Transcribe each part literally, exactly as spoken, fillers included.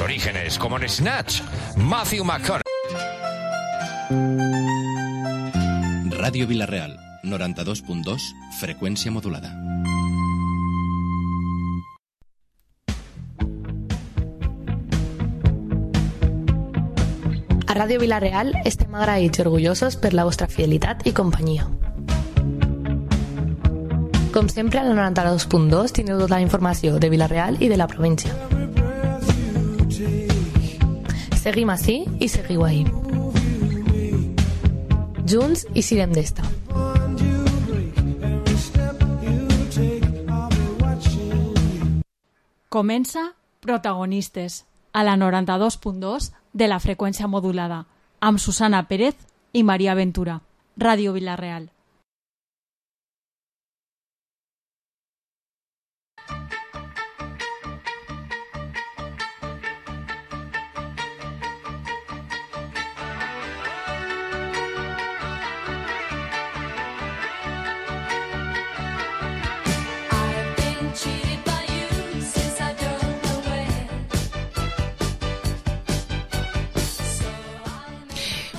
Orígenes, como en Snatch, Matthew McConaughey. Ràdio Vila-real, noranta-dos punt dos, freqüència modulada. A Ràdio Vila-real estem agraïts i orgullosos per la vostra fidelitat i companyia. Com sempre, al noranta-dos punt dos teniu tota la informació de Vila-real i de la província. Seguim ací i seguiu ahí. Junts i sirem d'esta. Comença Protagonistes, a la noranta-dos punt dos de la freqüència modulada, amb Susana Pérez i Maria Ventura. Ràdio Vila-real.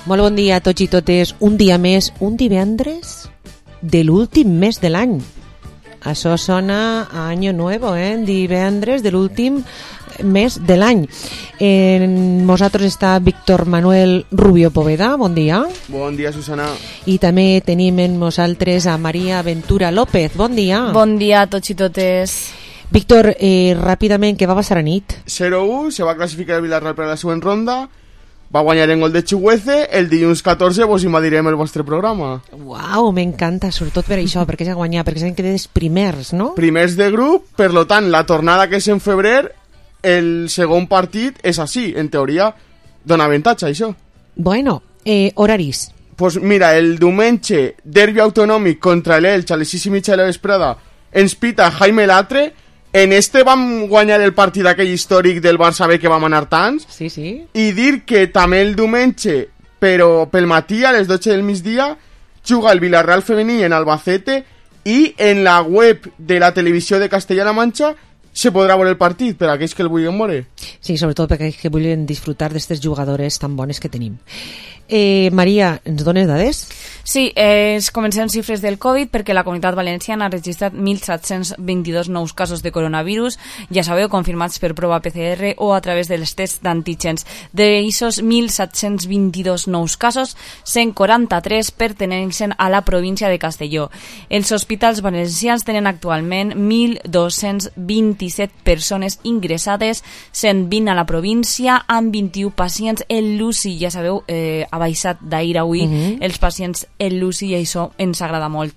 Molt bon dia a tots i totes. Un dia més, un divendres de l'últim mes de l'any. Això sona a Año Nuevo, eh? Divendres de l'últim mes de l'any. Eh, nosaltres està Víctor Manuel Rubio Poveda. Bon dia. Bon dia, Susana. I també tenim en nosaltres a Maria Ventura López. Bon dia. Bon dia a tots i totes. Víctor, eh, ràpidament, què va passar a nit? zero u, se va classificar el Villarreal per a la següent ronda. Va guanyar en gol de Chihueze. El dilluns catorze vos invadirem el vostre programa. Uau, m'encanta, sobretot per això, perquè s'ha guanyat, perquè s'han quedat els primers, no? Primers de grup, per lo tant, la tornada que és en febrer, el segon partit és així, en teoria, dona avantatge, això. Bueno, eh, horaris. Pues mira, el diumenge, derbi autonòmic contra l'Elx a les sis i mitja de la vesprada, ens pita Jaime Latre. En este vam guanyar el partit aquell històric del Barça B que vam anar tants. Sí, sí. I dir que també el diumenge, però pel matí a les dotze del migdia, juga el Villarreal femení en Albacete i en la web de la televisió de Castella-La Manxa se podrà veure el partit per a aquells que el vulguin veure. Sí, sobretot per aquells que vulguin disfrutar d'aquestes jugadores tan bones que tenim. Eh, Maria, ens dones dades? Sí, eh, comencem xifres del Covid perquè la Comunitat Valenciana ha registrat mil set-cents vint-i-dos nous casos de coronavirus, ja sabeu, confirmats per prova P C R o a través dels tests d'antígens. D'aquests mil set-cents vint-i-dos nous casos, cent quaranta-tres perteneixen a la província de Castelló. Els hospitals valencians tenen actualment mil dos-cents vint-i-set persones ingressades, cent vint a la província, amb vint-i-u pacients en l'U C I. Ja sabeu, eh, ha baixat d'ahir a avui uh-huh. els pacients en l'U C I i això ens agrada molt.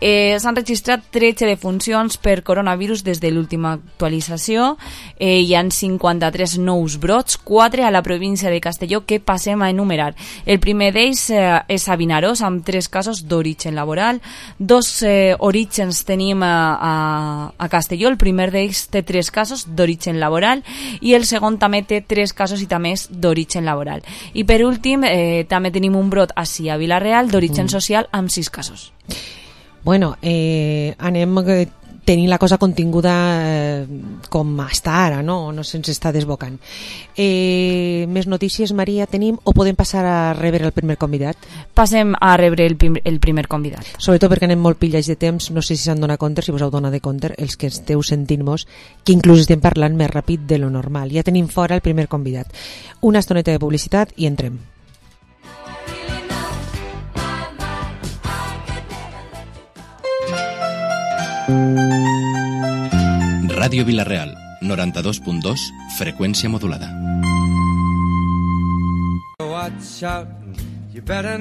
Eh, S'han registrat tretze defuncions per coronavirus des de l'última actualització. Eh, hi ha cinquanta-tres nous brots, quatre a la província de Castelló que passem a enumerar. El primer d'ells eh, és a Vinaròs, amb tres casos d'origen laboral. Dos eh, orígens tenim a, a, a Castelló. El primer d'ells té tres casos d'origen laboral i el segon també té tres casos i també és d'origen laboral. I per últim, eh, també tenim un brot així a Vila-real d'origen mm. social amb sis casos. Bueno, eh, anem tenint la cosa continguda eh, com està ara, no? No se'ns està desbocant. Eh, més notícies, Maria, tenim o podem passar a rebre el primer convidat? Passem a rebre el, prim, el primer convidat. Sobretot perquè anem molt pillats de temps, no sé si s'han donat compte, si vos heu donat de compte, els que esteu sentint-nos, que inclús estem parlant més ràpid de lo normal. Ja tenim fora el primer convidat. Una estoneta de publicitat i entrem. Ràdio Vila-real, noranta-dos punt dos, freqüència modulada.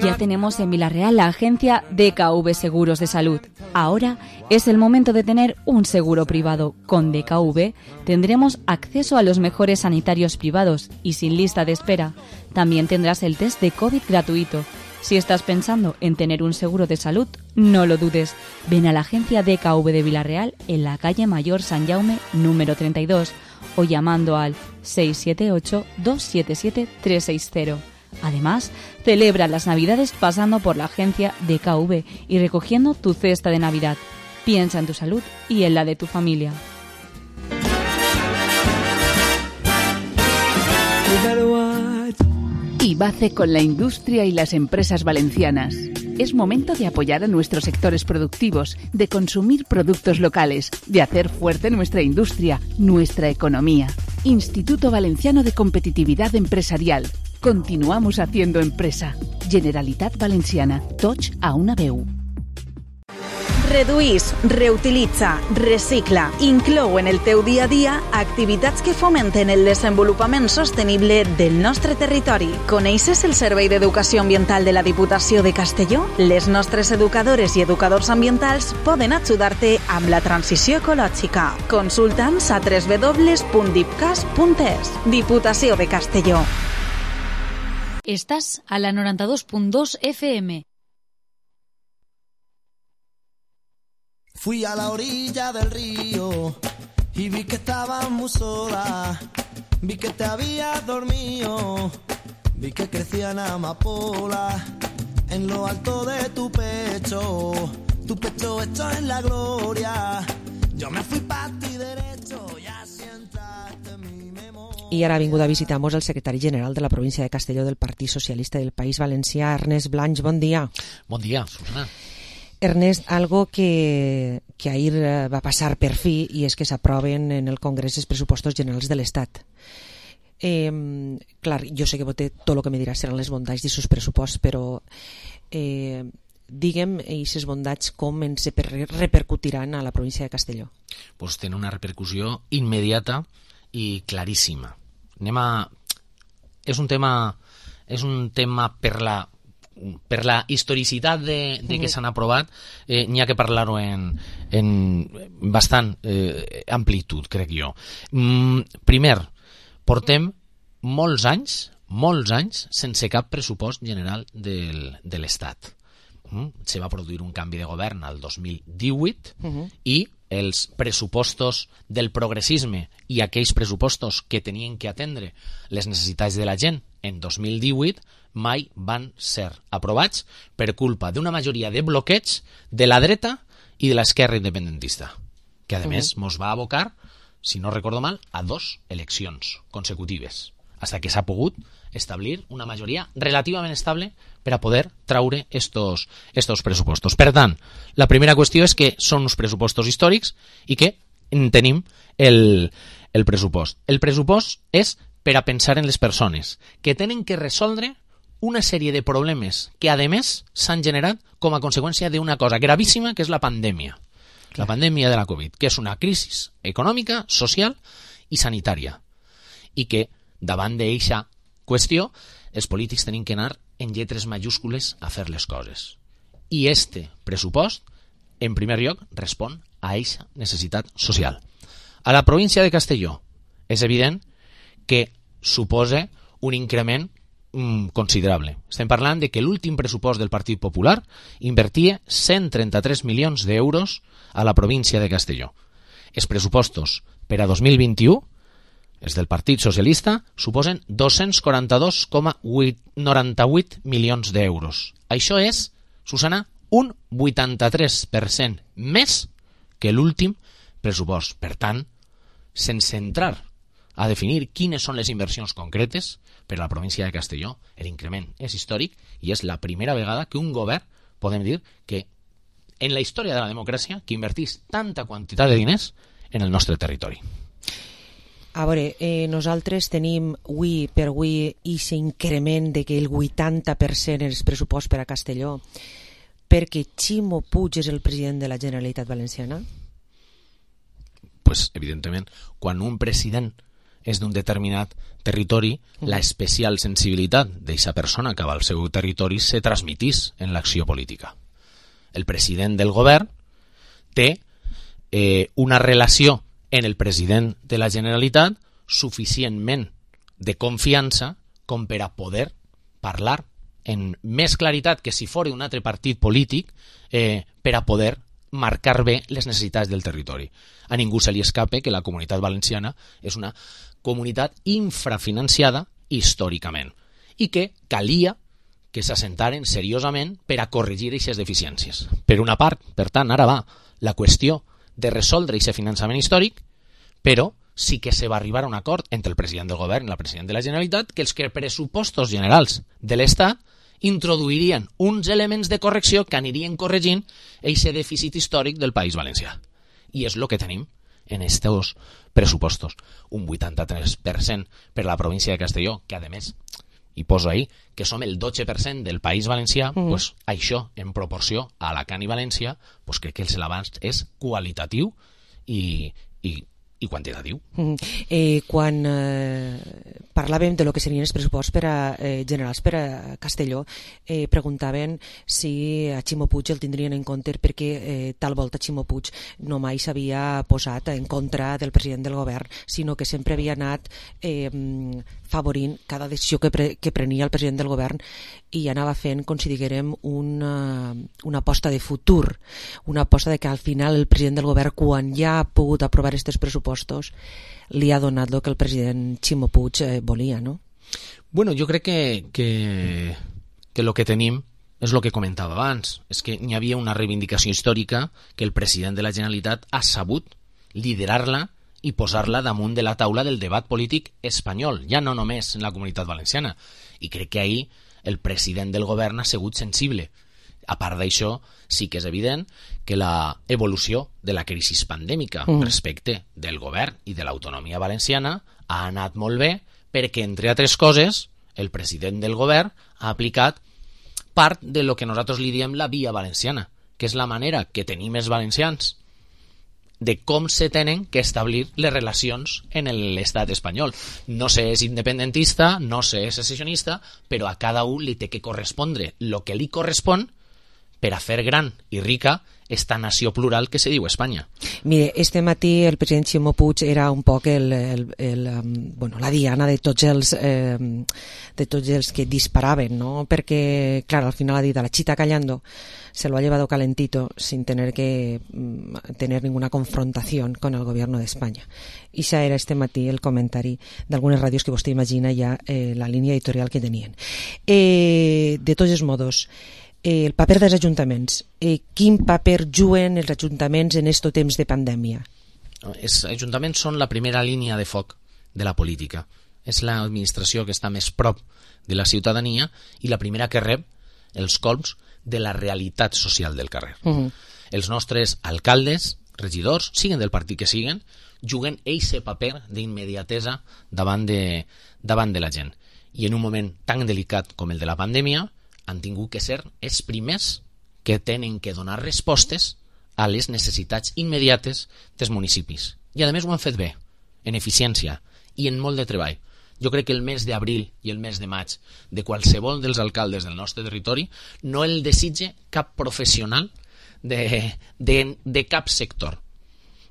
Ya tenemos en Vila-real la agencia D K V Seguros de Salud. Ahora es el momento de tener un seguro privado. Con D K V tendremos acceso a los mejores sanitarios privados y sin lista de espera. También tendrás el test de COVID gratuito. Si estás pensando en tener un seguro de salud, no lo dudes. Ven a la agencia D K V de Vila-real en la calle Mayor San Jaume número treinta y dos o llamando al seis siete ocho, dos siete siete, tres seis cero. Además, celebra las Navidades pasando por la agencia D K V y recogiendo tu cesta de Navidad. Piensa en tu salud y en la de tu familia. Albace con la industria y las empresas valencianas. Es momento de apoyar a nuestros sectores productivos, de consumir productos locales, de hacer fuerte nuestra industria, nuestra economía. Instituto Valenciano de Competitividad Empresarial. Continuamos haciendo empresa. Generalitat Valenciana. Tots a una veu. Reduís, reutilitza, recicla, inclou en el teu dia a dia activitats que fomenten el desenvolupament sostenible del nostre territori. Coneixes el Servei d'Educació Ambiental de la Diputació de Castelló? Les nostres educadores i educadors ambientals poden ajudar-te amb la transició ecològica. Consulta'ns a w w w punt dipcas punt es. Diputació de Castelló. Estás a la noranta dos punt dos F M. Fui a la orilla del río y vi que estabas muy sola, vi que te habías dormido, vi que crecían amapolas en lo alto de tu pecho, tu pecho hecho en la gloria. Yo me fui pa' ti derecho y así entraste en mi memoria. I ara ha vingut a visitar-nos el secretari general de la província de Castelló del Partit Socialista del País Valencià, Ernest Blanch. Bon dia. Bon dia, Susana. Ernest, algo que, que ahir va passar per fi i és que s'aproven en el Congrés els pressupostos generals de l'Estat. Eh, clar, jo sé que vostè tot el que me dirà seran les bondats d'aquests pressupostos, però eh, digue'm aquestes bondats com ens repercutiran a la província de Castelló. Pues tenen una repercussió immediata i claríssima. Anem a... És un tema, és un tema per la... per la historicitat de, de que s'han aprovat, eh, n'hi ha que parlar-ho en, en bastant eh, amplitud, crec jo. Mm, primer, portem molts anys, molts anys sense cap pressupost general del, de l'Estat. Mm? Se va produir un canvi de govern al dos mil divuit uh-huh. i els pressupostos del progressisme i aquells pressupostos que tenien que atendre les necessitats de la gent en dos mil divuit mai van ser aprovats per culpa d'una majoria de bloqueig de la dreta i de l'esquerra independentista, que a més uh-huh. mos va abocar, si no recordo mal, a dos eleccions consecutives, hasta que s'ha pogut establir una majoria relativament estable per a poder traure estos, estos pressupostos. Per tant, la primera qüestió és que són uns pressupostos històrics i que tenim el, el pressupost. El pressupost és per a pensar en les persones que tenen que resoldre una sèrie de problemes que, a més, s'han generat com a conseqüència d'una cosa gravíssima, que és la pandèmia. Clar. La pandèmia de la Covid, que és una crisi econòmica, social i sanitària. I que, davant d'eixa qüestió, els polítics tenen que anar en lletres majúscules a fer les coses. I este pressupost, en primer lloc, respon a eixa necessitat social. A la província de Castelló és evident que suposa un increment mm, considerable. Estem parlant de que l'últim pressupost del Partit Popular invertia cent trenta-tres milions d'euros a la província de Castelló. Els pressupostos per a dos mil vint-i-u, els del Partit Socialista, suposen dos-cents quaranta-dos coma noranta-vuit milions d'euros. Això és, Susana, un vuitanta-tres per cent més que l'últim pressupost. Per tant, sense entrar a definir quines són les inversions concretes per a la província de Castelló, l'increment és històric i és la primera vegada que un govern, podem dir, que en la història de la democràcia, que invertís tanta quantitat de diners en el nostre territori. A veure, eh, nosaltres tenim avui per avui aquest increment de que el vuitanta per cent és pressupost per a Castelló perquè Ximo Puig és el president de la Generalitat Valenciana? Pues, evidentment, quan un president és d'un determinat territori, uh-huh. la especial sensibilitat d'aquesta persona que va al seu territori se transmitís en l'acció política. El president del govern té eh, una relació en el president de la Generalitat suficientment de confiança com per a poder parlar en més claritat que si fos un altre partit polític eh, per a poder marcar bé les necessitats del territori. A ningú se li escape que la Comunitat Valenciana és una comunitat infrafinanciada històricament i que calia que s'assentaren seriosament per a corregir aquestes deficiències. Per una part, per tant, ara va la qüestió de resoldre aquest finançament històric, però sí que se va arribar a un acord entre el president del govern i la president de la Generalitat que els que pressupostos generals de l'Estat introduirien uns elements de correcció que anirien corregint aquest dèficit històric del País Valencià. I és el que tenim en estos pressupostos. Un vuitanta-tres per cent per la província de Castelló, que a més, i poso ahí, que som el dotze per cent del País Valencià, mm. pues, això, en proporció a Alacant i València, pues, crec que el avanç és qualitatiu i, i i quantitatiu. Mm. Eh, quan eh, parlàvem de lo que serien els pressuposts per a, eh, generals per a Castelló, eh, preguntaven si a Ximo Puig el tindrien en compte perquè eh, tal volta Ximo Puig no mai s'havia posat en contra del president del govern, sinó que sempre havia anat eh, favorint cada decisió que, pre que prenia el president del govern i anava fent, com si diguérem, una, una aposta de futur, una aposta de que al final el president del govern, quan ja ha pogut aprovar aquests pressupostos, li ha donat el que el president Ximo Puig eh, volia, no? Bueno, jo crec que, que, que lo que tenim és el que comentava abans, és que n'hi havia una reivindicació històrica que el president de la Generalitat ha sabut liderar-la i posar-la damunt de la taula del debat polític espanyol, ja no només en la Comunitat Valenciana. I crec que ahir el president del govern ha sigut sensible. A part d'això, sí que és evident que la evolució de la crisi pandèmica mm. respecte del govern i de l'autonomia valenciana ha anat molt bé perquè, entre altres coses, el president del govern ha aplicat part de lo que nosaltres li diem la via valenciana, que és la manera que tenim els valencians de com se tenen que establir les relacions en l'estat espanyol. No se és independentista, no se és secessionista, però a cada un li té que correspondre el que li correspon per a fer gran i rica esta nació plural que se diu Espanya. Mire, este matí el president Ximo Puig era un poc el, el, el, bueno, la diana de tots els eh, de tots els que disparaven, ¿no? Perquè, clar, al final ha dit a la chita callando se lo ha llevado calentito sin tener que mm, tener ninguna confrontación con el gobierno de España. I això era este matí el comentari d'algunes ràdios que vostè imagina ja eh, la línia editorial que tenien. Eh, de tots els modos, Eh, el paper dels ajuntaments. Eh, quin paper juguen els ajuntaments en aquest temps de pandèmia? Els ajuntaments són la primera línia de foc de la política. És l'administració que està més prop de la ciutadania i la primera que rep els colps de la realitat social del carrer. Uh-huh. Els nostres alcaldes, regidors, siguen del partit que siguen, juguen eixe paper d'immediatesa davant de, davant de la gent. I en un moment tan delicat com el de la pandèmia, han tingut que ser els primers que tenen que donar respostes a les necessitats immediates dels municipis. I a més ho han fet bé, en eficiència i en molt de treball. Jo crec que el mes d'abril i el mes de maig de qualsevol dels alcaldes del nostre territori no el desitge cap professional de, de, de cap sector,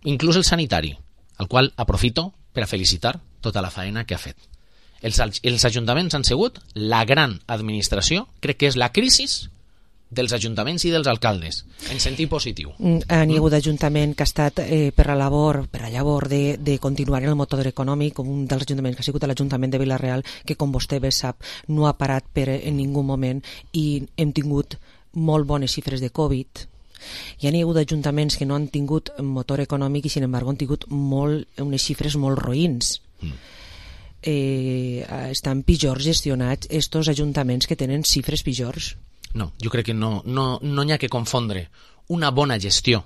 inclús el sanitari, al qual aprofito per a felicitar tota la feina que ha fet. Els, els ajuntaments han sigut la gran administració, crec que és la crisi dels ajuntaments i dels alcaldes, en sentit positiu. N'hi ha hagut ajuntament que ha estat eh, per a labor, per a llavor de, de continuar en el motor econòmic, un dels ajuntaments que ha sigut l'Ajuntament de Vila-real, que com vostè bé sap no ha parat per en ningú moment i hem tingut molt bones xifres de Covid. Hi ha hagut ajuntaments que no han tingut motor econòmic i sin embargo han tingut molt, unes xifres molt roïns. Mm. Eh, estan pitjor gestionats estos ajuntaments que tenen xifres pitjors? No, jo crec que no no, no hi ha que confondre una bona gestió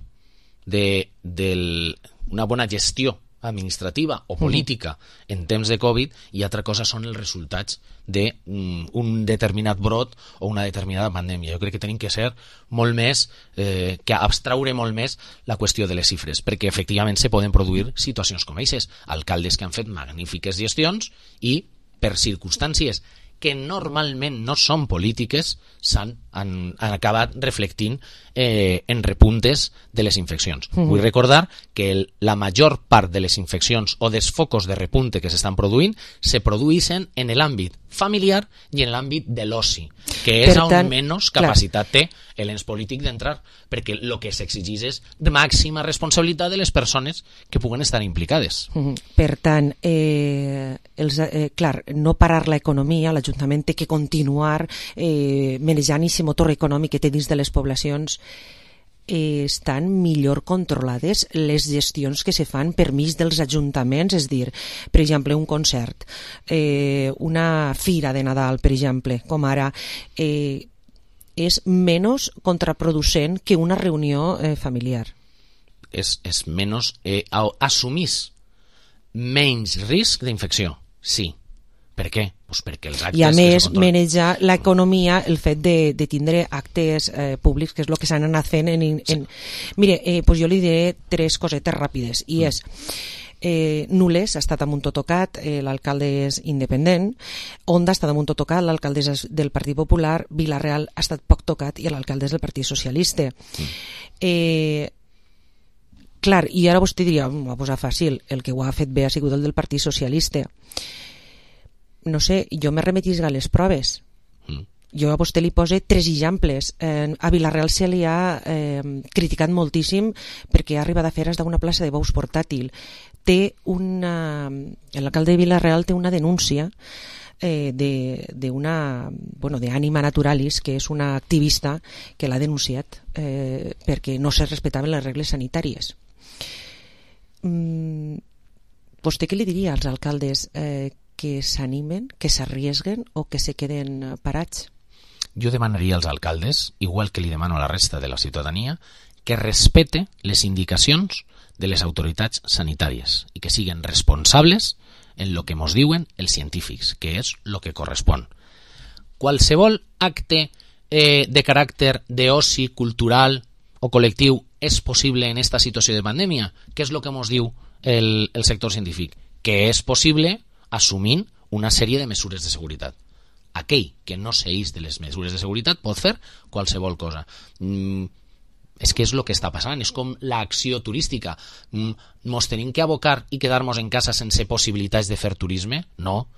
de, del, una bona gestió administrativa o política uh-huh. en temps de Covid i altra cosa són els resultats d'un um, determinat brot o una determinada pandèmia. Jo crec que tenim que ser molt més, eh, que abstraure molt més la qüestió de les xifres, perquè efectivament se poden produir situacions com aquestes, alcaldes que han fet magnífiques gestions i per circumstàncies que normalment no són polítiques s'han han, han acabat reflectint eh, en repuntes de les infeccions. Mm-hmm. Vull recordar que el, la major part de les infeccions o dels focos de repunte que s'estan produint se produeixen en l'àmbit familiar i en l'àmbit de l'oci, que és per tant, on menys capacitat clar. té l'ens polític d'entrar, perquè el que s'exigeix és de màxima responsabilitat de les persones que puguen estar implicades. Mm-hmm. Per tant, eh, els, eh, clar, no parar l'economia, l'Ajuntament té que continuar eh, manejant aquest motor econòmic que té dins de les poblacions. eh, estan millor controlades les gestions que se fan per mig dels ajuntaments, és dir, per exemple, un concert, eh, una fira de Nadal, per exemple, com ara, eh, és menys contraproducent que una reunió eh, familiar. És, és menys... Eh, assumís menys risc d'infecció, sí. Per què? Pues perquè els actes... I a més, manejar l'economia, el fet de, de tindre actes eh, públics, que és el que s'han anat fent en... en sí. Mire, eh, pues jo li diré tres cosetes ràpides, i mm. és... Eh, Nules ha estat amb un totocat, eh, l'alcalde és independent, Onda ha estat amb un totocat, l'alcalde és del Partit Popular, Vila-real ha estat poc tocat i l'alcalde és del Partit Socialista. Mm. Eh, clar, i ara vostè diria, m'ho va posar fàcil, el que ho ha fet bé ha sigut el del Partit Socialista. No sé, jo me remetisc a les proves. Mm. Jo a vostè li pose tres exemples. Eh, a Vila-real se li ha eh, criticat moltíssim perquè ha arribat a fer d'una plaça de bous portàtil. Té una... L'alcalde de Vila-real té una denúncia eh, d'una... Bueno, d'Ànima Naturalis, que és una activista que l'ha denunciat eh, perquè no se respectaven les regles sanitàries. Mm, vostè què li diria als alcaldes eh, que s'animen, que s'arriesguen o que se queden parats? Jo demanaria als alcaldes, igual que li demano a la resta de la ciutadania, que respecte les indicacions de les autoritats sanitàries i que siguin responsables en lo que mos diuen els científics, que és lo que correspon. Qualsevol acte eh, de caràcter d'oci cultural o col·lectiu és possible en esta situació de pandèmia? Què és lo que mos diu el, el sector científic? Que és possible assumint una sèrie de mesures de seguretat. Aquell que no s'eix de les mesures de seguretat pot fer qualsevol cosa. Mm, és que és el que està passant, és com l'acció turística. Mm, mos tenim que abocar i quedar-nos en casa sense possibilitats de fer turisme? No.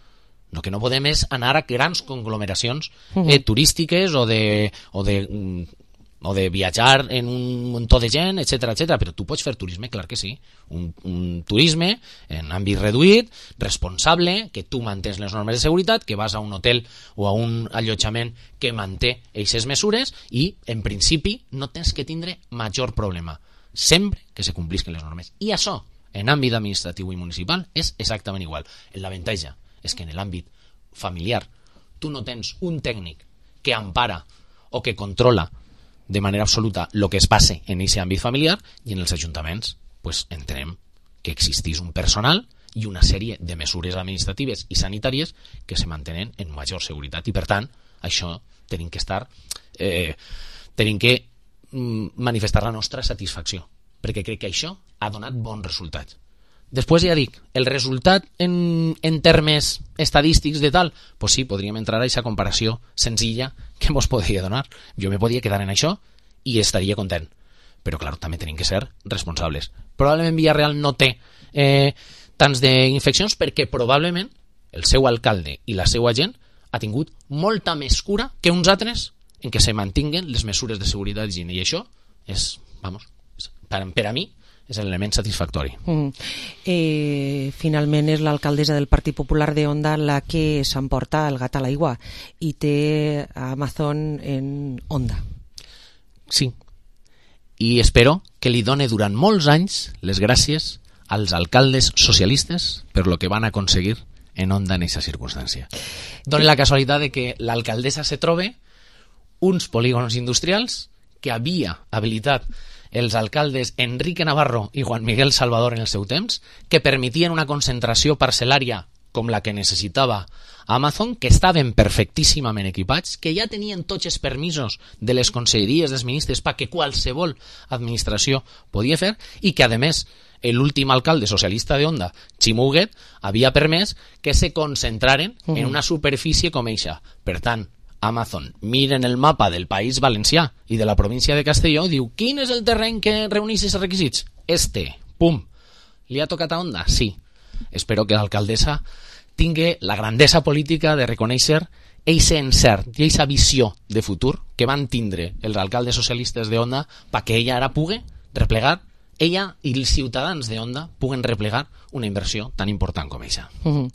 El que no podem és anar a grans conglomeracions eh, turístiques o de... O de mm, o de viatjar en un muntó de gent, etcètera, etcètera. Però tu pots fer turisme, clar que sí. Un, un turisme en àmbit reduït, responsable, que tu mantens les normes de seguretat, que vas a un hotel o a un allotjament que manté aquestes mesures i, en principi, no tens que tindre major problema, sempre que se complisquen les normes. I això, en àmbit administratiu i municipal, és exactament igual. L'avantatge és que en l'àmbit familiar tu no tens un tècnic que empara o que controla de manera absoluta el que es passe en aquest àmbit familiar, i en els ajuntaments pues, entenem que existís un personal i una sèrie de mesures administratives i sanitàries que se mantenen en major seguretat, i per tant això tenim que estar eh, tenim que mm, manifestar la nostra satisfacció, perquè crec que això ha donat bons resultats. Després ja dic, el resultat en, en termes estadístics de tal, pues sí, podríem entrar a aquesta comparació senzilla que mos podria donar. Jo me podia quedar en això i estaria content. Però, clar, també tenim que ser responsables. Probablement Vila-real no té eh, tants d'infeccions perquè probablement el seu alcalde i la seva gent ha tingut molta més cura que uns altres en què se mantinguen les mesures de seguretat d'higiene. I això és, vamos, per, per a mi, és l'element satisfactori. Mm. Eh, finalment és l'alcaldessa del Partit Popular de Onda la que s'emporta el gat a l'aigua i té Amazon en Onda. Sí. I espero que li done durant molts anys les gràcies als alcaldes socialistes per lo que van aconseguir en Onda en aquesta circumstància. Dona la casualitat de que l'alcaldessa se trobe uns polígons industrials que havia habilitat els alcaldes Enrique Navarro i Juan Miguel Salvador en el seu temps, que permetien una concentració parcel·lària com la que necessitava Amazon, que estaven perfectíssimament equipats, que ja tenien tots els permisos de les conselleries dels ministres perquè qualsevol administració podia fer, i que, a més, l'últim alcalde socialista de Onda, Ximo Huguet, havia permès que se concentraren uh-huh. en una superfície com eixa. Per tant, Amazon miren el mapa del País Valencià i de la província de Castelló, diu, quin és el terreny que reuneix aquests requisits? Este, pum. Li ha tocat a Onda? Sí. Espero que l'alcaldessa tingui la grandesa política de reconèixer eixe encert i eixa visió de futur que van tindre els alcaldes socialistes de Onda perquè ella ara pugui replegar ella i els ciutadans de Onda puguen replegar una inversió tan important com aquesta. Uh-huh.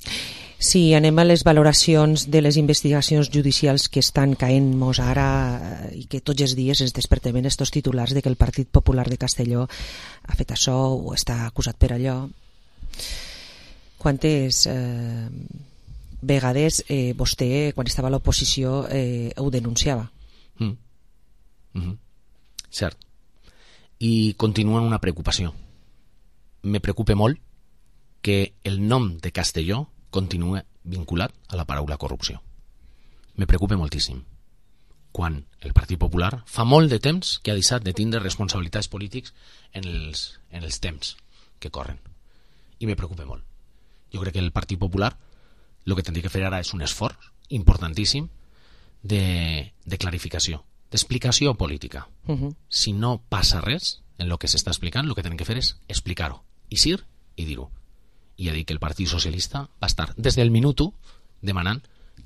Si anem a les valoracions de les investigacions judicials que estan caent-nos ara i que tots els dies es despertem en estos titulars de que el Partit Popular de Castelló ha fet això o està acusat per allò, quantes eh, vegades eh, vostè, quan estava a l'oposició, eh, ho denunciava? Mm. Mm-hmm. Cert. I continua una preocupació. Me preocupa molt que el nom de Castelló continua vinculat a la paraula corrupció. Me preocupa moltíssim. Quan el Partit Popular fa molt de temps que ha deixat de tindre responsabilitats polítics en els, en els temps que corren. I me preocupa molt. Jo crec que el Partit Popular el que tindria que fer ara és un esforç importantíssim de, de clarificació, d'explicació política. Uh-huh. Si no passa res en el que s'està explicant, el que tenen que fer és explicar-ho, i dir i dir-ho. I ha dit que el Partit Socialista va estar des del minut u demanant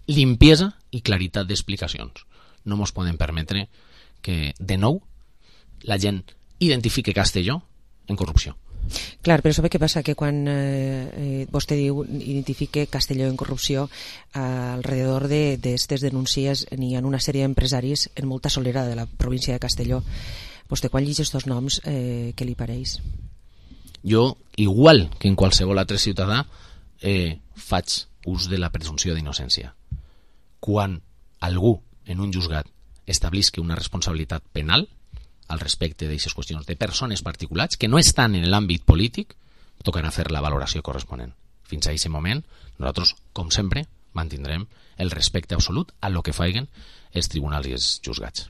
limpiesa i claritat d'explicacions. No mos podem permetre que, de nou, la gent identifique Castelló en corrupció. Clar, però sabe què passa? Que quan eh, eh, vostè diu identifique Castelló en corrupció, eh, alrededor d'aquestes de, denúncies n'hi ha una sèrie d'empresaris en molta solera de la província de Castelló. Vostè quan llegeix aquests noms, eh, què li pareix? Jo, igual que en qualsevol altre ciutadà, eh, faig ús de la presumpció d'innocència. Quan algú en un juzgat establisca una responsabilitat penal al respecte d'aquestes qüestions de persones particulars que no estan en l'àmbit polític, tocarà fer la valoració corresponent. Fins a aquest moment, nosaltres, com sempre, mantindrem el respecte absolut a lo que faiguen els tribunals i els juzgats.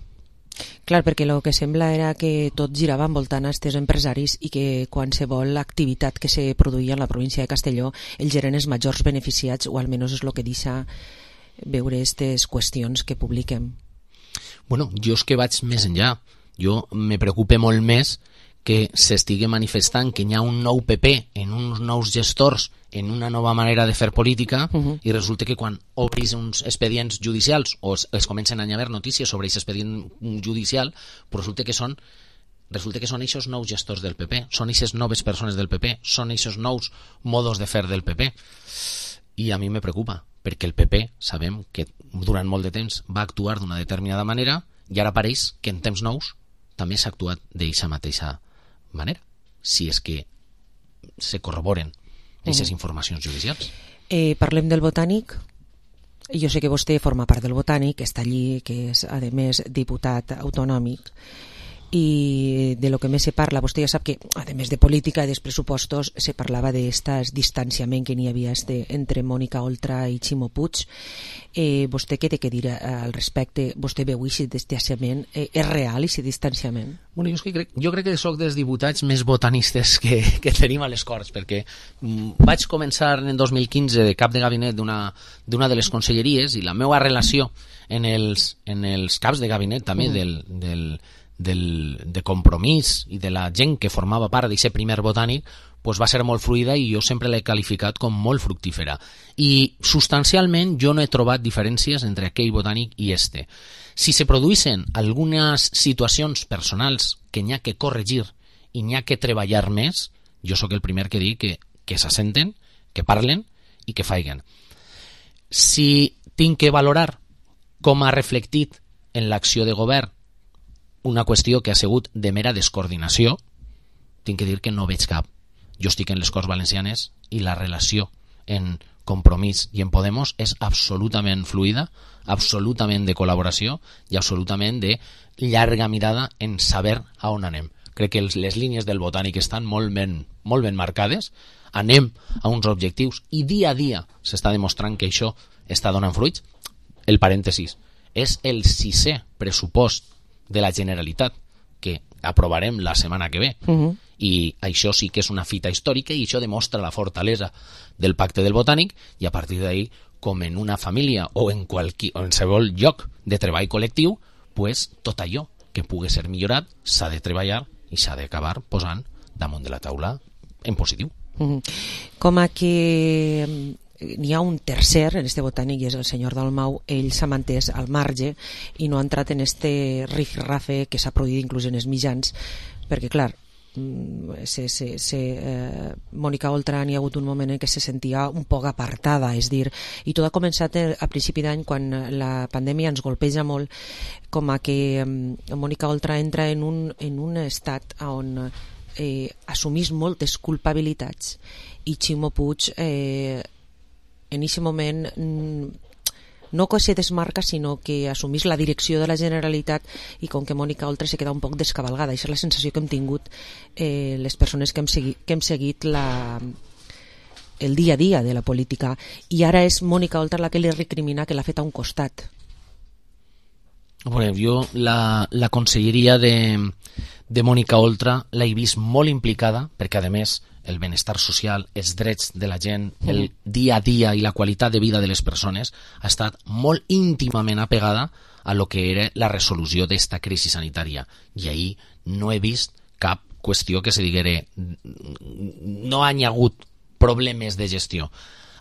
Clar, perquè el que sembla era que tot girava envoltant a aquests empresaris i que qualsevol activitat que se produïa en la província de Castelló ells eren els majors beneficiats, o almenys és el que deixa veure aquestes qüestions que publiquem. Bueno, jo és que vaig més enllà. Jo me preocupa molt més que s'estigui manifestant que hi ha un nou P P en uns nous gestors, en una nova manera de fer política, uh-huh. i resulta que quan obris uns expedients judicials o es, es comencen a haver notícies sobre aquest expedient judicial, però resulta que són resulta que són aquests nous gestors del P P, són aquestes noves persones del P P, són aquests nous modos de fer del P P. I a mi me preocupa, perquè el P P sabem que durant molt de temps va actuar d'una determinada manera i ara pareix que en temps nous també s'ha actuat d'aquesta mateixa manera, si és que se corroboren aquestes uh-huh. informacions judicials. Eh, parlem del Botànic. Jo sé que vostè forma part del Botànic, està allí, que és, a més, diputat autonòmic, i de lo que més se parla, vostè ja sap que, a més de política i dels pressupostos, se parlava d'aquest distanciament que n'hi havia este, entre Mònica Oltra i Ximo Puig. Eh, vostè què té que dir al respecte? Vostè veu aquest distanciament? Eh, és real aquest distanciament? Bueno, jo, crec, jo crec que sóc dels diputats més botanistes que, que tenim a les Corts, perquè mm, vaig començar en dos mil quinze de cap de gabinet d'una d'una de les conselleries, i la meva relació en els, en els caps de gabinet també mm. del, del Del, de Compromís i de la gent que formava part d'aquest primer Botànic, pues va ser molt fluida i jo sempre l'he qualificat com molt fructífera. I substancialment jo no he trobat diferències entre aquell Botànic i este. Si se produïssin algunes situacions personals que n'hi ha que corregir i n'hi ha que treballar més, jo sóc el primer que dic que, que s'assenten, que parlen i que faiguen. Si tinc que valorar com ha reflectit en l'acció de govern una qüestió que ha sigut de mera descoordinació, tinc que dir que no veig cap. Jo estic en les Corts Valencianes i la relació en Compromís i en Podemos és absolutament fluida, absolutament de col·laboració i absolutament de llarga mirada en saber a on anem. Crec que les línies del Botànic estan molt ben, molt ben marcades, anem a uns objectius i dia a dia s'està demostrant que això està donant fruits. El parèntesis, és el sisè pressupost de la Generalitat que aprovarem la setmana que ve, uh-huh. i això sí que és una fita històrica i això demostra la fortalesa del pacte del Botànic, i a partir d'ahí, com en una família o en qualsevol lloc de treball col·lectiu, pues, tot allò que pugui ser millorat s'ha de treballar i s'ha d'acabar posant damunt de la taula en positiu. Uh-huh. Com a que n'hi ha un tercer en este Botànic i és el senyor Dalmau, ell s'ha mantès al marge i no ha entrat en este rifirrafe que s'ha produït inclús en els mitjans, perquè clar, se, se, se, eh, Mònica Oltra n'hi ha hagut un moment en què se sentia un poc apartada, és dir, i tot ha començat a principi d'any quan la pandèmia ens golpeja molt, com a que eh, Mònica Oltra entra en un, en un estat on eh, assumís moltes culpabilitats i Ximo Puig eh, en aquest moment no que se desmarca, sinó que assumís la direcció de la Generalitat, i com que Mònica Oltra se queda un poc descabalgada. Això és la sensació que hem tingut eh, les persones que hem seguit, que hem seguit la, el dia a dia de la política, i ara és Mònica Oltra la que li recrimina que l'ha fet a un costat. Bueno, jo la, la conselleria de, de Mònica Oltra l'he vist molt implicada, perquè a més el benestar social, els drets de la gent, el dia a dia i la qualitat de vida de les persones ha estat molt íntimament apegada a lo que era la resolució d'esta crisi sanitària. I ahir no he vist cap qüestió que se diguere no hi ha hagut problemes de gestió.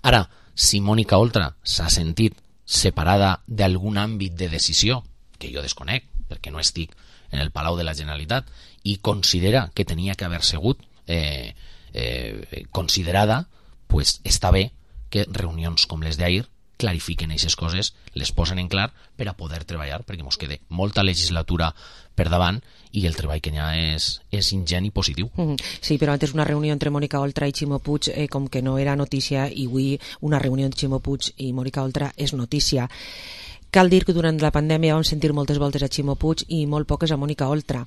Ara, si Mònica Oltra s'ha sentit separada d'algun àmbit de decisió, que jo desconec, perquè no estic en el Palau de la Generalitat, i considera que tenia que haver sigut eh, Eh, considerada, pues està bé que reunions com les d'ahir clarifiquen aquestes coses, les posen en clar per a poder treballar, perquè ens queda molta legislatura per davant i el treball que hi ha és, és ingent i positiu. Mm-hmm. Sí, però antes una reunió entre Mònica Oltra i Ximo Puig eh, com que no era notícia, i avui una reunió entre Ximo Puig i Mònica Oltra és notícia. Cal dir que durant la pandèmia vam sentir moltes voltes a Ximo Puig i molt poques a Mònica Oltra.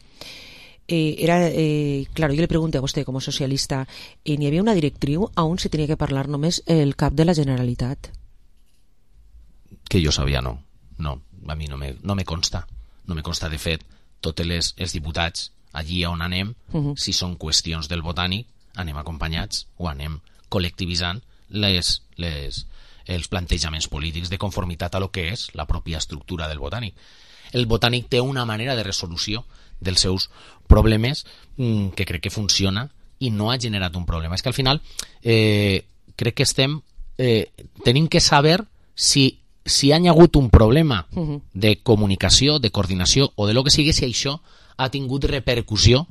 Eh, era, eh, claro, yo le pregunté a usted como socialista, eh, ¿ni había una directriu aún se tenía que parlar només el cap de la Generalitat? Que jo sabia, no. No, a mi no me, no me consta. No me consta, de fet, tots les, els diputats allí on anem, uh-huh. si són qüestions del Botànic, anem acompanyats o anem col·lectivitzant les, les, els plantejaments polítics de conformitat a lo que és la pròpia estructura del Botànic. El Botànic té una manera de resolució dels seus problemes mmm, que crec que funciona i no ha generat un problema. És que al final eh, crec que estem eh, tenim que saber si, si ha hagut un problema uh-huh. de comunicació, de coordinació o de lo que sigui, si això ha tingut repercussió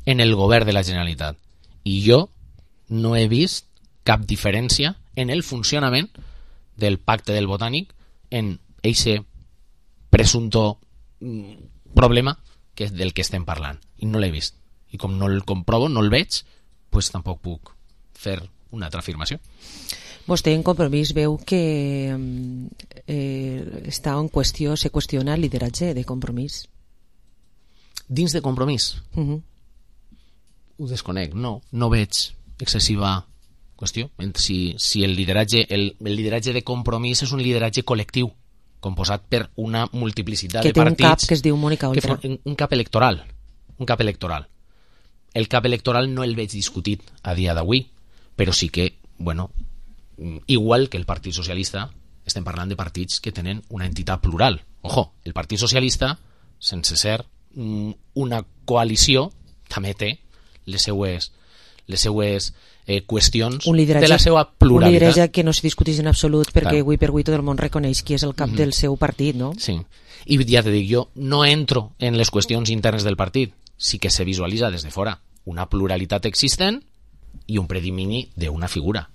en el govern de la Generalitat. I jo no he vist cap diferència en el funcionament del pacte del Botànic en eixe presunto mm, problema que és del que estem parlant, i no l'he vist, i com no el comprovo, no el veig, pues tampoc puc fer una altra afirmació. Vostè en Compromís veu que eh, està en qüestió, se qüestiona el lideratge de Compromís. Dins de Compromís? Uh-huh. Ho desconec, no, no veig excessiva qüestió. Si, si el lideratge el, el lideratge de Compromís és un lideratge col·lectiu, composat per una multiplicitat que de partits... Que té un cap que es diu Mònica Oltra. Un, un cap electoral. Un cap electoral. El cap electoral no el veig discutit a dia d'avui, però sí que, bueno, igual que el Partit Socialista, estem parlant de partits que tenen una entitat plural. Ojo, el Partit Socialista, sense ser una coalició, també té les seues, les seues eh, qüestions de la seva pluralitat. Un lideratge que no se discuteix en absolut, perquè avui per avui tot el món reconeix qui és el cap mm-hmm. del seu partit, no? Sí, i ja te dic, jo no entro en les qüestions internes del partit, sí que se visualitza des de fora una pluralitat existent i un predomini d'una figura.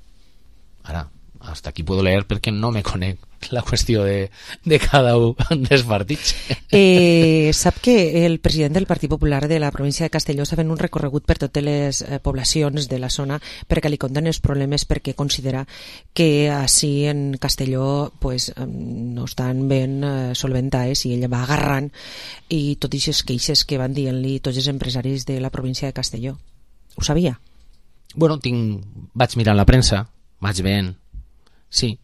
Ara, hasta aquí puedo leer perquè no me conec la qüestió de, de cada un dels partits. Eh, sap que el president del Partit Popular de la província de Castelló està fent un recorregut per totes les eh, poblacions de la zona perquè li conten els problemes, perquè considera que així en Castelló pues, no estan ben eh, solventades, i ella va agarrant i tot aquestes queixes que van dient-li tots els empresaris de la província de Castelló. Ho sabia? Bueno, tinc... vaig mirar la premsa, vaig veient, sí,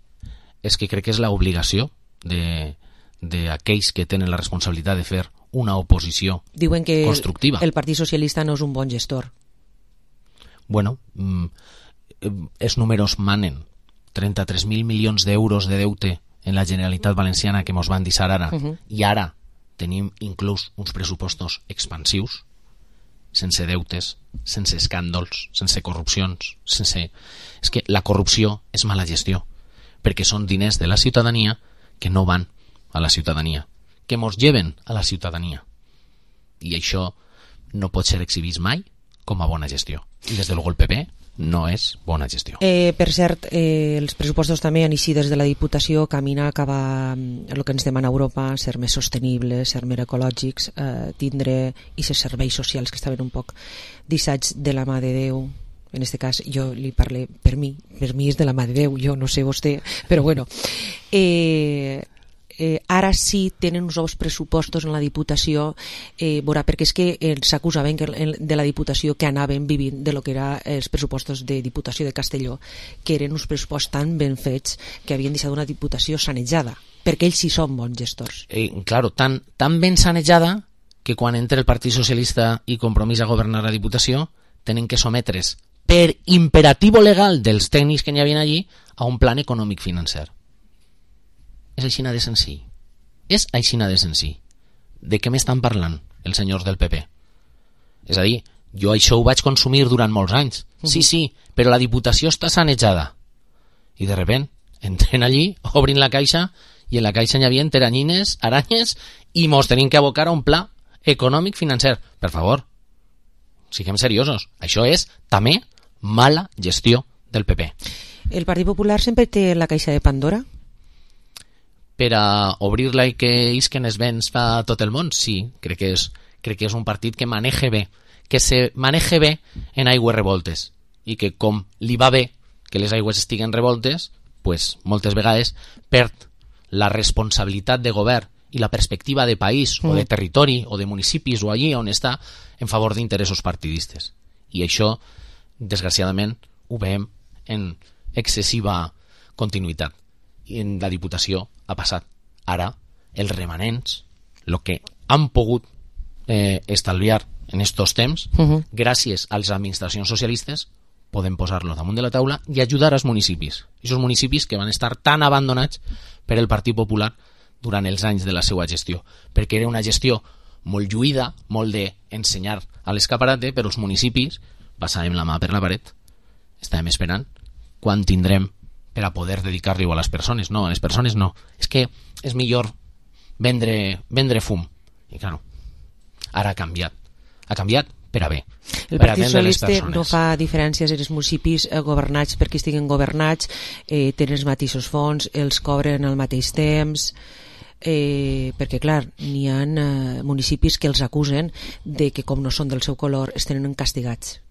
és que crec que és l'obligació d'aquells que tenen la responsabilitat de fer una oposició Diuen que constructiva. El Partit Socialista no és un bon gestor. Bueno, els números manen. trenta-tres mil milions d'euros de deute en la Generalitat Valenciana que mos van deixar ara, uh-huh. i ara tenim inclús uns pressupostos expansius, sense deutes, sense escàndols, sense corrupcions, sense... És que la corrupció és mala gestió, perquè són diners de la ciutadania que no van a la ciutadania, que mos lleven a la ciutadania. I això no pot ser exhibit mai com a bona gestió. I des de luego el P P no és bona gestió. Eh, per cert, eh, els pressupostos també han eixit des de la Diputació caminar cap a el que ens demana Europa, ser més sostenibles, ser més ecològics, eh, tindre aquests serveis socials que estaven un poc deixats de la mà de Déu. En este cas jo li parlé per mi, per mi és de la mà de Déu, jo no sé vostè, però bueno. Eh, eh, ara sí tenen uns nous pressupostos en la Diputació, eh, veurà, perquè és que eh, s'acusaven que, de la Diputació que anaven vivint de lo que eren els pressupostos de Diputació de Castelló, que eren uns pressupostos tan ben fets que havien deixat una Diputació sanejada, perquè ells sí són bons gestors. Eh, claro, tan, tan ben sanejada que quan entra el Partit Socialista i Compromís a governar la Diputació tenen que sometre's per imperativo legal dels tècnics que n'hi havia allí a un plan econòmic financer. És aixina de senzill. És aixina de senzill. De què m'estan parlant els senyors del P P? És a dir, jo això ho vaig consumir durant molts anys. Sí, sí, però la Diputació està sanejada. I de repent entren allí, obrin la caixa i en la caixa n'hi havia teranyines, aranyes i mos tenim que abocar a un pla econòmic financer. Per favor, siguem seriosos. Això és també mala gestió del P P. El Partit Popular sempre té la caixa de Pandora? Per a obrir-la i que isquen els vents fa tot el món, sí, crec que és, crec que és un partit que maneja bé, que se maneja bé en aigües revoltes, i que com li va bé que les aigües estiguen revoltes, pues, moltes vegades perd la responsabilitat de govern i la perspectiva de país, mm. o de territori, o de municipis, o allí on està, en favor d'interessos partidistes. I això, desgraciadament, ho veiem en excessiva continuïtat. I en la Diputació ha passat. Ara, els remanents, el que han pogut eh, estalviar en estos temps, uh-huh. gràcies a les administracions socialistes, podem posar-lo damunt de la taula i ajudar als municipis. Aquests municipis que van estar tan abandonats per el Partit Popular durant els anys de la seva gestió, perquè era una gestió molt lluïda, molt d'ensenyar a l'escaparate, però els municipis passàvem la mà per la paret, estàvem esperant quan tindrem per a poder dedicar-li a les persones. No, a les persones no. És que és millor vendre, vendre fum. I clar, ara ha canviat. Ha canviat per a bé. El Partit Socialista no fa diferències en els municipis eh, governats perquè estiguen governats, eh, tenen els mateixos fons, els cobren al mateix temps, eh, perquè clar, n'hi ha eh, municipis que els acusen de que com no són del seu color es tenen castigats.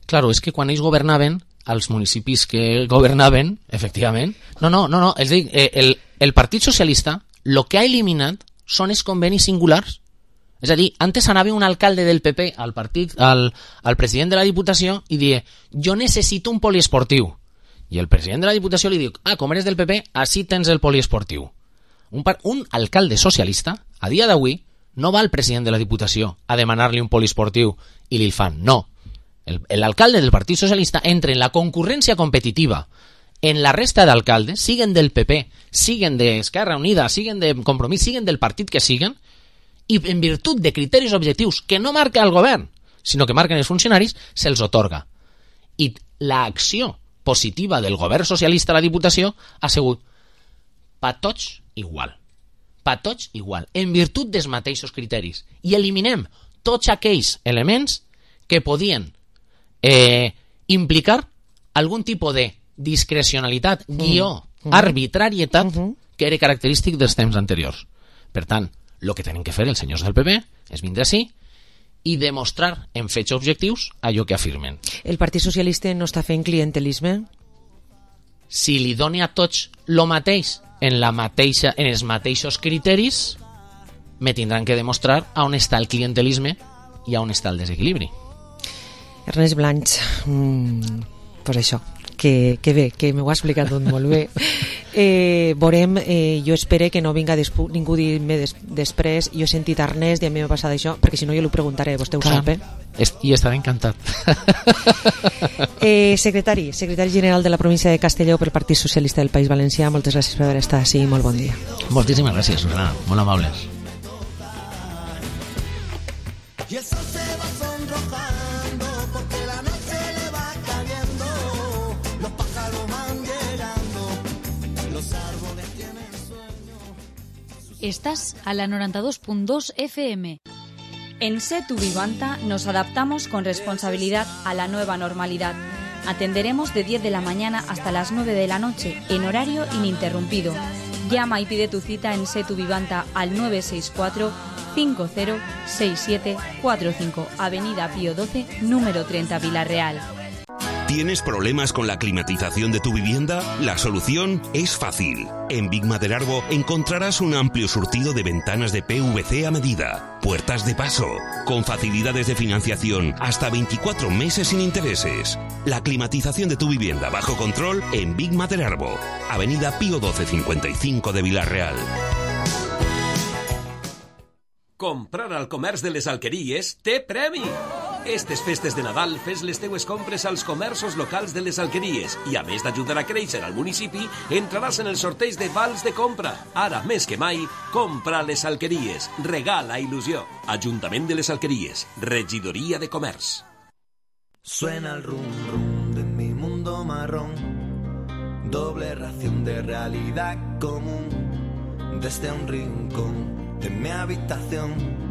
Claro, és que quan ells governaven, als municipis que governaven, efectivament, no, no, no, no és dir, eh, el, el Partit Socialista el que ha eliminat són els convenis singulars. És a dir, antes anava un alcalde del P P al partit, al, al president de la Diputació i die, jo necessito un poliesportiu. I el president de la Diputació li diu, ah, com eres del P P, així tens el poliesportiu. Un, par, un alcalde socialista, a dia d'avui, no va al president de la Diputació a demanar-li un poliesportiu i li el fan, no. El alcalde del Partit Socialista entra en la concurrència competitiva en la resta d'alcaldes, siguen del P P, siguen d'Esquerra Unida, siguen de Compromís, siguen del partit que siguen, i en virtut de criteris objectius que no marca el govern, sinó que marquen els funcionaris, se'ls otorga. I l'acció positiva del govern socialista a la Diputació ha sigut pa tots igual. Pa tots igual, en virtut dels mateixos criteris. I eliminem tots aquells elements que podien Eh, implicar algun tipus de discrecionalitat, mm. guió, mm. arbitrarietat mm-hmm. que era característic dels temps anteriors. Per tant, el que tenen que fer els senyors del P P és vindre així i demostrar en fets objectius allò que afirmen. El Partit Socialista no està fent clientelisme? Si li doni a tots lo mateix en, la mateixa, en els mateixos criteris, me tindran que demostrar on està el clientelisme i on està el desequilibri. Ernest Blanch, mm, pues això, que, que bé, que m'ho ha explicat tot molt bé. Eh, veurem, eh, jo espero que no vinga despu, ningú dir-me des, després, jo he sentit Ernest i a mi m'ha passat això, perquè si no jo li preguntaré, vostè ho Clar, sap, eh? I estaré encantat. eh, secretari, secretari general de la província de Castelló pel Partit Socialista del País Valencià, moltes gràcies per haver estat així, molt bon dia. Moltíssimes gràcies, Susana, molt amables. Y el sol se va sonrojando porque la noche le va cayendo, los pájaros van llegando, los árboles tienen sueño. Estás a la noranta dos punt dos F M. En Setu Vivanta nos adaptamos con responsabilidad a la nueva normalidad. Atenderemos de diez de la mañana hasta las nueve de la noche, en horario ininterrumpido. Llama y pide tu cita en Setu Vivanta al nueve seis cuatro, cinco cero seis siete cuatro cinco, Avenida Pío doce, número treinta, Vila-real. ¿Tienes problemas con la climatización de tu vivienda? La solución es fácil. En Big Maderarbo encontrarás un amplio surtido de ventanas de P V C a medida, puertas de paso, con facilidades de financiación hasta veinticuatro meses sin intereses. La climatización de tu vivienda bajo control en Big Maderarbo, Avenida Pío doce cincuenta y cinco de Vila-real. Comprar al comerç de les Alqueries té premi! Estes festes de Nadal fes les teues compres als comerços locals de les Alqueries i, a més d'ajudar a créixer al municipi, entraràs en el sorteig de vals de compra. Ara, més que mai, compra a les Alqueries. Regala il·lusió. Ajuntament de les Alqueries. Regidoria de Comerç. Suena el rum rum de mi mundo marrón, doble ración de realidad común, desde un rincón de mi habitación,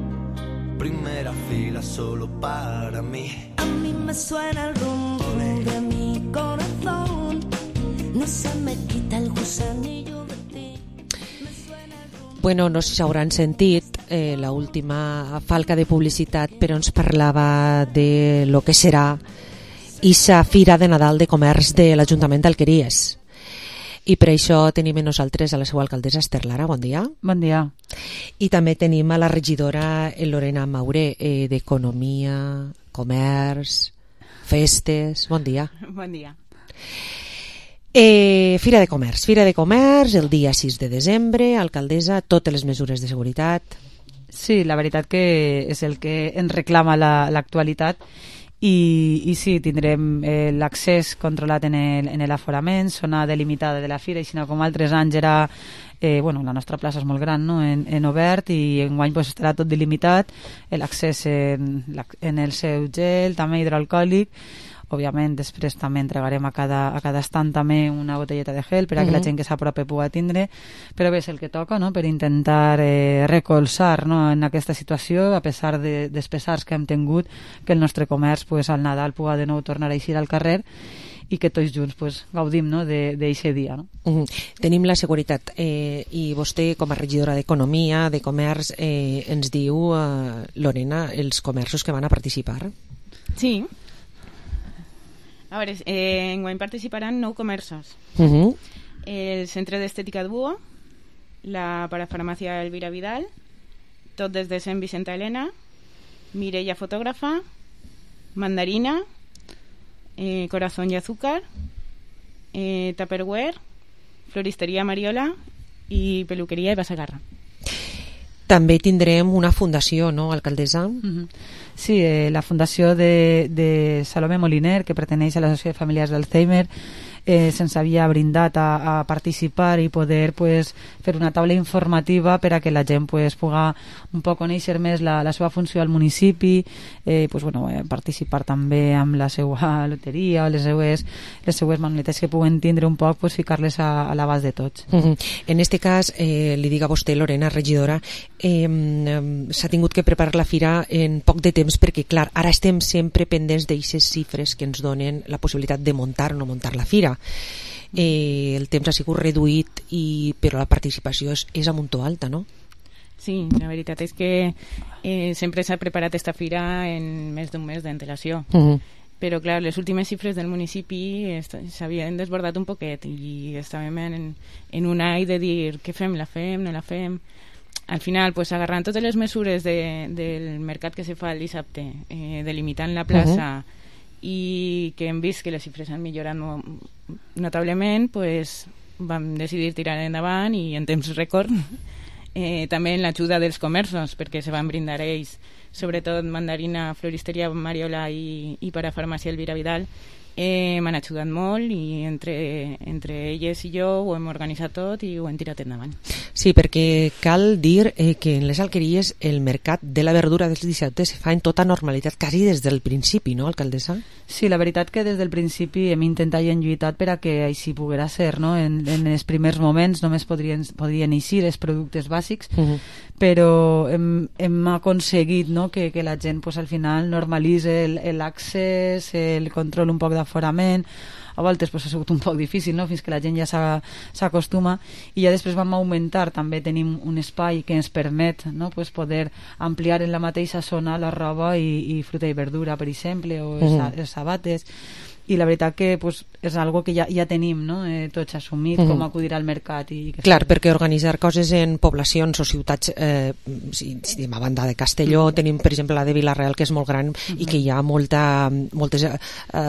primera fila solo para mí. A mí me suena el rum rum de mi corazón, no se me quita el gusanillo de ti. Bueno, no sé si hauran sentit eh, la última falca de publicitat, però ens parlava de lo que serà ixa Fira de Nadal de Comerç de l'Ajuntament d'Alqueries. I per això tenim amb nosaltres a la seva alcaldessa Esther Lara, bon dia. Bon dia. I també tenim a la regidora Lorena Mauré, eh, d'Economia, Comerç, Festes, bon dia. Bon dia. Eh, Fira de Comerç, Fira de Comerç el dia sis de desembre, alcaldessa, totes les mesures de seguretat. Sí, la veritat que és el que ens reclama l'actualitat. I, i sí, tindrem eh, l'accés controlat en el, en l'aforament, zona delimitada de la fira, i si no, com altres anys era, eh, bueno, la nostra plaça és molt gran, no?, en, en obert, i enguany pues, estarà tot delimitat, l'accés en, en el seu gel, també hidroalcohòlic. Òbviament, després també entregarem a cada, a cada estant també una botelleta de gel per a que uh-huh. la gent que s'apropi pugui tindre, però bé, és el que toca, no?, per intentar eh, recolzar, no?, en aquesta situació, a pesar de, dels pesars que hem tingut, que el nostre comerç pues, al Nadal pugui de nou tornar a eixir al carrer i que tots junts pues, gaudim, no?, d'aquest dia. No? Uh-huh. Tenim la seguretat eh, i vostè, com a regidora d'Economia, de Comerç, eh, ens diu, eh, Lorena, els comerços que van a participar. Sí. A veure, eh, enguany participaran nou comerços. Uh-huh. El Centre d'Estètica Duo, la Parafarmàcia Elvira Vidal, tot des de Sant Vicenta Helena, Mireia Fotògrafa, Mandarina, eh, Corazón y Azúcar, eh, Tupperware, Floristeria Mariola i Peluqueria Eva Sagarra. També tindrem una fundació, no, alcaldessa? Uh-huh. Sí, eh, la fundació de, de Salomé Moliner, que perteneix a l'Associació de Famílies d'Alzheimer, eh, se'ns havia brindat a, a participar i poder pues, fer una taula informativa per a que la gent pues, pugui un poc conèixer més la, la seva funció al municipi, eh, pues, bueno, eh, participar també amb la seva loteria o les seues, les seues manualitats que puguen tindre un poc, pues, ficar-les a, a l'abast de tots. Uh-huh. En este cas, eh, li dic a vostè, Lorena, regidora, eh, s'ha tingut que preparar la fira en poc de temps perquè, clar, ara estem sempre pendents d'aixes xifres que ens donen la possibilitat de muntar o no muntar la fira. Eh, el temps ha sigut reduït, i, però la participació és, és a muntó alta, no? Sí, la veritat és que eh, sempre s'ha preparat esta fira en més d'un mes d'antelació. Uh-huh. Però, clar, les últimes xifres del municipi s'havien desbordat un poquet i estàvem en, en un ai de dir què fem, la fem, no la fem. Al final, pues, agarrant totes les mesures de, del mercat que se fa el dissabte, eh, delimitant la plaça, uh-huh. i que hem vist que les xifres han millorat notablement, pues, vam decidir tirar endavant i en temps rècord eh, també en l'ajuda dels comerços, perquè se van brindar ells, sobretot Mandarina, Floristeria Mariola i, i Parafarmàcia Elvira Vidal, Eh, m'han ajudat molt i entre, entre elles i jo ho hem organitzat tot i ho hem tirat endavant. Sí, perquè cal dir eh, que en les alqueries el mercat de la verdura dels dissabtes se fa en tota normalitat, quasi des del principi, no, alcaldessa? Sí, la veritat que des del principi hem intentat i hem lluitat per a que així poguera ser, no? En, en els primers moments només podrien, podrien eixir els productes bàsics, uh -huh. però hem, hem aconseguit, no?, que, que la gent pues, al final normalitze l'accés, el, el control un poc d'aforament. A voltes pues, ha sigut un poc difícil, no?, fins que la gent ja s'acostuma, i ja després vam augmentar, també tenim un espai que ens permet, no?, pues, poder ampliar en la mateixa zona la roba i, i fruita i verdura, per exemple, o els, uh-huh. els sabates, i la veritat que pues, és algo que ja, ja tenim, no?, eh, tots assumit, uh-huh. com acudir al mercat. I que Clar, perquè organitzar coses en poblacions o ciutats, eh, si, si a banda de Castelló, uh-huh. tenim per exemple la de Vila-real, que és molt gran, uh-huh. i que hi ha molta, moltes eh,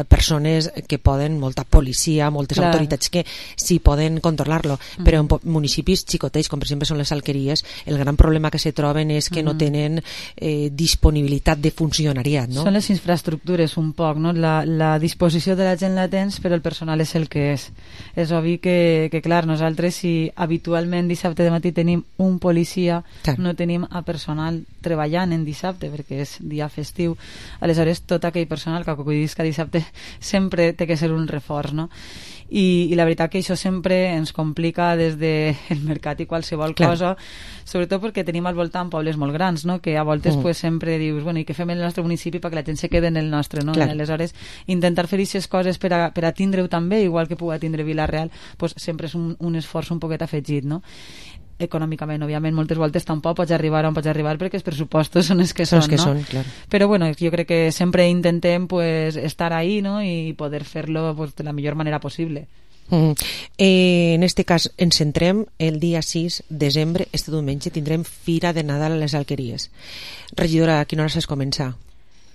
persones que poden, molta policia, moltes Clar. autoritats que sí poden controlar-lo, uh-huh. però en municipis xicotets, com per exemple són les alqueries, el gran problema que se troben és que uh-huh. no tenen eh, disponibilitat de funcionariat, no? Són les infraestructures un poc, no?, la, la disposició de la gent la tens, però el personal és el que és. És obvi que, que clar, nosaltres si habitualment dissabte de matí tenim un policia, clar. no tenim a personal treballant en dissabte, perquè és dia festiu. Aleshores, tot aquell personal que acudisca dissabte sempre té que ser un reforç, no? I, i la veritat que això sempre ens complica des del mercat i qualsevol Clar. cosa, sobretot perquè tenim al voltant pobles molt grans, no?, que a voltes mm. pues, sempre dius, bueno, i què fem en el nostre municipi perquè la gent se quede en el nostre, no? Clar. Aleshores, intentar fer aquestes coses per a, per a tindre-ho també, igual que pugui tindre Vila-real, pues, sempre és un, un esforç un poquet afegit, no? Econòmicament, òbviament, moltes voltes tampoc pots arribar on pots arribar perquè els pressupostos són els que són, que no? són, clar. Però bueno, jo crec que sempre intentem pues, estar ahí, ¿no?, i poder fer-lo pues, de la millor manera possible. Mm. Eh, en este cas ens centrem el dia sis de desembre, este diumenge tindrem Fira de Nadal a les Alqueries. Regidora, a quina hora s'ha començar?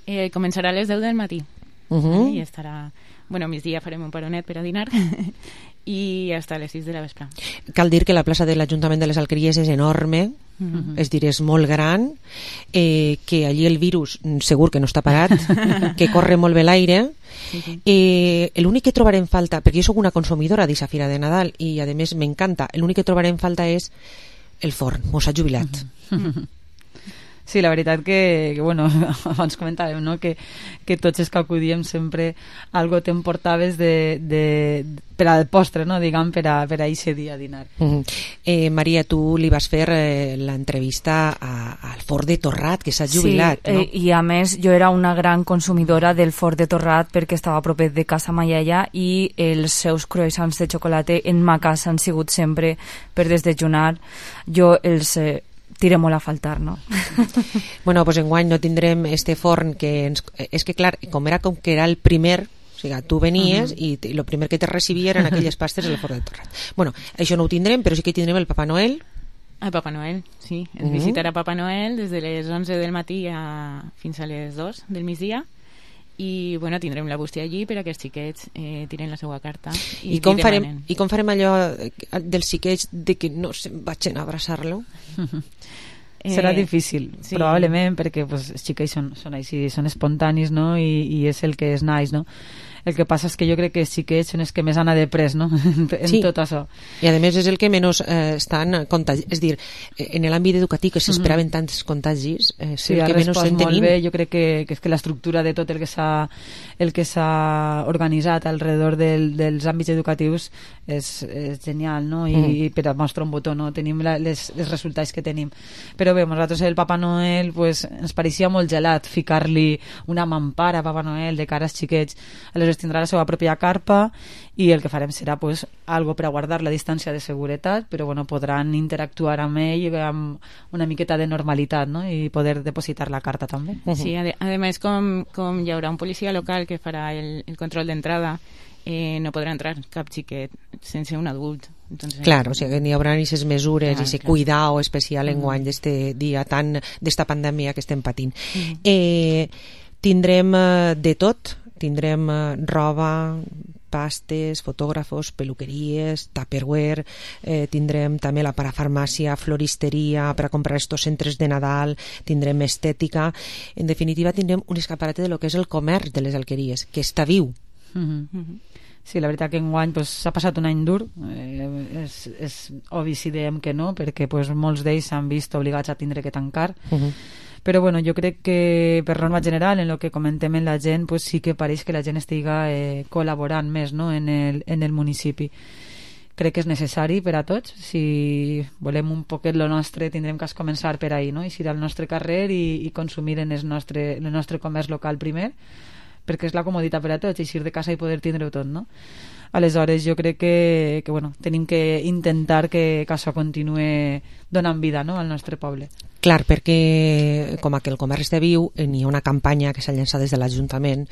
Eh, començarà a les deu del matí. Uh -huh. I estarà... Bueno, a migdia farem un paronet per a dinar i hasta les sis de la vespre. Cal dir que la plaça de l'Ajuntament de les Alqueries és enorme, uh-huh. és dir, és molt gran, eh, que allí el virus segur que no està parat, que corre molt bé l'aire. Sí, sí. Eh, l'únic que trobaré en falta, perquè jo sóc una consumidora d'aquesta Fira de Nadal i a més m'encanta, l'únic que trobaré en falta és el forn, mos ha jubilat. Uh-huh. Sí, la veritat que, que bueno, abans comentàvem, no?, que, que tots els que acudíem sempre algo t'emportaves de, de, per al postre, no?, diguem, per a, per a ese dia a dinar. Uh-huh. eh, Maria, tu li vas fer eh, l'entrevista al Fort de Torrat, que s'ha jubilat, sí, no? eh, i a més jo era una gran consumidora del Fort de Torrat perquè estava a propet de casa maialla i els seus croissants de xocolate en ma casa han sigut sempre per desdejunar. Jo els... Eh, tira molt a faltar, no? Bueno, pues enguany no tindrem este forn que ens... És que clar, com era com que era el primer, o sigui, tu venies uh -huh. i el primer que te recibia eren aquelles pastes del Fort de Torrat. Bueno, això no ho tindrem, però sí que tindrem el Papa Noel. El Papa Noel, sí. Ens uh -huh. visitarà Papa Noel des de les onze del matí a... fins a les dos del migdia. I bueno, tindrem la bústia allí per a que els xiquets eh, tiren la seva carta i, I, com farem, i com farem allò dels xiquets de que no se'n vagin a abraçar-lo? Serà difícil, sí. Probablement, perquè pues, els xiquets són, són així, són espontanis, no?, I, i és el que és nice, no? El que passa és que jo crec que els xiquets són els que més han de pres, no?, en sí. tot això. I a més és el que menys eh, estan contagis, és dir, en l'àmbit educatiu que s'esperaven mm -hmm. tants contagis, eh, és sí, el que menys estem tenint. Molt bé. Jo crec que, que és que l'estructura de tot el que s'ha el que s'ha organitzat alrededor del, dels àmbits educatius és, és genial, no? I, mm. i per a mostrar un botó, no? Tenim la, les, els resultats que tenim. Però bé, nosaltres el Papa Noel pues, ens pareixia molt gelat ficar-li una mampara a Papa Noel de cara als xiquets. Aleshores tindrà la seva pròpia carpa i el que farem serà pues, algo per a guardar la distància de seguretat, però bueno, podran interactuar amb ell amb una miqueta de normalitat, no? I poder depositar la carta també. Sí, a, a més com, com hi haurà un policia local que farà el, el control d'entrada, eh, no podrà entrar cap xiquet sense un adult. Entonces, claro, o sigui, n'hi haurà aquestes mesures i ese clar. cuidado especial en guany Mm. d'este dia tan, d'esta pandèmia que estem patint. Mm. Eh, tindrem eh, de tot, tindrem eh, roba, pastes, fotògrafos, peluqueries, tupperware, eh, tindrem també la parafarmàcia, floristeria per a comprar estos centres de Nadal, tindrem estètica, en definitiva tindrem un escaparate de lo que és el comerç de les alqueries, que està viu. Mm-hmm. Mm-hmm. Sí, la veritat que enguany pues, s'ha passat un any dur, eh, és, és obvi si diem que no, perquè pues, molts d'ells s'han vist obligats a tindre que tancar. Uh-huh. Però bueno, jo crec que per norma general, en el que comentem en la gent, pues, sí que pareix que la gent estiga eh, col·laborant més, no?, en el, en el municipi. Crec que és necessari per a tots. Si volem un poquet lo nostre, tindrem que començar per ahí, no?, eixir al nostre carrer i, i consumir en el nostre, el nostre comerç local primer, perquè és la comoditat per a tots, eixir de casa i poder tindre-ho tot, no? Aleshores, jo crec que, que bueno, tenim que intentar que, que això continue donant vida, no?, al nostre poble. Clar, perquè com que el comerç està viu, n'hi ha una campanya que s'ha llançat des de l'Ajuntament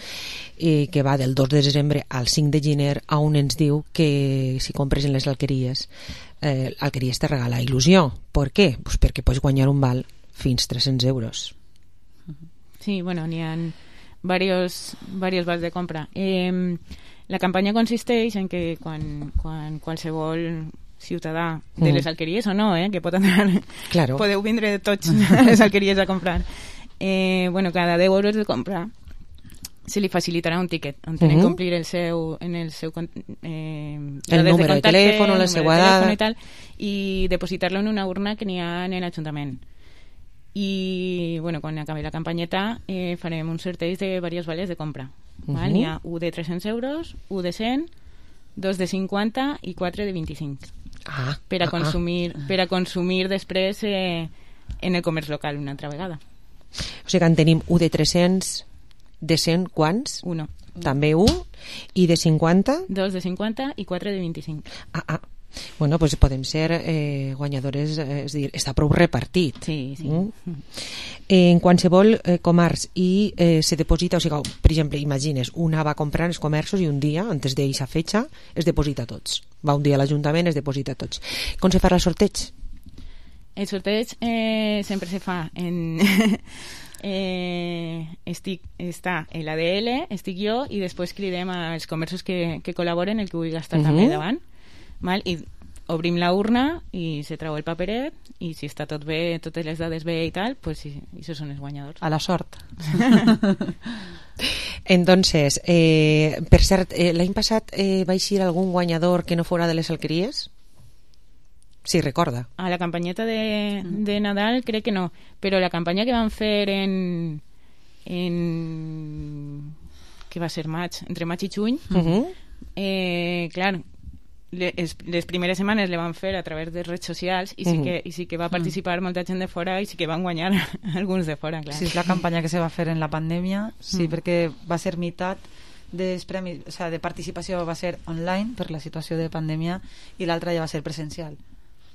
eh, que va del dos de desembre al cinc de gener, on ens diu que si compres en les alqueries, eh, alqueries te regala il·lusió. Per què? Pues perquè pots guanyar un val fins tres-cents euros. Sí, bueno, n'hi ha varios, varios vals de compra. Eh, la campanya consisteix en que quan, quan qualsevol ciutadà de les alqueries o no, eh, que pot anar, claro. Podeu vindre tots a les alqueries a comprar, eh, bueno, cada deu euros de compra se li facilitarà un tiquet on tenen que omplir el seu, en el seu eh, el número de, de telèfon, la seva dada i tal, i depositar-lo en una urna que n'hi ha en l'Ajuntament. I bueno, quan acabi la campanyeta eh, farem un sorteig de diversos vales de compra. Uh-huh. Val? N'hi ha un de tres-cents euros, un de cent, dos de cinquanta i quatre de vint-i-cinc. Ah, per a ah, consumir, ah. per a consumir després eh, en el comerç local una altra vegada. O sigui que en tenim un de tres-cents, de cent quants? Uno. També un, i de cinquanta? Dos de cinquanta i quatre de vint-i-cinc. Ah, ah. Bueno, pues podem ser eh, guanyadores, eh, és dir, està prou repartit. Sí, sí. Mm? Eh, en qualsevol eh, comerç i eh, se deposita, o sigui, per exemple, imagines, una va comprar els comerços i un dia, antes d'eixa fetxa, es deposita tots. Va un dia a l'Ajuntament, es deposita tots. Com se farà el sorteig? El sorteig eh, sempre se fa en... eh, estic, està l'A D L, estic jo, i després cridem als comerços que, que col·laboren, el que vulgui estar uh-huh. també davant. Val? I obrim la urna i se treu el paperet i si està tot bé, totes les dades bé i tal, pues sí, això són els guanyadors. A la sort. Entonces, eh, per cert, eh, l'any passat eh, va eixir algun guanyador que no fora de les alqueries? Sí, recorda. A la campanyeta de, de Nadal crec que no, però la campanya que van fer en en que va ser maig, entre maig i juny, uh-huh. eh, clar, les, les primeres setmanes le van fer a través de redes socials i sí, uh-huh. que, i sí que va participar uh-huh. molta gent de fora i sí que van guanyar alguns de fora, clar. Sí, és la campanya que se va fer en la pandèmia, sí, uh-huh. perquè va ser meitat dels premis, o sea, de participació va ser online per la situació de pandèmia i l'altra ja va ser presencial.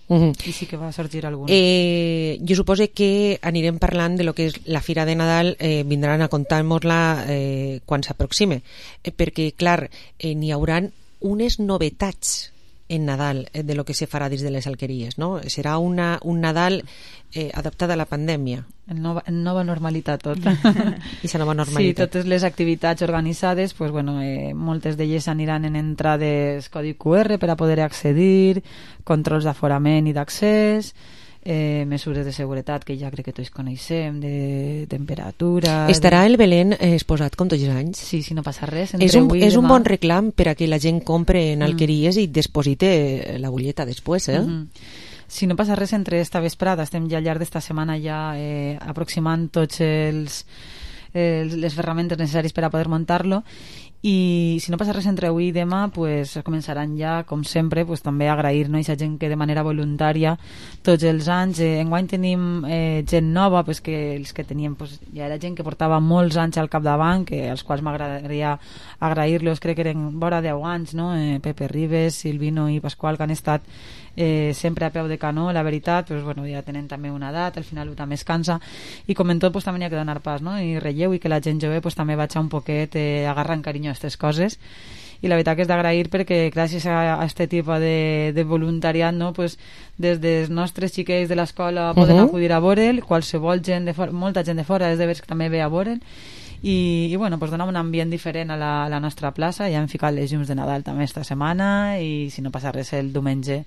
Uh-huh. I sí que va sorgir algun. Eh, jo suposo que anirem parlant de lo que és la Fira de Nadal, eh, vindran a contar-nos-la eh, quan s'aproxime, eh, perquè clar, eh, n'hi hauran unes novetats en Nadal eh, de lo que se farà dins de les alqueries, no? Serà una, un Nadal eh, adaptat a la pandèmia. En nova, en nova normalitat tot. I la nova normalitat. Sí, totes les activitats organitzades, pues, bueno, eh, moltes d'elles aniran en entrades codi Q R per a poder accedir, controls d'aforament i d'accés, eh, mesures de seguretat que ja crec que tots coneixem, de temperatura... Estarà el Belén eh, exposat com tots els anys? Sí, si no passa res. És un, és un bon reclam per a que la gent compre en alqueries mm. i deposite la butlleta després, eh? Mm-hmm. Si no passa res, entre esta vesprada estem ja al llarg d'esta setmana ja eh, aproximant tots els, els les ferramentes necessaris per a poder muntar-lo, i si no passa res entre avui i demà, pues començaran ja, com sempre, pues també agrair, no, a aquesta gent que de manera voluntària tots els anys, eh, enguany tenim eh, gent nova, pues que els que teníem pues, ja era gent que portava molts anys al capdavant, que als quals m'agradaria agrair-los, crec que eren vora deu anys, no? eh, Pepe Ribes, Silvino i Pasqual, que han estat eh, sempre a peu de canó, la veritat, pues, bueno, ja tenen també una edat, al final també es cansa, i com en tot pues, també hi ha que donar pas, no? I relleu, i que la gent jove pues, també vagi un poquet eh, agarrant carinyo a aquestes coses, i la veritat que és d'agrair perquè gràcies a aquest tipus de, de voluntariat, no, pues, des dels nostres xiquets de l'escola poden uh-huh. acudir a veure'l, qualsevol gent de fora, molta gent de fora és de veure que també ve a veure'l, i, i bueno, pues donar un ambient diferent a la, a la nostra plaça. Ja hem ficat les llums de Nadal també esta setmana, i si no passa res el diumenge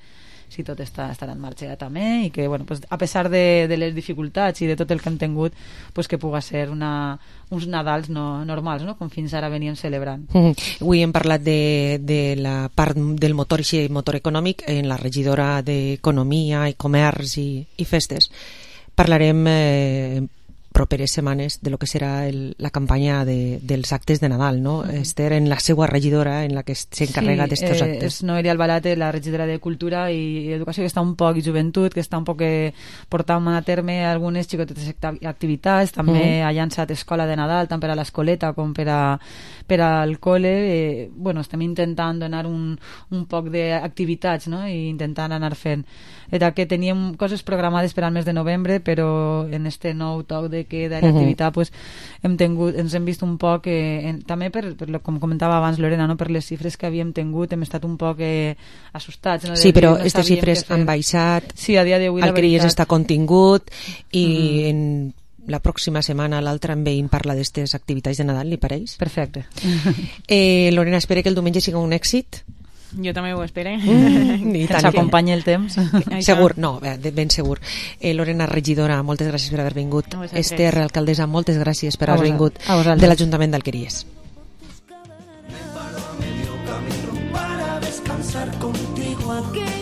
si tot està, estarà en marxa ja també, i que, bueno, pues, a pesar de, de les dificultats i de tot el que hem tingut, pues, que puga ser una, uns Nadals no, normals, no? Com fins ara veníem celebrant. Mm-hmm. Avui hem parlat de, de la part del motor i motor econòmic en la regidora d'Economia i Comerç i, i Festes. Parlarem eh, properes setmanes de lo que serà el, la campanya de, dels actes de Nadal, no? Mm. Esther, en la seva regidora, en la que s'encarrega sí, d'estos eh, actes. És Noelia Albalate, la regidora de Cultura i Educació, que està un poc, i Joventut, que està un poc eh, portant a terme algunes xicotetes activitats, també mm. ha llançat Escola de Nadal, tant per a l'escoleta com per, a, per al col·le. Eh, bueno, estem intentant donar un, un poc d'activitats, no? I intentant anar fent. Era que teníem coses programades per al mes de novembre, però en este nou toc de queda i l'activitat, uh-huh. pues, hem tingut, ens hem vist un poc, eh, en, també per, per, com comentava abans Lorena, no? Per les xifres que havíem tingut, hem estat un poc eh, assustats. No? Sí, però aquestes no xifres han baixat, sí, a dia d'avui el Criés està contingut, i uh-huh. en la pròxima setmana l'altra en veïn parla d'aquestes activitats de Nadal, li pareix? Perfecte. eh, Lorena, espera que el diumenge siga un èxit. Jo també ho espero. Mm, que ens acompanyi el temps. Segur, no, ben segur. Eh, Lorena, regidora, moltes gràcies per haver vingut. Esther, alcaldessa, moltes gràcies per haver vingut de l'Ajuntament d'Alqueries. Para descansar contigo aquí.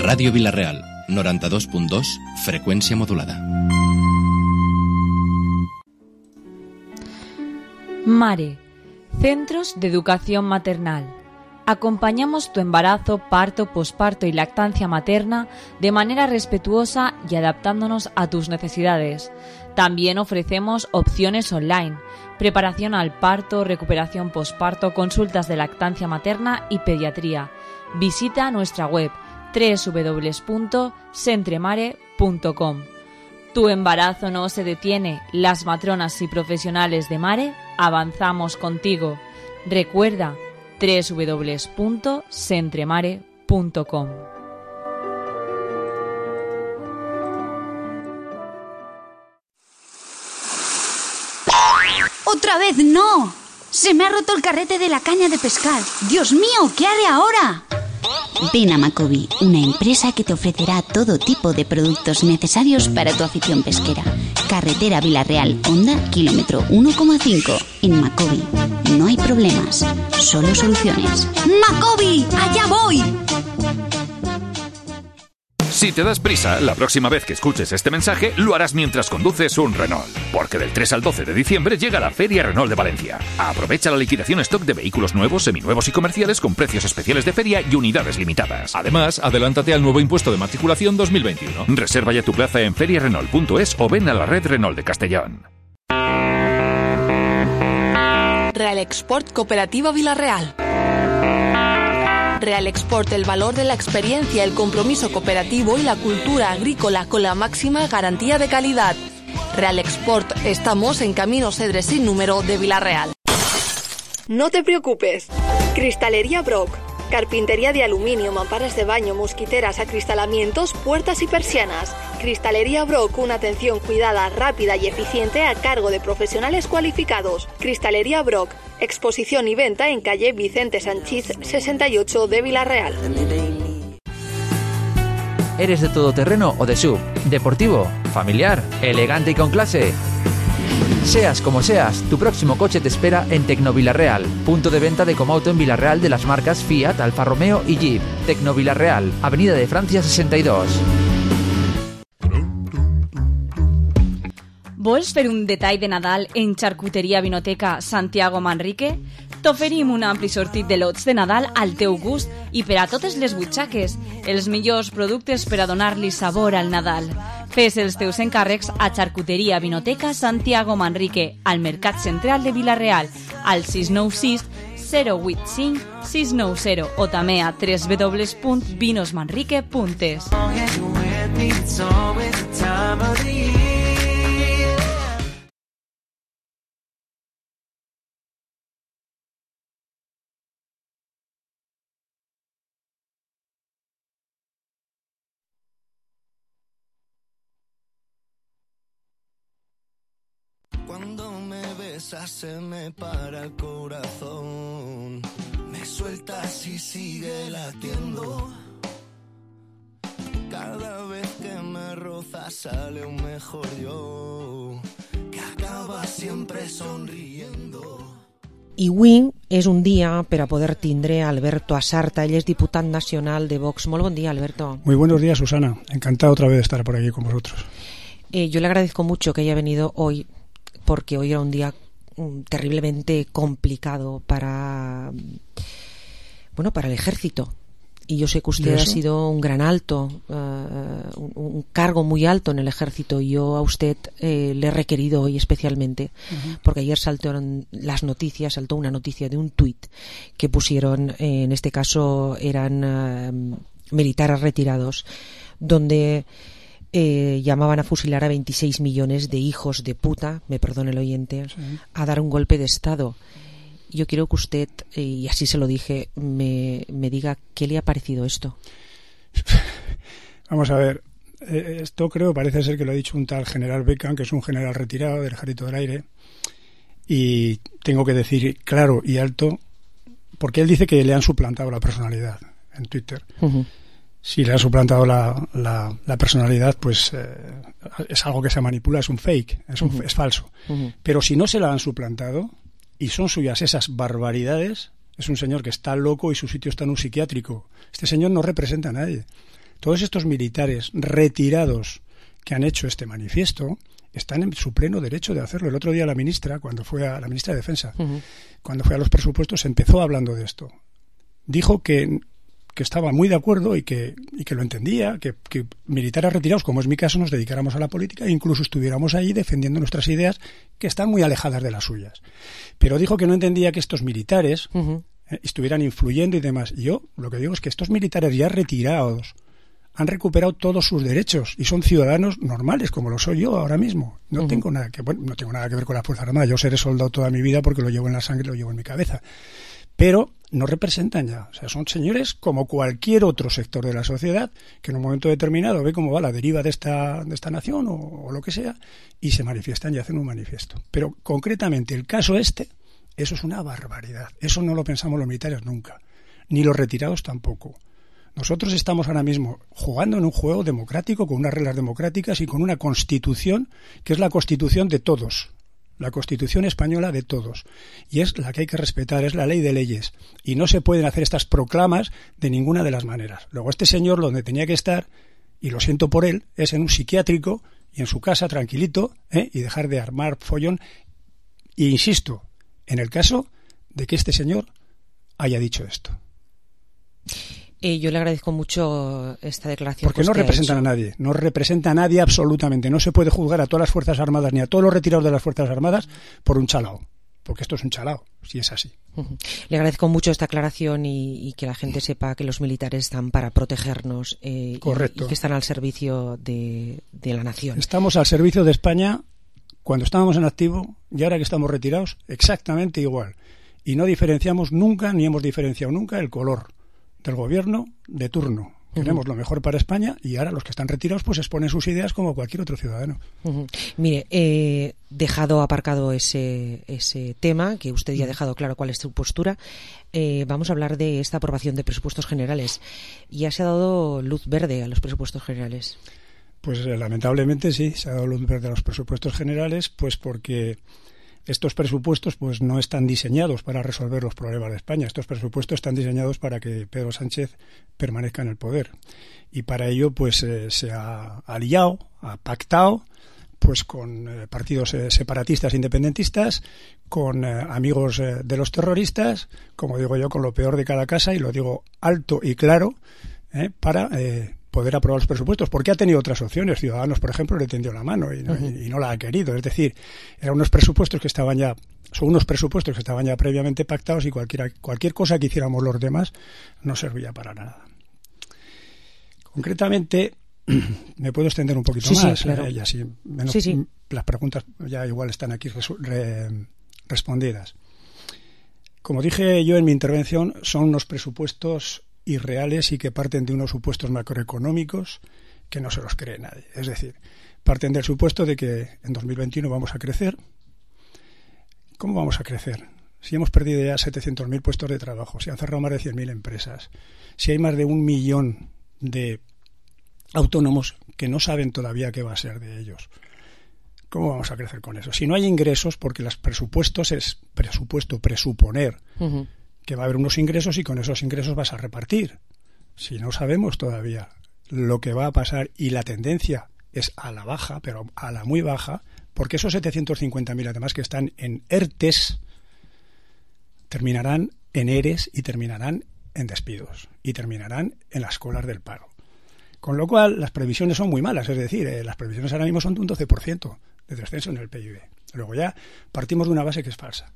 Ràdio Vila-real, noranta-dos punt dos, frecuencia modulada. Mare, Centros de Educación Maternal. Acompañamos tu embarazo, parto, posparto y lactancia materna de manera respetuosa y adaptándonos a tus necesidades. También ofrecemos opciones online, preparación al parto, recuperación posparto, consultas de lactancia materna y pediatría. Visita nuestra web doble u doble u doble u punto centremare punto com. Tu embarazo no se detiene. Las matronas y profesionales de Mare avanzamos contigo. Recuerda doble u doble u doble u punto centremare punto com. ¡Otra vez no! ¡Se me ha roto el carrete de la caña de pescar! ¡Dios mío! ¿Qué haré ahora? Ven a Macobi, una empresa que te ofrecerá todo tipo de productos necesarios para tu afición pesquera. Carretera Vila-real, Honda, kilómetro uno coma cinco. En Macobi no hay problemas, solo soluciones. ¡Macobi! ¡Allá voy! Si te das prisa, la próxima vez que escuches este mensaje lo harás mientras conduces un Renault, porque del tres al doce de diciembre llega la Feria Renault de Valencia. Aprovecha la liquidación stock de vehículos nuevos, seminuevos y comerciales con precios especiales de feria y unidades limitadas. Además, adelántate al nuevo impuesto de matriculación dos mil veintiuno. Reserva ya tu plaza en feria renault punto es o ven a la red Renault de Castellón. Real Export Cooperativa Vila-real. Real Export, el valor de la experiencia, el compromiso cooperativo y la cultura agrícola con la máxima garantía de calidad. Real Export, estamos en Camino Cedre sin número de Vila-real. No te preocupes. Cristalería Brock. Carpintería de aluminio, mamparas de baño, mosquiteras, acristalamientos, puertas y persianas. Cristalería Brock, una atención cuidada, rápida y eficiente a cargo de profesionales cualificados. Cristalería Brock, exposición y venta en calle Vicente Sanchís sesenta y ocho de Vila-real. ¿Eres de todoterreno o de sub? ¿Deportivo? ¿Familiar? ¿Elegante y con clase? Seas como seas, tu próximo coche te espera en Tecno Vila-real, punto de venta de Comauto en Vila-real de las marcas Fiat, Alfa Romeo y Jeep. Tecno Vila-real, Avenida de Francia sesenta y dos. Vols fer un detall de Nadal en Charcuteria Vinoteca Santiago Manrique? T'oferim un ampli sortit de lots de Nadal al teu gust i per a totes les butxaques, els millors productes per a donar-li sabor al Nadal. Fes els teus encàrrecs a Charcuteria Vinoteca Santiago Manrique, al Mercat Central de Vila-real, al sis nou sis zero vuit cinc sis nou zero o també a doble u doble u doble u punt vinos manrique punt es. esa se me para el corazón. Me sueltas y sigue latiendo. Cada vez que me rozas sale un mejor yo, que acaba siempre sonriendo. I avui és un dia per a poder tindre a Alberto Asarta, ell és diputat nacional de Vox. Molt bon dia, Alberto. Muy buenos días, Susana. Encantado otra vez de estar por aquí con vosotros. Eh, yo le agradezco mucho que haya venido hoy, porque hoy era un día um, terriblemente complicado para, bueno, para el ejército. Y yo sé que usted ha sido un gran alto, uh, un, un cargo muy alto en el ejército, y yo a usted eh, le he requerido hoy especialmente, uh-huh. porque ayer saltaron las noticias, saltó una noticia de un tuit que pusieron, eh, en este caso eran uh, militares retirados, donde eh, llamaban a fusilar a veintiséis millones de hijos de puta, me perdone el oyente, sí. a dar un golpe de Estado. Yo quiero que usted, y así se lo dije, me, me diga qué le ha parecido esto. Vamos a ver, esto creo, parece ser que lo ha dicho un tal general Beckham, que es un general retirado del Ejército del Aire, y tengo que decir claro y alto, porque él dice que le han suplantado la personalidad en Twitter. Uh-huh. Si le han suplantado la, la, la personalidad, pues eh, es algo que se manipula, es un fake, es, un, uh-huh. es falso. Uh-huh. Pero si no se la han suplantado y son suyas esas barbaridades, es un señor que está loco y su sitio está en un psiquiátrico. Este señor no representa a nadie. Todos estos militares retirados que han hecho este manifiesto están en su pleno derecho de hacerlo. El otro día la ministra, cuando fue a la ministra de Defensa, uh-huh. cuando fue a los presupuestos, empezó hablando de esto. Dijo que, que estaba muy de acuerdo y que, y que lo entendía, que, que militares retirados, como es mi caso, nos dedicáramos a la política e incluso estuviéramos ahí defendiendo nuestras ideas, que están muy alejadas de las suyas. Pero dijo que no entendía que estos militares uh-huh. eh, estuvieran influyendo y demás. Y yo lo que digo es que estos militares ya retirados han recuperado todos sus derechos y son ciudadanos normales, como lo soy yo ahora mismo. No uh-huh. tengo nada que bueno, no tengo nada que ver con la Fuerza Armada. Yo seré soldado toda mi vida porque lo llevo en la sangre, lo llevo en mi cabeza. Pero no representan ya. O sea, son señores como cualquier otro sector de la sociedad que en un momento determinado ve cómo va la deriva de esta, de esta nación o, o lo que sea y se manifiestan y hacen un manifiesto. Pero concretamente el caso este, eso es una barbaridad. Eso no lo pensamos los militares nunca. Ni los retirados tampoco. Nosotros estamos ahora mismo jugando en un juego democrático con unas reglas democráticas y con una constitución que es la constitución de todos. La Constitución española de todos. Y es la que hay que respetar, es la ley de leyes. Y no se pueden hacer estas proclamas de ninguna de las maneras. Luego este señor donde tenía que estar, y lo siento por él, es en un psiquiátrico y en su casa tranquilito, ¿eh? y dejar de armar follón. Y insisto, en el caso de que este señor haya dicho esto. Eh, yo le agradezco mucho esta declaración. Porque no representan a nadie, no representa a nadie absolutamente. No se puede juzgar a todas las Fuerzas Armadas ni a todos los retirados de las Fuerzas Armadas por un chalao. Porque esto es un chalao, si es así. Uh-huh. Le agradezco mucho esta aclaración y, y que la gente sepa que los militares están para protegernos eh, Correcto. Y, y que están al servicio de, de la nación. Estamos al servicio de España cuando estábamos en activo y ahora que estamos retirados, exactamente igual. Y no diferenciamos nunca, ni hemos diferenciado nunca el color del gobierno de turno. Queremos uh-huh. lo mejor para España y ahora los que están retirados pues exponen sus ideas como cualquier otro ciudadano. Uh-huh. Mire, eh, dejado aparcado ese, ese tema, que usted ya ha dejado claro cuál es su postura, eh, vamos a hablar de esta aprobación de presupuestos generales. Ya se ha dado luz verde a los presupuestos generales. Pues eh, lamentablemente sí, se ha dado luz verde a los presupuestos generales, pues porque estos presupuestos pues no están diseñados para resolver los problemas de España. Estos presupuestos están diseñados para que Pedro Sánchez permanezca en el poder. Y para ello pues eh, se ha aliado, ha pactado pues con eh, partidos eh, separatistas independentistas, con eh, amigos eh, de los terroristas, como digo yo, con lo peor de cada casa, y lo digo alto y claro, eh, para eh, poder aprobar los presupuestos, porque ha tenido otras opciones. Ciudadanos, por ejemplo, le tendió la mano y no, uh-huh. y, y no la ha querido. Es decir, eran unos presupuestos que estaban ya, son unos presupuestos que estaban ya previamente pactados y cualquiera, cualquier cosa que hiciéramos los demás no servía para nada. Concretamente, me puedo extender un poquito sí, más, sí, claro. eh, y así menos, sí, sí. las preguntas ya igual están aquí resu- re, respondidas. Como dije yo en mi intervención, son unos presupuestos irreales y que parten de unos supuestos macroeconómicos que no se los cree nadie. Es decir, parten del supuesto de que en dos mil veintiuno vamos a crecer, ¿cómo vamos a crecer? Si hemos perdido ya setecientos mil puestos de trabajo, si han cerrado más de cien mil empresas, si hay más de un millón de autónomos que no saben todavía qué va a ser de ellos, ¿cómo vamos a crecer con eso? Si no hay ingresos, porque los presupuestos es presupuesto, presuponer uh-huh. que va a haber unos ingresos y con esos ingresos vas a repartir. Si no sabemos todavía lo que va a pasar y la tendencia es a la baja, pero a la muy baja, porque esos setecientos cincuenta mil además que están en ERTES terminarán en ERES y terminarán en despidos y terminarán en las colas del paro. Con lo cual las previsiones son muy malas, es decir, eh, las previsiones ahora mismo son de un doce por ciento de descenso en el P I B. Luego ya partimos de una base que es falsa.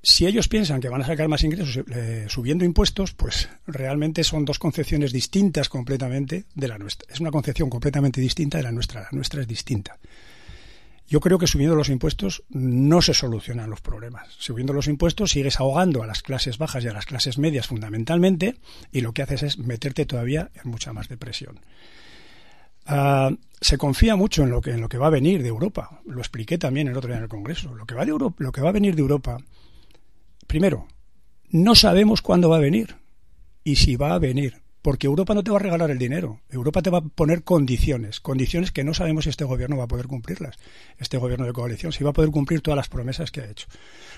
Si ellos piensan que van a sacar más ingresos eh, subiendo impuestos, pues realmente son dos concepciones distintas completamente de la nuestra. Es una concepción completamente distinta de la nuestra. La nuestra es distinta. Yo creo que subiendo los impuestos no se solucionan los problemas. Subiendo los impuestos sigues ahogando a las clases bajas y a las clases medias fundamentalmente, y lo que haces es meterte todavía en mucha más depresión. Uh, se confía mucho en lo que en lo que va a venir de Europa. Lo expliqué también el otro día en el Congreso. Lo que va de Europa, lo que va a venir de Europa, primero, no sabemos cuándo va a venir y si va a venir. Porque Europa no te va a regalar el dinero. Europa te va a poner condiciones, condiciones que no sabemos si este gobierno va a poder cumplirlas. Este gobierno de coalición, si va a poder cumplir todas las promesas que ha hecho.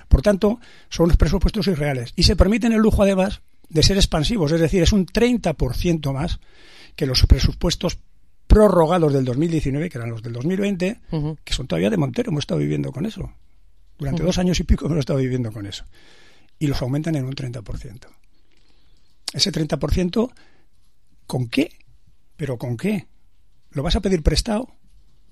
Por tanto, son unos presupuestos irreales. Y se permiten el lujo, además, de ser expansivos. Es decir, es un treinta por ciento más que los presupuestos prorrogados del dos mil diecinueve, que eran los del dos mil veinte, uh-huh. que son todavía de Montero. Hemos estado viviendo con eso. Durante uh-huh. dos años y pico hemos estado viviendo con eso. Y los aumentan en un treinta por ciento. Ese treinta por ciento, ¿con qué? ¿Pero con qué? ¿Lo vas a pedir prestado?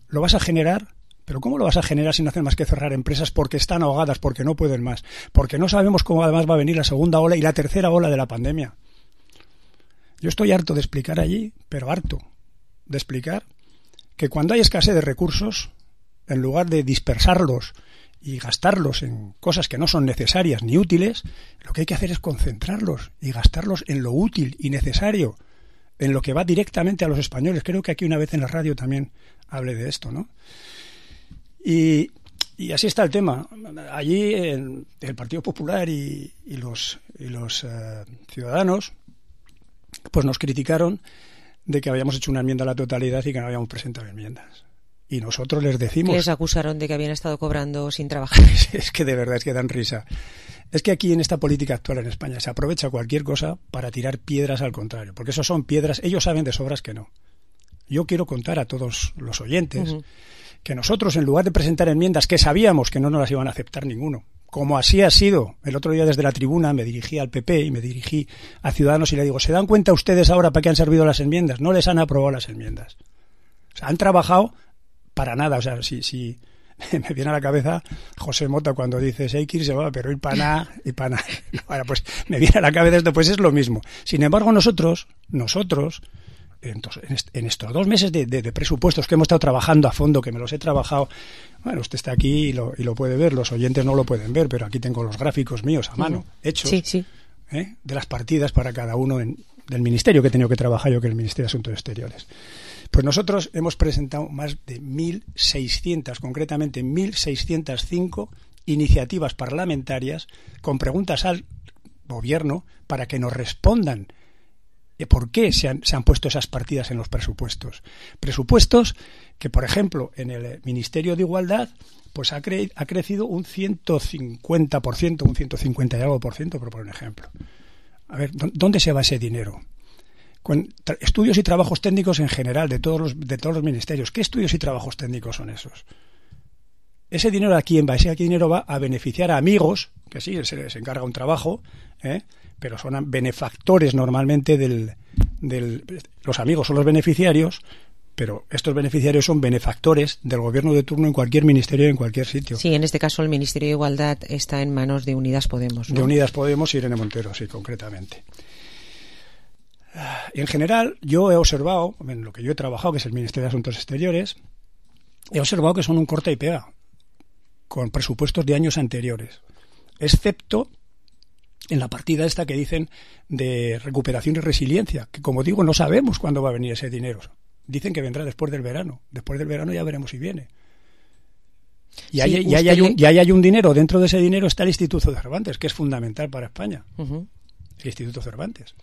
¿Lo vas a generar? ¿Pero cómo lo vas a generar si no hacen más que cerrar empresas porque están ahogadas, porque no pueden más? Porque no sabemos cómo además va a venir la segunda ola y la tercera ola de la pandemia. Yo estoy harto de explicar allí, pero harto de explicar que cuando hay escasez de recursos, en lugar de dispersarlos y gastarlos en cosas que no son necesarias ni útiles, lo que hay que hacer es concentrarlos y gastarlos en lo útil y necesario, en lo que va directamente a los españoles. Creo que aquí una vez en la radio también hablé de esto, ¿no? Y, y así está el tema. Allí el, el Partido Popular y, y los, y los uh, ciudadanos pues nos criticaron de que habíamos hecho una enmienda a la totalidad y que no habíamos presentado enmiendas. Y nosotros les decimos... Les acusaron de que habían estado cobrando sin trabajar. Es que de verdad es que dan risa. Es que aquí en esta política actual en España se aprovecha cualquier cosa para tirar piedras al contrario. Porque eso son piedras, ellos saben de sobras que no. Yo quiero contar a todos los oyentes uh-huh. que nosotros, en lugar de presentar enmiendas que sabíamos que no nos las iban a aceptar ninguno, como así ha sido, el otro día desde la tribuna me dirigí al P P y me dirigí a Ciudadanos y le digo, ¿se dan cuenta ustedes ahora para qué han servido las enmiendas? No les han aprobado las enmiendas. O sea, han trabajado para nada. O sea, si, si me viene a la cabeza José Mota cuando dice Seikir se va, pero ir para nada y para nada. Ahora, pues me viene a la cabeza esto, pues es lo mismo. Sin embargo, nosotros, nosotros, entonces, en, est- en estos dos meses de, de, de presupuestos que hemos estado trabajando a fondo, que me los he trabajado, bueno, usted está aquí y lo, y lo puede ver, los oyentes no lo pueden ver, pero aquí tengo los gráficos míos a mano, uh-huh. hechos, sí, sí. ¿eh? de las partidas para cada uno en, del ministerio que he tenido que trabajar yo, que es el Ministerio de Asuntos Exteriores. Pues nosotros hemos presentado más de mil seiscientas, concretamente mil seiscientas cinco iniciativas parlamentarias con preguntas al gobierno para que nos respondan por qué se han, se han puesto esas partidas en los presupuestos. Presupuestos que, por ejemplo, en el Ministerio de Igualdad pues ha, cre- ha crecido un ciento cincuenta por ciento, un ciento cincuenta y algo por ciento, por poner un ejemplo. A ver, ¿dónde se va ese dinero? Con tra- estudios y trabajos técnicos en general de todos los de todos los ministerios. ¿Qué estudios y trabajos técnicos son esos? Ese dinero a quién va, ese dinero va a beneficiar a amigos, que sí, se les encarga un trabajo, ¿eh? pero son benefactores normalmente del, del los amigos son los beneficiarios, pero estos beneficiarios son benefactores del gobierno de turno en cualquier ministerio, en cualquier sitio. Sí, en este caso el Ministerio de Igualdad está en manos de Unidas Podemos, ¿no? De Unidas Podemos y Irene Montero, sí, concretamente. En general, yo he observado, en lo que yo he trabajado, que es el Ministerio de Asuntos Exteriores, he observado que son un corta y pega, con presupuestos de años anteriores, excepto en la partida esta que dicen de recuperación y resiliencia, que como digo, no sabemos cuándo va a venir ese dinero. Dicen que vendrá después del verano. Después del verano ya veremos si viene. Y, hay, Sí, y, ahí usted hay un, le- y ahí hay un dinero, dentro de ese dinero está el Instituto Cervantes, que es fundamental para España. Ujú. El Instituto Cervantes.